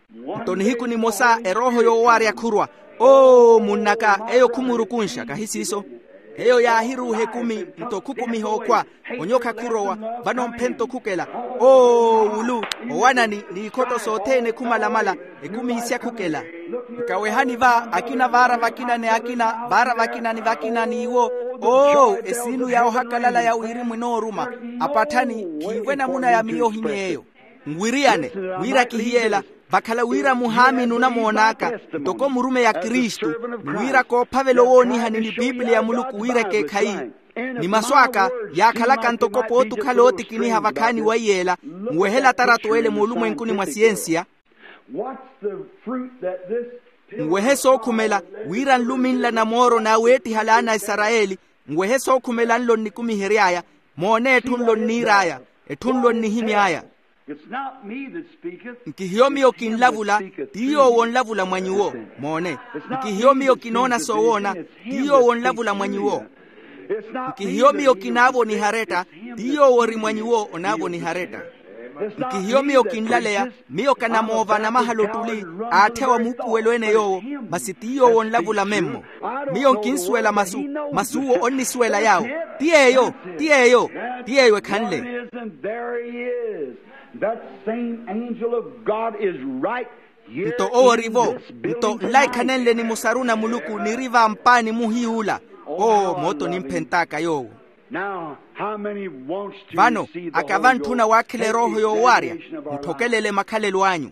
Nto nihiku nimosa erooho yoowarya khurwa. Oo munn'aka, eyo khumurukunxa kahi siiso. Eyo yaahiruuha ekumi, nto khukumiha okhwa, onyokha khurowa. Vano mphento khukela. Oo wulu, owanani n'ikhotto sothene khumalamala, ekumi isya khukela. Nkawehani va akina vaara vakina ni akina vaara vakina ni vakina n'iwo. Oo esiinu ya ohakalala ya wirimu enooruma. Apatthani khiivo enamuna ya miyo ohiny'eyo. Nwiriyane wira kihiyeela, vakhala wira muhaamini onamoon'aka ntoko murumeyi a kristu, ni wira koophavela owoonihani ni pipiliya ya muluku wira ekeekhayi. Ni masu aka yaakhalaka ntoko pootukhala ootikiniha vakhaani wa iyeela, nwehela atarato ele moolumwenkuni mwa siyensiya. Nwehe sookhumela wira nluminla na mooro n'aweettiha laana a isarayeli. Nwehe sookhumela nlo nnikumihery'aya. Moone etthu nlo nniir'aya, etthu nlo nnihimy'aya. Nkihiyo miyo kinlavula, ti yoowo onlavula mwa nyuwo. Moone, nkihiyo miyo kinoona soowoona, ti yoowo onlavula mwa nyuwo. Nkihiyo miyo kinaavoniha aretta, ti yoowo ori mwa nyuwo onaavoniha aretta. Nkihiyo miyo kinlaleya, miyo kanamoova anamahala ottuli, aatthewa muupuwelo ene yoowo, masi ti yoowo onlavula memmo. Miyo nkinsuwela masu, masi uwo onnisuwela yaawo. Ti yeeyo, ti yeeyo, ti yeeyo ekhanle. That same angel of God is right here. Nto owo orivo, nto nlaikhanenle ni musaru na muluku niri vampaani muhiy'ula. Oo mooto nimphent'aka yoowo. Vano, aka vantthuna waakhela erooho yoowaarya, mutthokelele makhalelo anyu.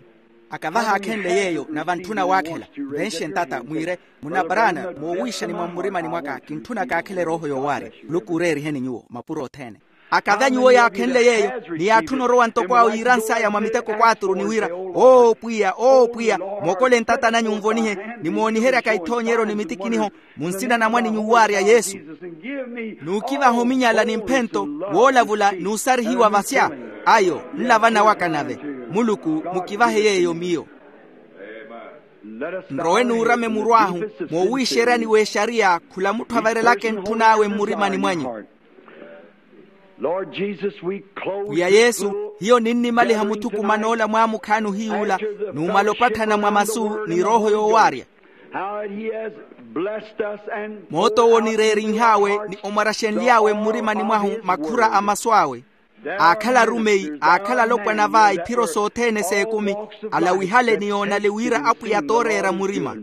Aka vahaakhenle yeeyo na vantthuna waakhela, venxe ntata mwiire, munna brana moowiixani mwa mmurimani mwaka kintthuna kaakhela erooho yoowaarya. Muluku ooreeriheni nyuwo mapuro othene. Akave a nyuwo yaakhenle yeeyo, ni yaatthuna orowa ntoko awo yiiransaya mwa miteko kwaaturu ni wira, oo pwiya oo pwiya, mokole ntata nanyu nvonihe, nimooniheryaka ithoonyeryo ni mitikiniho, mu nsina na mwan'inyu waarya yesu. Nuukivaha ominyala ni mphento, woolavula n'usarihiwa vasya. Ayo nla vana waka nave. Muluku, mukivahe yeeyo miyo. Nrowe nuurame muru ahu, moowiixeryani w'exariya khula mutthu averelaka entthun'awe mmurimani mwanyu. Pwiya yesu, hiyo ninnimaliha muthukuman'ola mwaamukhaani ohiy'ula, numala opatthana mwa masu ni erooho yoowaarya. Moot'owo onireerinh'awe ni omwaraxenly'awe mmurimani mwahu makhura a masu awe. Aakhala arumeyi, aakhala alopwana va iphiro sothene s'ekumi, alawihale ni yoonale wira apwiya t'oreera murima.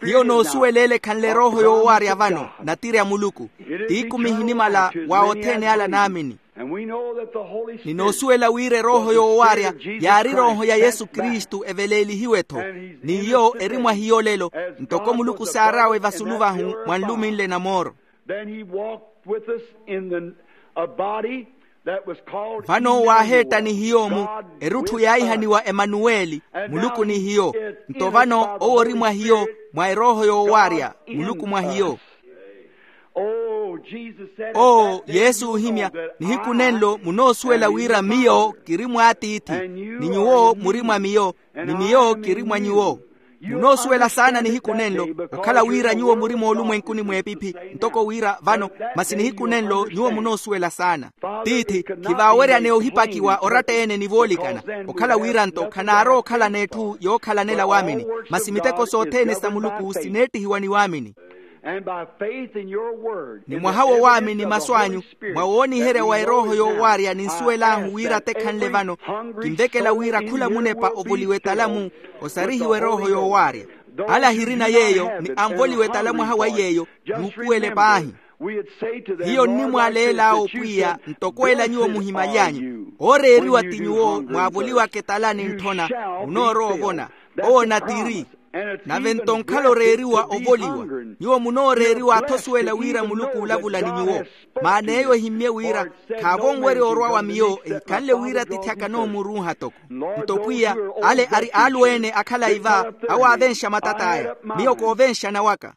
Hiyo noosuwela ele ekhanle erooho yoowaarya vano, natiri a muluku. T'ikumi ehinimala wa othene ala naamini. Ni noosuwela wira erooho yoowaarya yaari erooho ya yesu kristu eveleelihiwe-tho. Ni iyo eri mwa hiyo lelo, ntoko muluku saar'awe vasulu vahu mwa nluminle na mooro. Vano waaheetta ni hiyo-mu, erutthu yaahihaniwa emanuweli, muluku ni hiyo. Nto vano owo ori mwa hiyo, mwa erooho yoowaarya, muluku mwa hiyo. Oo yesu oohimya, nihiku nenlo munoosuwela wira miyo kiri mw'atiithi, ni nyuwo muri mwa miyo, ni miyo kiri mwa nyuwo. Munoosuwela saana nihiku nenlo, okhala wira nyuwo muri moolumwenkuni mw'epiphi, ntoko wira vano, masi nihiku nenlo nyuwo munoosuwela saana. Tiithi, khivaaweryane ohipakiwa oratta-ene ni voolikana, okhala wira-nto khanaarowa okhalana etthu yookhalanela waamini, masi miteko sothene sa muluku sineettihiwa ni waamini. Ni mwaha wo waamini masu anyu, mwa wooniherya wa erooho yoowaarya ninsuwel'ahu wira tekhanle vano, kinvekela wira khula munepa ovoliwe talamu, osarihiwe erooho yoowaarya. Ala ahirina yeeyo ni anvoliwe talamu aha wa yeeyo, nuupuwele paahi. Hiyo nnimwaaleel'awe opwiya ntoko ela nyuwo muhimaly'anyu, ooreeriwa ti nyuwo mwaavoliwaka etala ni ntthona, munoorowa ovona. Owo natiri. Nave-nto nkhala oreeriwa ovoliwa, nyuwo munooreeriwa athosuwela wira muluku olavula ni nyuwo. Maana eyo ehimmye wira khaavo onwerya orwa wa miyo ehikhanle wira tiithi akanoomurunha toko. Nto pwiya, ale ari aalu-ene a khalayi va, awo aavenxa matat'aya. Miyo koovenxana waka.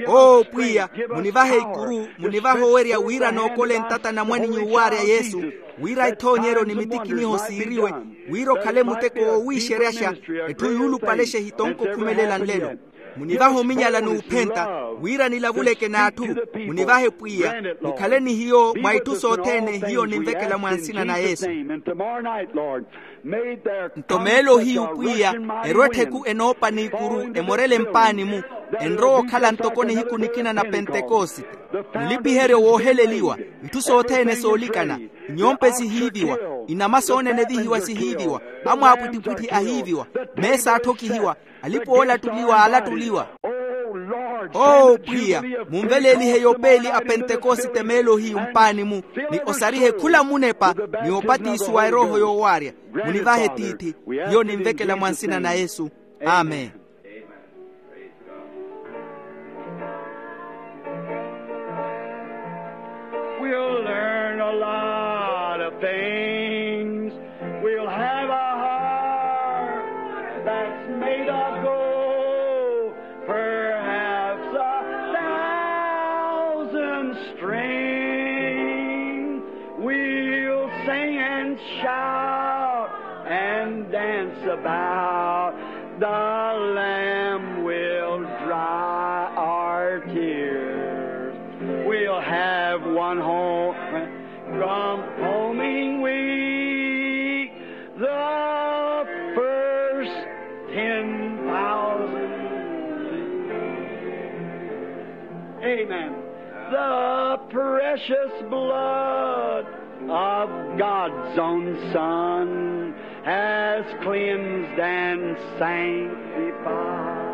Oo pwiya, munivahe ikuru, munivahe owerya wira nookole ntata na mwaninyu waarya yesu, wira ithoonyeryo ni mitikiniho siiriwe, wira okhale muteko woowiixeryaxa, etthu yuulupalexa ehitonko okhumelela nlelo. Munivahe ominyala n'uphenta, wira nilavuleke n'atthu. Munivahe pwiya, mukhale ni hiyo mwa itthu sothene hiyo ninvekela mwa nsina na yesu. Nto meelo hiyu pwiya, erwa ettheku enoopa n'ikuru emorele mpaani-mu, enrowa okhala ntoko nihiku nikina na pentekosite. Mulipiheryo wooheleliwa, itthu sothene soolikana, inyompe sihiiviwa, inama soonene evihiwa sihiiviwa, amwaapwittipwitthi ahiiviwa, meesa atthokihiwa, alipa oolattuliwa aalattuliwa. Oo pwiya, munveleelihe yopeeli a pentekosite meelo hiyu mpaani-mu, ni osarihe khula munepa, ni opatiso wa erooho yoowaarya. Munivahe tiithi, hiyo ninvekela mwa nsina na yesu. Amen. We'll learn a lot of things. We'll have a heart that's made of gold, perhaps a thousand strings. We'll sing and shout and dance about. The Lamb will dry our tears. We'll have one home from homing week, the first ten thousand. Amen. The precious blood of God's own Son has cleansed and sanctified.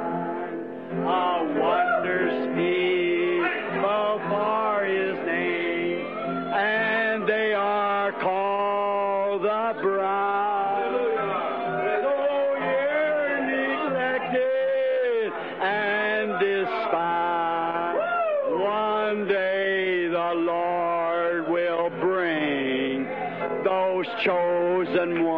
A wondrous people for his name, and they are called the bride. Though here neglected and despised, one day Chosen one.